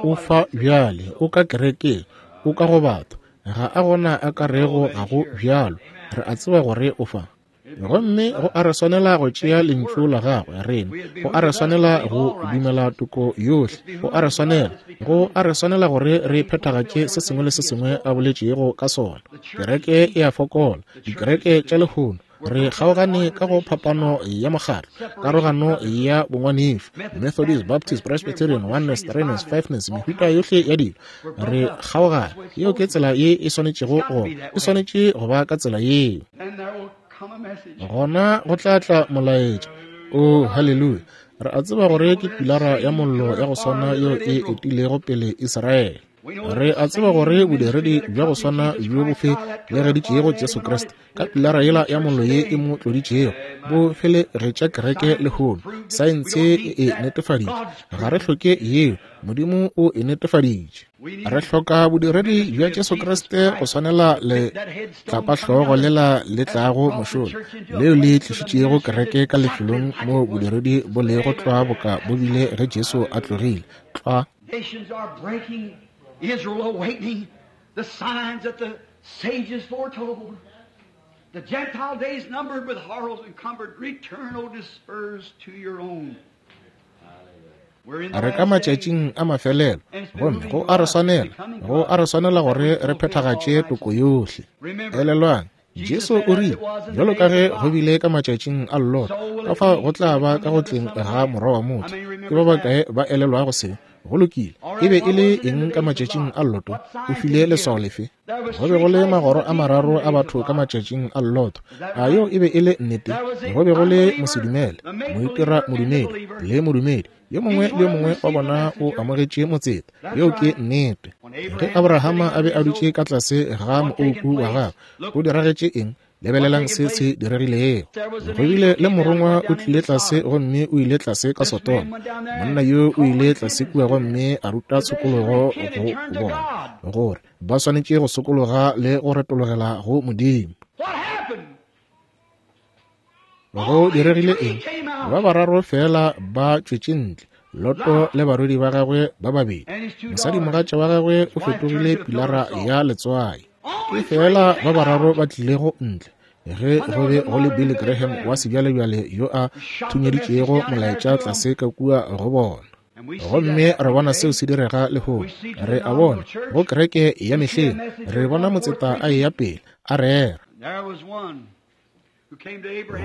Speaker 1: O fa bjale, o ka kerekeng, o ka go batho, ga a gona a ka rego ga go bjalo. Re a tseba gore o fa. Gomme go a re swanela go tšea lentšu la gagwe rena, go a re swanela go dumela toko yohle, go a re swanela, go a re swanela gore re phethagatše se sengwe le se sengwe a boletšego ka sona. Kereke e a fokola, dikereke tša lehono re kgaogane ka go phapano ya mokgatlo, karogano ya bongwanešu, Methodist, Baptist, Presbyterian, Oneness, Threeness, Fiveness, mehuta yohle ya dilo. Re kgaogane. Yeo ke tsela ye e swanetšego go, e swanetše go ba ka tsela yeo. Gona go tla tla molaetša. Oh, haleluya! Re a tseba gore ke pilara ya mollo ya go swana yeo e etilego pele Israele. Re a tseba gore bodiredi bja go swana bjo bo felegeditšego Jesu Kriste ka pilara yela ya mollo ye e mo tloditšego bo felegetša kereke lehono. Saense e e netefaditše. Ga re hloke yeo, Modimo o e netefaditše. Re hloka bodiredi bja Jesu Kriste go swanela le tlapahlogo lela le tlago mošola, leo le tlišitšego kereke ka lefelong moo bodiredi bo lego tlwa boka bo bile ge Jesu a tlogile. Tlwa.
Speaker 2: Nations are breaking, Israel awakening, the signs that the sages foretold. The Gentile days numbered with horrors encumbered. Return, O dispersed to your own.
Speaker 1: Re ka matšatšing a mafelelo, gomme go a re swanela, go a re swanela gore re phethagatše toko yohle. Elelwang, Jesu o rile, bjalo ka ge go bile ka matšatšing a Lota, ka fao go tla ba ka go tleng ga Morwa wa motho. Ke ba bakae ba elelwago se? Go lokile. E be e le eng ka matšatšing a Loto? O file leswao lefe? Go be go le magoro a mararo a batho ka matšatšing a Loto. A yeo e be e le nnete? Go be go le mosedumele, moitira modumedi le modumedi. Yo mongwe le yo mongwe wa bona o amogetše motseta. Yeo ke nnete. Ge Abrahama a be a dutše ka tlase ga moouku wa gagwe, go diragetše eng? Lebelelang se se diregilego. Go bile le morongwa o tlile tlase gomme o ile tlase ka Sodoma. Monna yo o ile tlase kua gomme a ruta tshokologo go bona, gore ba swanetše go sokologa le go retologela go Modimo. Go diregile eng? Ba bararo fela ba tšwetše ntle, Loto le barwedi ba gagwe ba babedi. Mosadimogatša wa gagwe o fetogile pilara ya letswai. Ke fela ba bararo ba tlilego ntle ge go be go le Billy Graham wa sebjalebjale yo a thunyeditšego molaetša tlase ka kua go bona. Gomme re bona seo se direga lehono. Re a bona go kereke ya mehleng, re bona motseta a eya pele a rera.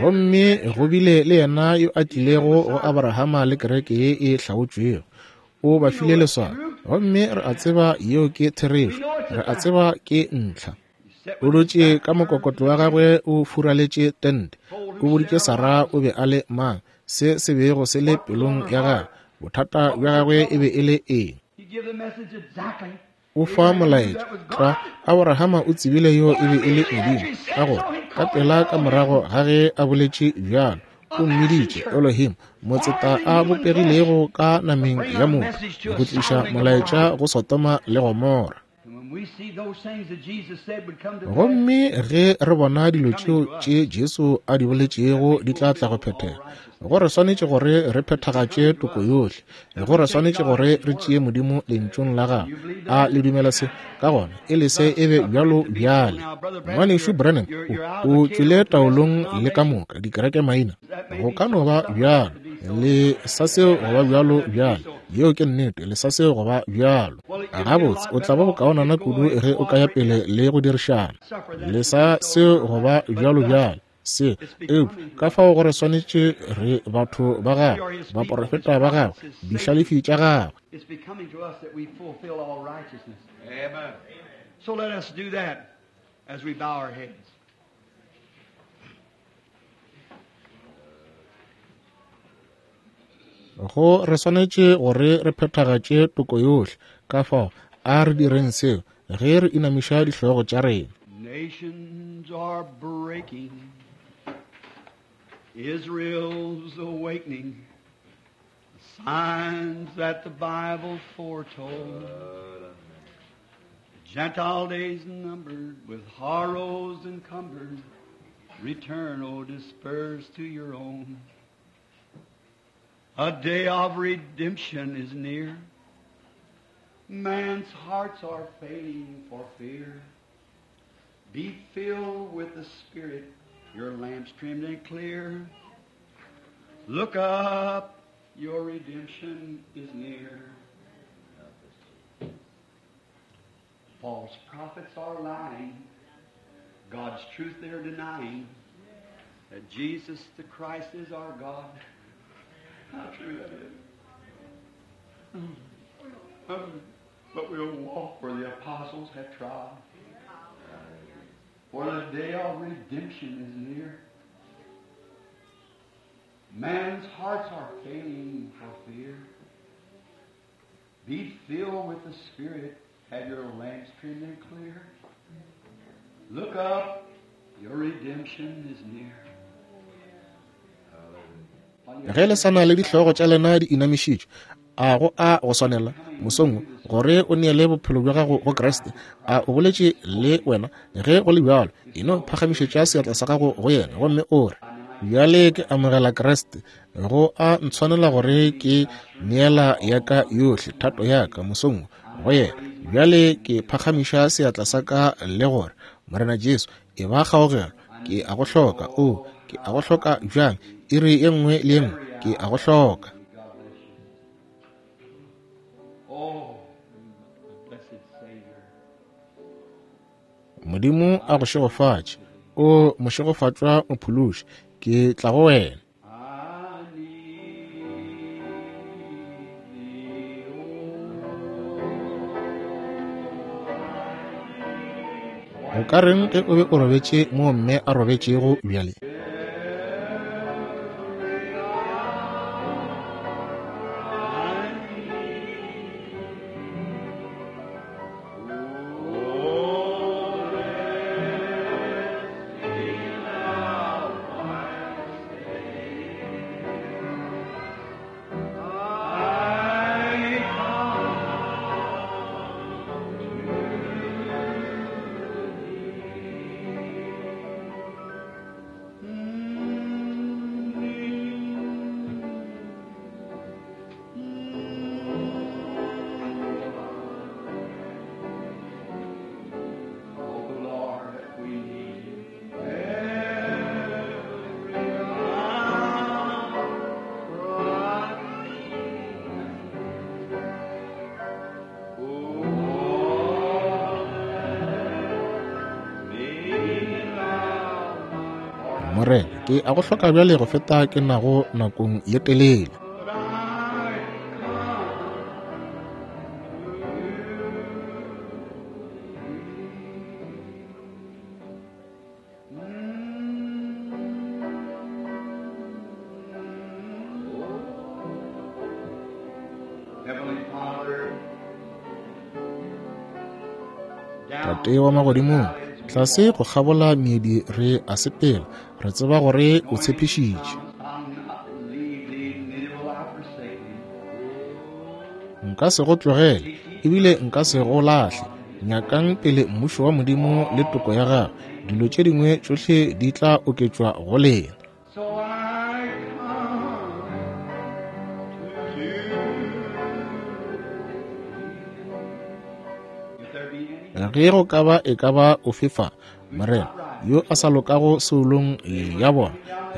Speaker 1: Gomme go bile le yena yo a tlilego go Abrahama le kereke ye e hlaotšwego. O ba file leswao. Gomme re a tseba yeo ke therešo. Re a tseba ke ntlha. O dutše ka mokokotlo wa gagwe o furaletše tente. O boditše Sara o be a le mang, se se bego se le pelong ya gagwe, bothata bja gagwe e be e le eng. O fa molaetša tlwa. Abrahama o tsebile yo e be e le Modimo, ka gore ka pela ka morago ga ge a boletše bjalo, o mmiditše Elohim, motseta a bopegilego ka nameng ya motho, go tliša molaetša go Sodoma le Gomora. Gomme ge re bona dilo tšeo tše Jesu a di boletšego di tla tla go phethega, go re swanetše gore re phethagatše toko yohle, go re swanetše gore re tšee Modimo lentšung la gagwe. A le dumela se? Ka gona e le se e be bjalo bjale. Ngwanešu Branham o tšwele taolong le ka moka dikereke maina. Go ka no ba bjalo, le sa seo go ba bjalo bjalo. Yeo ke nnete, le sa seo go ba bjalo. Gabotse, o tla ba bokaonana kudu ge o ka ya pele le go dirišana. Le sa seo go ba bjalo bjalo. Se, eupša ka fao gore swanetše re batho ba gagwe, baporofeta ba gagwe, dihlalefi tša gagwe.
Speaker 2: It's becoming to us that we fulfill all righteousness. Amen. So let us do that as we bow our heads.
Speaker 1: Go re swanetše gore re phethagatše toko yohle. Ka fao a re direng seo ge re inamiša dihlogo tša rena.
Speaker 2: Nations are breaking, Israel's awakening, the signs that the Bible foretold. The Gentile days numbered, with horrors encumbered, return, O dispersed to your own. A day of redemption is near. Man's hearts are failing for fear. Be filled with the Spirit, your lamps trimmed and clear. Look up, your redemption is near. False prophets are lying, God's truth they're denying, that Jesus the Christ is our God. How true that is. But we'll walk where the apostles have trod. For the day of redemption is near. Man's hearts are failing for fear. Be filled with the Spirit, Have your lamps trimmed and clear. Look up, your redemption is near.
Speaker 1: Ge le sa na le dihlogo tša lena di inamišitšwe, a go a go swanela mosong wo gore o neele bophelo bja gago go Kriste? A o boletše le wena? Ge go le bjalo, e no phagamišetša seatla sa gago go yena gomme o re, bjale ke amogela Kriste, go a ntshwanela gore ke neela ya ka yohle thato ya ka mosong wo go yena. Bjale ke phagamiša seatla sa ka le gore, Morena Jesu, e ba kgaogelo, ke a go hloka. O, ke a go hloka bjang, iri ye nngwe le ye nngwe ke a go hloka.
Speaker 2: Oh, blessed Savior.
Speaker 1: Modimo a go šegofatše. O mošegofatšwa mophološi, ke tla go wena.
Speaker 2: I need thee, oh.
Speaker 1: O ka reng ge o be o robetše mo mme a robetšego bjale?
Speaker 2: Oh, Lord, we need you. Every hour. Oh, me thou my
Speaker 1: Morena, ke a go hloka bjale go feta ke nago nakong ye telele.
Speaker 2: But I come to Heavenly Father, down
Speaker 1: Tate wa magodimong, tlase go kgabola meedi re a sepela, re tseba gore o tshepišitše.
Speaker 2: I'll not leave thee, neither will I forsake thee.
Speaker 1: Nka se go tlogele, ebile nka se go lahle. Nyakang pele mmušo wa Modimo le toko ya gagwe, dilo tše dingwe tšohle di tla oketšwa go lena.
Speaker 2: So I come to you. If there be any
Speaker 1: Ge go ka ba e ka ba ofe fa, Morena, yo a sa lokago seolong ya bona,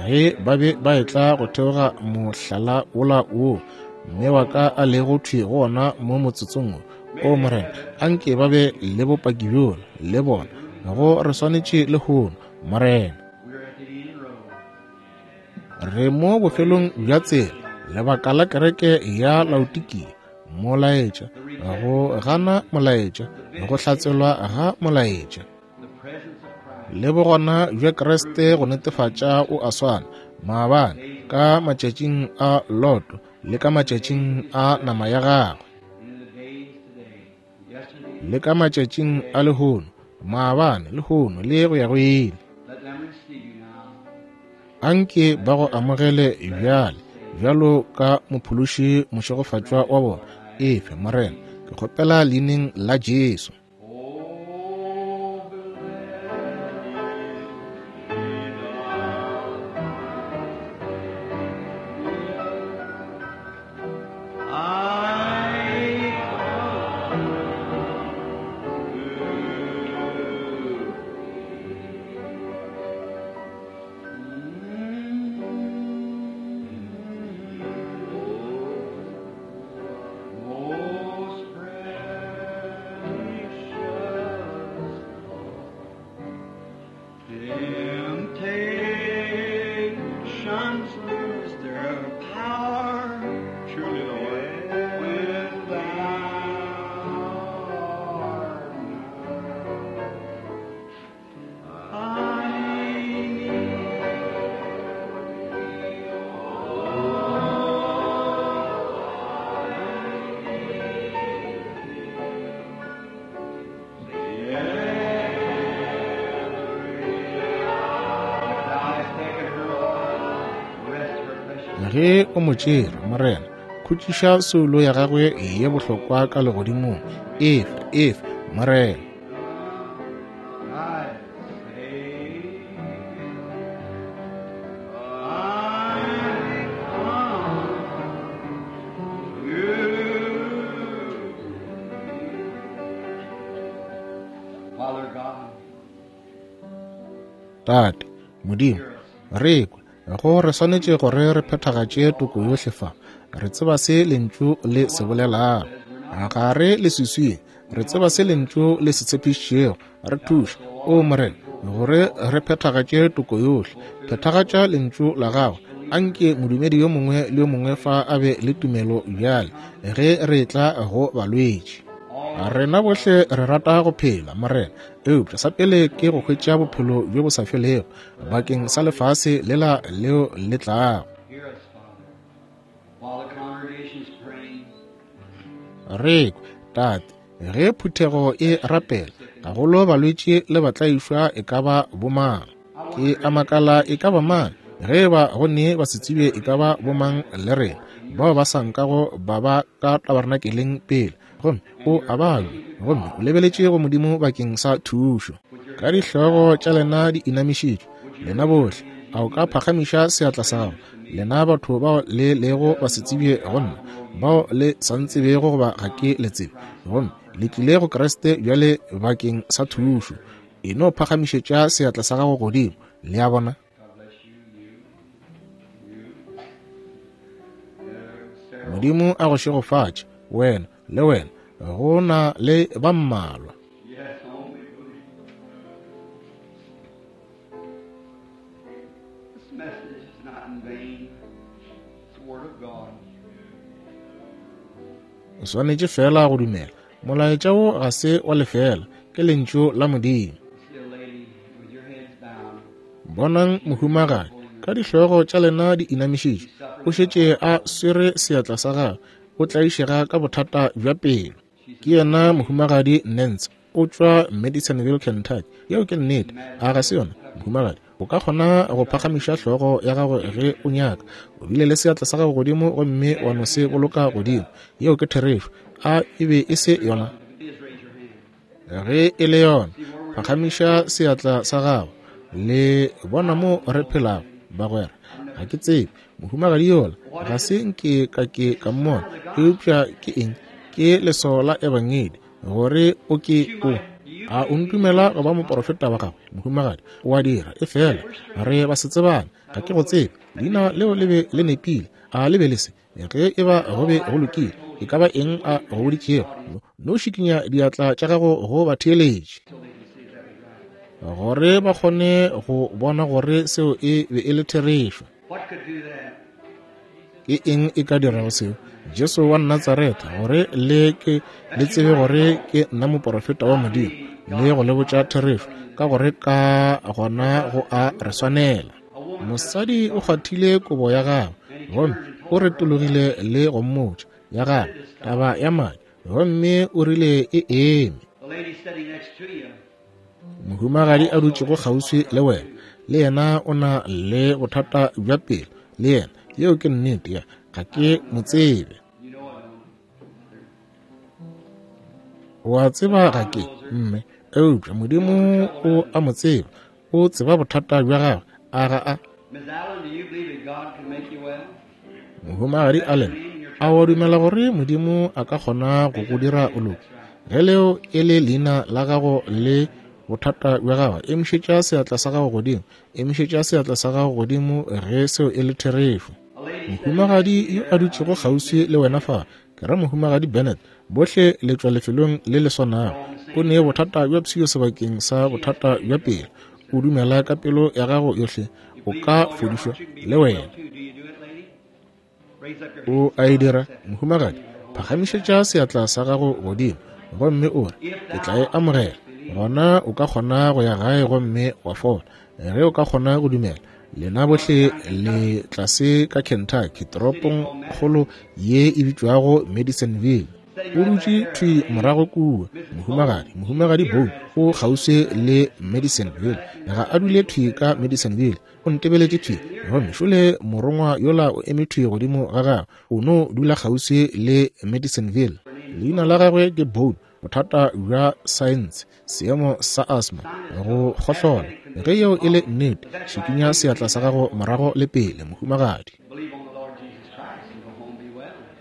Speaker 1: ge ba be ba etla go theoga mohlala wola woo mme wa ka a lego thwi go ona mo motsotsong wo, o Morena, anke ba be le bopaki bjola le bona, go re swanetše lehono, Morena.
Speaker 2: we're at the end road.
Speaker 1: Re mo bofelong bja tsela, lebaka la kereke ya Laodikia, molaetša, go gana molaetša, go hlatselwa ga molaetša,
Speaker 2: The presence of Christ.
Speaker 1: le bogona bja Kriste go netefatša o a swana maabane ka matšatšing a Loto le ka matšatšing a nama ya gagwe,
Speaker 2: And in the days today, yesterday,
Speaker 1: le ka matšatšing a lehono, maabane, lehono le go ya go ile.
Speaker 2: let them receive you now.
Speaker 1: Anke ba go amogele bjale bjalo ka mophološi mošegofatšwa wa bona. Efe Morena, ke kgopela leineng la Jesu.
Speaker 2: Oh, I Most precious Temptations lose their power, truly, Lord, when thou art nigh. I need thee, oh,
Speaker 1: Ge o mo tšere, Morena, khutšiša soulo ya gagwe ye bohlokwa ka legodimong. Efe, efe, Morena.
Speaker 2: I say, I come to Father God,
Speaker 1: Tate, Modimo, re kwe go re swanetše gore re phethagatše toko yohle fa. Re tseba se lentšu le se bolelago. Ga re leswiswing, re tseba se lentšu le se tshepišitšego. Re thuše, o Morena, gore re phethagatše toko yohle. Phethagatša lentšu la gago. Anke modumedi yo mongwe le yo mongwe fa a be le tumelo bjale ge re etla go balwetši. Rena bohle re rata go phela, Morena, eupša sa pele ke go hwetša bophelo bjo bo sa felego bakeng sa lefase lela leo le tlago.
Speaker 2: hear us, Father, while the congregation is praying.
Speaker 1: Re kwe, Tate, ge phuthego e rapela, gagolo balwetši le batlaišwa e ka ba bomang. Ke a makala e ka ba mang, ge ba go ne ba se tsebe e ka ba bomang le rena, bao ba sa nkago ba ba ka tabernakeleng pele, gomme o a babja, gomme o lebeletše go Modimo bakeng sa thušo. Ka dihlogo tša lena di inamišitšwe, lena bohle, a o ka phagamiša seatla sa gago, lena batho bao le lego ba se tsebje go nna, bao le sa ntsebego goba ga ke le tsebe, gomme le tlile go Kriste bjale bakeng sa thušo. E no phagamišetša seatla sa gago godimo, le a bona.
Speaker 2: God bless you, you, you. Uh, Sarah,
Speaker 1: Modimo a go šegofatše, wena le wena, go na le ba mmalwa.
Speaker 2: yes, only believe. This message is not in vain. It's the Word of God.
Speaker 1: O swanetše fela go dumela. Molaetša wo ga se wa lefela, ke lentšu la Modimo.
Speaker 2: See a lady with your heads bowed.
Speaker 1: Bonang mohumagadi, ka dihlogo tša lena di inamišitšwe, o šetše a swere seatla sa gagwe, o tlaišega ka bothata bja pelo. Ke yena mohumagadi Nance, o tšwa Madisonville, Kentucky. Yeo ke nnete, a ga se yona, mohumagadi? O ka kgona go phagamiša hlogo ya gago ge o nyaka. O bile le seatla sa gago godimo gomme wa no se boloka godimo. Yeo ke therešo. A e be e se yona?
Speaker 2: Please raise your hand.
Speaker 1: Ge e le yona, phagamiša seatla sa gago. Le bona mo re phelago, bagwera. Ga ke tsebe mohumagadi yola, ga se nke ka ke ka mmona, eupša ke eng? Ke leswao la ebangedi gore o ke o. A o ntumela go ba moporofeta wa gagwe, mohumagadi? O a dira, efela re ba se tsebane, ga ke go tsebe. Leina leo le be le nepile, a le be le se? Ge e ba go be go lokile, e ka ba eng a go boditšego? No šikinya diatla tša gago go batheeletši, gore ba kgone go bona gore seo e be e le therešo.
Speaker 2: What could do that?
Speaker 1: Ke eng e ka dirago seo? Jesu wa Natsaretha, gore le ke le tsebe gore ke nna moporofeta wa Modimo, le go le botša therešo, ka gore ka gona go a re swanela. Mosadi o kgwathile kobo ya gagwe, gomme o retologile le go mmotša ya gagwe taba ya madi, gomme o rile e eme.
Speaker 2: The lady sitting next to you.
Speaker 1: Mohumagadi a dutšego kgauswi le wena, le yena o na le bothata bja pelo, le yena. Yeo ke nnete, ya ga ke mo tsebe.
Speaker 2: You know I don't.
Speaker 1: O a tseba ga ke mme, eupša Modimo o a mo tseba. O tseba bothata bja gagwe, a ga a?
Speaker 2: Miss Allen, do you believe that God can make you well?
Speaker 1: Mohumagadi Allen, a wa dumela gore Modimo a ka kgona go go dira o loke? Ge leo e le leina la gago le bothata bja gago, emišetša seatla sa gago godimo. Emišetša seatla sa gago godimo ge seo e le therešo.
Speaker 2: A lady
Speaker 1: Mohumagadi yo a dutšego kgauswi le wena fa, ke ra mohumagadi Bennett, bohle le tšwa lefelong le le swanago. O ne bothata bja pshio sebakeng sa bothata bja pelo. O dumela ka pelo ya gago yohle, o ka fodišwa le wena.
Speaker 2: too. Do you do it, lady? Raise up your
Speaker 1: O a e dira, mohumagadi? Phagamišetša seatla sa gago godimo gomme o re, ke tla e amogela. Gona o ka kgona go ya gae gomme wa fola. Ge o ka kgona go dumela, lena bohle le tlase ka Kentucky, toropong kgolo ye e bitšwago Madisonville. O dutše thwi morago kua, mohumagadi, mohumagadi Boone o kgauswi le Madisonville. Ga a dule thwi ka Madisonville, O ntebeletše thwi, gomme šole morongwa yola o eme thwi godimo ga gagwe. O no dula kgauswi le Madisonville. Leina la gagwe ke Bone, bothata bja saense, seemo sa asthma, go kgohlola. Ge yeo e le nnete, šikinya seatla sa gago morago le pele, mohumagadi.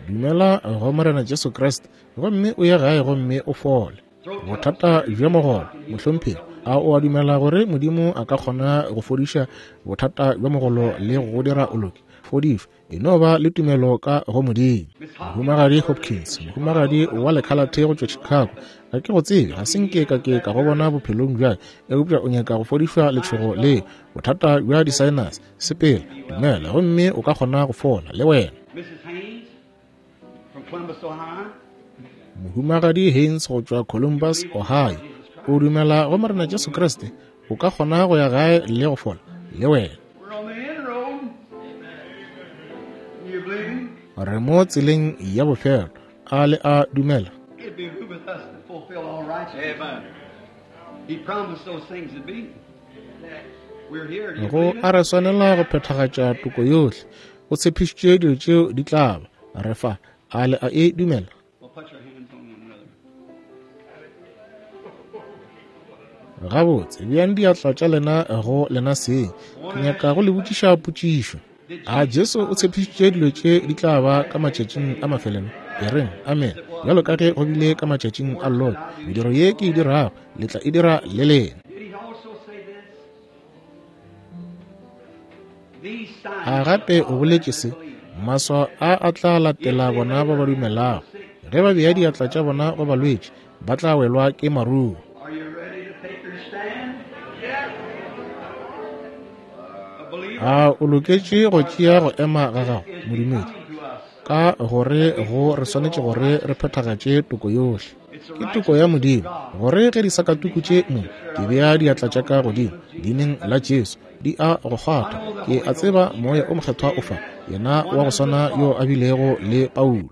Speaker 1: Dumela go Morena Jesu Kriste, gomme o ye gae gomme o fole. Bothata bja mogolo, mohlomphegi, a o a dumela gore Modimo a ka kgona go fodiša bothata bja mogolo le go dira o loke? Fodišwa, e no ba le tumelo ka go Modimo. Mohumagadi Hopkins, mohumagadi wa lekhalathe go tšwa Chicago, ga ke go tsebe, ga se nke ka ke ka go bona bophelong bja, eupša o nyaka go fodišwa letšhogo le bothata bja di-sinus. Sepela, dumela, gomme o ka kgona go fola le wena. Mohumagadi Haynes go tšwa Columbus, Ohio, o dumela go Morena Jesu Kriste, o ka kgona go ya gae le go fola le wena. Re mo tseleng ya bofelo, a le a dumela? Go a re swanela go phethagatša toko yohle. O tshepišitše dilo tšeo di tla ba. Re fa, a le a e dumela? Gabotse, beang diatla tša lena go lena seng. Ke nyaka go le botšiša potšišo. A Jesu o tshepišitše dilo tše di tla ba ka matšatšing a mafelelo? E reng amen. Bjalo ka ge go bile ka matšatšing a Lot, mediro ye ke e dirago le tla e dira le lena. A gape o boletše se, maswao a a tla latela bona ba ba dumelago. Ge ba bea diatla tša bona go balwetši, ba tla welwa ke maruo. A o loketše go tšea go ema ga gago, modumedi? Ka gore go re swanetše gore re phethagatše toko yohle. Ke toko ya Modimo, gore ge disakatuku tše mo ke bea diatla tša ka godimo leineng la Jesu, di a go kgwatha. Ke a tseba Moya o Mokgethwa o fa, yena wa go swana yo a bilego le Paulo.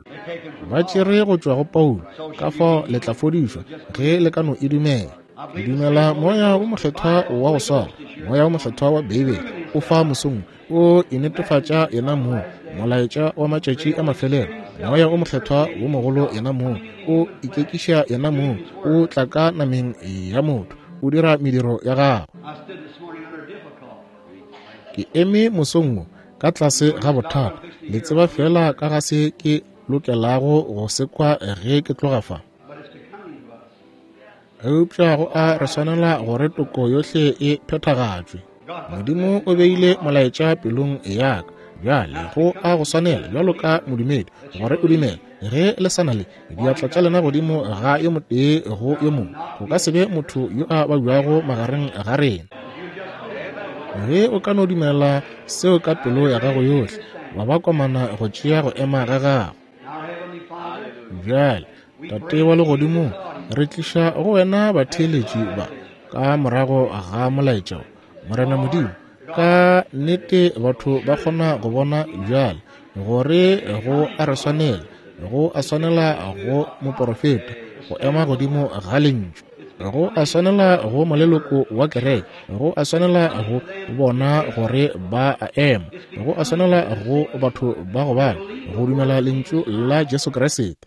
Speaker 1: Ba tšere go tšwa go Paulo, ka fao le tla fodišwa ge le ka no e dumela. Ke dumela Moya o Mokgethwa wa go swana, Moya o Mokgethwa wa Beibele o fa mosong, o e netefatša yena mong, molaetša wa matšatši a mafelelo. Moya o Mokgethwa wo mogolo yena mong, o ikekiša yena mong, o tla ka nameng ya motho, o dira mediro ya gagwe. Ke eme mosong wo ka tlase ga bothata, le tseba fela ka ga se ke lokelago go se kwa ge ke tloga fa. Eupša go a re swanela gore toko yohle e phethagatšwe. Modimo o beile molaetša pelong ya ka. Bjale go a go swanela bjalo ka modumedi gore o dumele. Ge le sa na le diatla tša lena godimo ga yo motee go yo mongwe, go ka se be motho yo a babjago magareng ga rena. Ge o ka no dumela seo ka pelo ya gago yohle, wa ba komana go tšea go ema ga gago. Bjale, Tate wa legodimong, re tliša go wena batheeletši ba ka morago ga molaetša wo. Morena Modimo, ka nnete batho ba kgona go bona bjale gore go a re swanela, go a swanela go moporofeta go ema godimo ga lentšu, go a swanela go moleloko wa kereke, go a swanela go bona gore ba a ema, go a swanela go batho ba go bala go dumela lentšu la Jesu Kriste.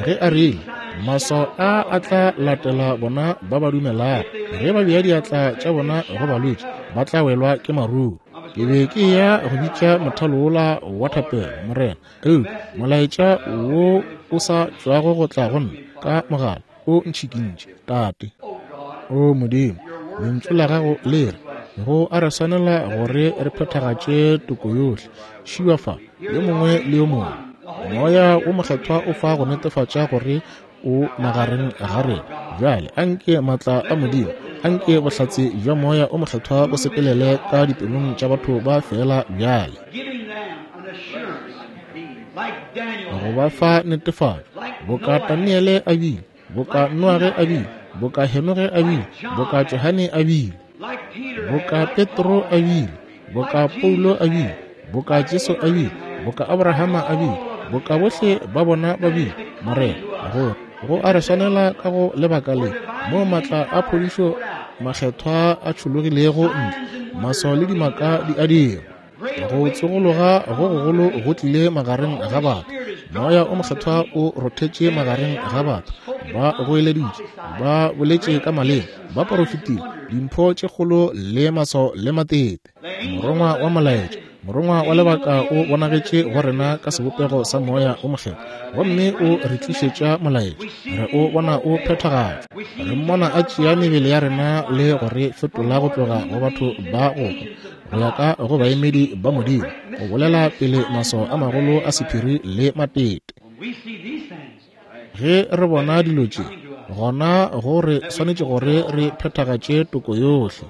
Speaker 1: Ge a rile, maswao a a tla latela bona ba ba dumelago, ge ba bea diatla tša bona go balwetši, ba tla welwa ke maruo. Ke be ke ya go bitša mothalo wola wa thapelo, Morena, eupša molaetša wo o sa tšwago go tla go nna ka mogala o ntšhikintše. Tate, o Modimo, lentšu la gago le re go a re swanela gore re phethagatše toko yohle. Šiwa fa yo mongwe le yo mongwe. Moya o Mokgethwa o fa go netefatša gore o magareng ga rena. Bjale anke maatla a Modimo, anke bohlatse bja Moya o Mokgethwa bo sepelele ka dipelong tša batho ba fela bjale, go ba fa netefatšo, boka Daniele a bile, boka Noage a bile, boka Henoge a bile, boka Johane a bile, boka Petro a bile, boka Paulo a bile, boka Jesu a bile, boka Abrahama a bile, boka bohle ba bona ba bile. Morena, gore go a re swanela ka go lebaka le mo maatla a phodišo makgethwa a tšhologilego ntle, maswao le dimaka di a dirwa. Go tsogologa go gogolo go tlile magareng ga batho. Moya o mokgethwa o rothetše magareng ga batho. Ba goeleditše, ba boletše ka maleme, ba porofetile, dimpho tše kgolo le maswao le matete. Morongwa wa molaetša, morongwa wa lebaka o bonagetše go rena ka sebopego sa moya o mokgethwa, gomme o re tlišetša molaetša. Re o bona o phethagatšwa. Re mmona a tšea mebele ya rena le go re fetola go tloga go batho ba go hwa go ya ka go baemedi ba Modimo, go bolela pele maswao a magolo a sephiri le matete. Ge re bona dilo tše, gona go re swanetše gore re phethagatše toko yohle.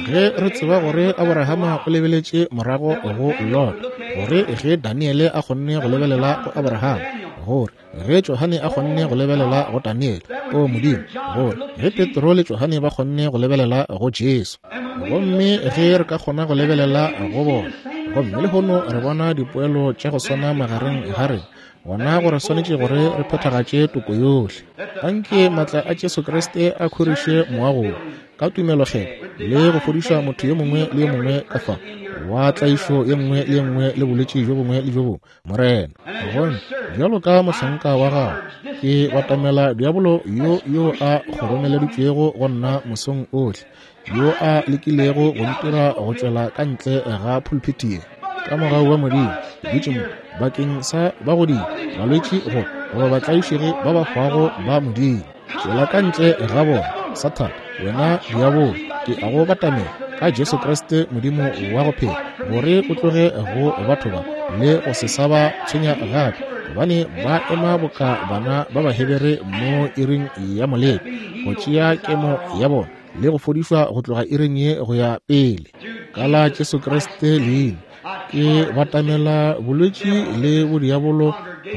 Speaker 1: Ge re tseba gore Abrahama o lebeletše morago go Lot, gore ge Daniele a kgonne go lebelela go Abrahama, gore ge Johane a kgonne go lebelela go Daniele, o Modimo, gore ge Petro le Johane ba kgonne go lebelela go Jesu, gomme ge re ka kgona go lebelela go bona, gomme lehono re bona dipoelo tša go swana magareng ga rena, gona gore swanetše gore re phethagatše toko yohle. Anke maatla a Jesu Kriste a khoriše moago ka tumelokgethwa le go fodiša motho yo mongwe le yo mongwe ka fa wa tlaišo ye nngwe le ye nngwe le bolwetši bjo bongwe le bjo bongwe, Morena. Gomme bjalo ka mohlanka wa gago, ke batamela diabolo yo yo a kgoromeleditšwego go nna mosong ohle, yo a lekilego go ntira go tšwela ka ntle ga pulpiti ye. Ka mogau wa Modimo, ke dutše mo bakeng sa bagodi, balwetši go goba batlaišegi ba ba hwago ba Modimo. Tšwela ka ntle ga bona, Sathane, wena diabolo, ke a go batamela ka Jesu Kriste Modimo wa go phela, gore o tloge go batho ba le go se sa ba tshwenya gape, gobane ba ema boka bana ba Bahebere mo iring ya moleko, go tšea kemo ya bona le go fodišwa go tloga iring ye go ya pele. Ka la Jesu Kriste leina, ke batamela bolwetši le bodiabolo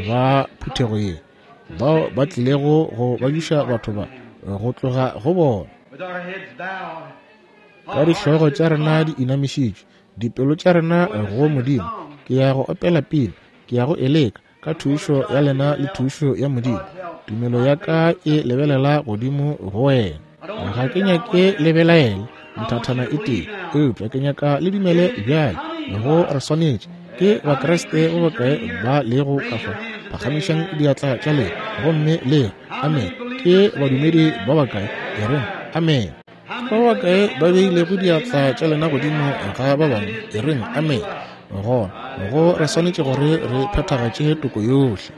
Speaker 1: ba phuthego ye, bao ba tlilego go babiša batho ba go tloga go bona. Ka dihlogo tša rena di inamišitšwe, dipelo tša rena go Modimo, ke ya go opela pina, ke ya go eleka ka thušo ya lena le thušo ya Modimo. Tumelo ya ka e lebelela godimo go wena. Ga ke nyake le belaele nthathana e tee, eupša ke nyaka le dumele bjale go re swanetše. Ke Bakriste ba bakae ba lego ka fa? Phagamišang diatla tša lena gomme le re amen. Ke badumedi ba bakae? E reng amen. Ba bakae ba beilego diatla tša lena godimo ga ba bangwe? E reng amen. Gona go re swanetše gore re phethagatše toko yohle.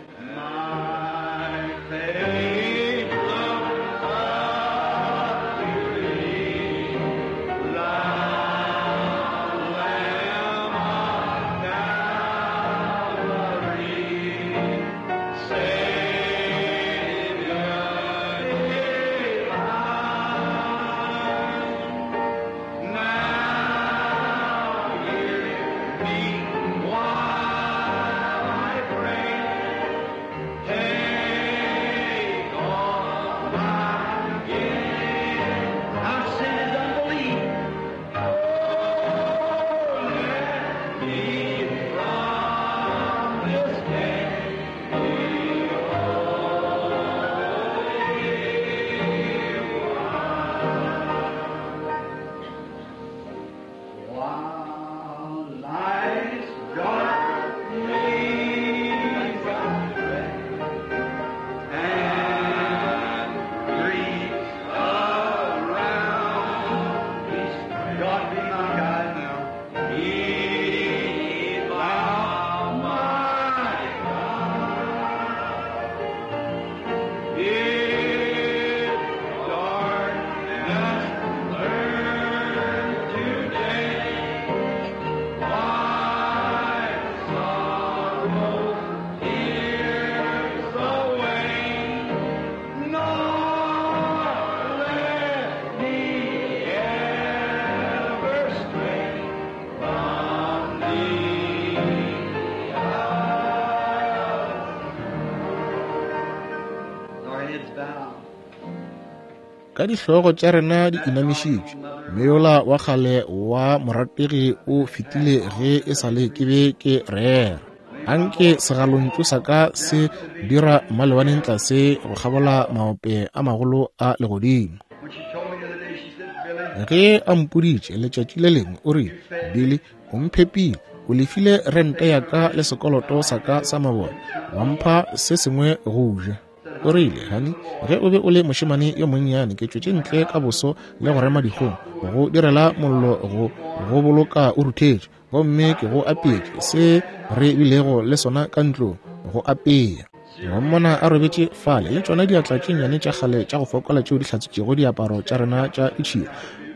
Speaker 1: Ka dihlogo tša rena di inamišitšwe, meola wa kgale wa morategi o fetile ge e sa le ke be ke rera. Anke segalontšu sa ka se dira malebaneng tlase go kgabola maope a magolo a legodimo.
Speaker 2: When she told me the other day, she said, Billy,
Speaker 1: Ge a mpoditše letšatši le lengwe, o rile, Billy, o mphepile, o lefile rente ya ka le sekoloto sa ka sa mabone, wa mpha se sengwe go ja. O rile, honey, ge o be o le mošemane yo monnyane, ke tšwetše ntle ka boso le go rema dikgong, go direla mollo go go boloka o ruthetše, gomme ke go apeetše se re bilego le sona ka ntlong, go apea. Wa mmona a robetše fale le tšona diatla tše nnyane tša kgale tša go fokola tšeo di hlatswitšego diaparo tša rena tša ditšhila.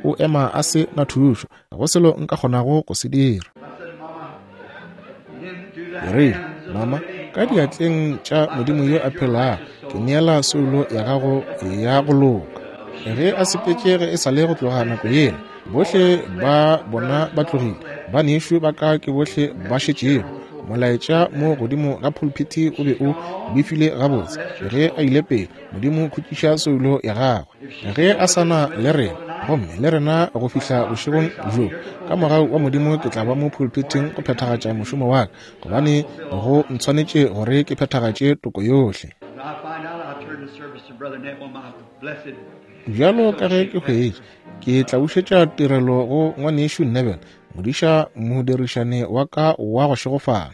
Speaker 1: O ema a se na thušo, ga go selo nka kgonago go se dira. Ke rile, Mama, ka diatleng tša Modimo yo a phelago, ke neela soulo ya gago ya go loka. Ge a sepetše ge e sa le go tloga nako yela, bohle ba bona ba tlogile, banešu ba ka ke bohle ba šetšego. Molaetša mo godimo ga pulpiti o be o befile gabotse ge a ile pele. Modimo khutšiša soulo ya gagwe ge a sa na le rena, gomme le rena go fihla bošegong bjo. Ka mogau wa Modimo ke tla ba mo pulpiting go phethagatša mošomo wa ka, gobane go ntshwanetše gore ke phethagatše toko yohle.
Speaker 2: When I find out, I'll turn the service to Brother Neville, my blessed
Speaker 1: Bjalo ka ge ke hwetše, ke tla bušetša tirelo go ngwanešu Neville, modiša modirišane wa ka wa go šegofala.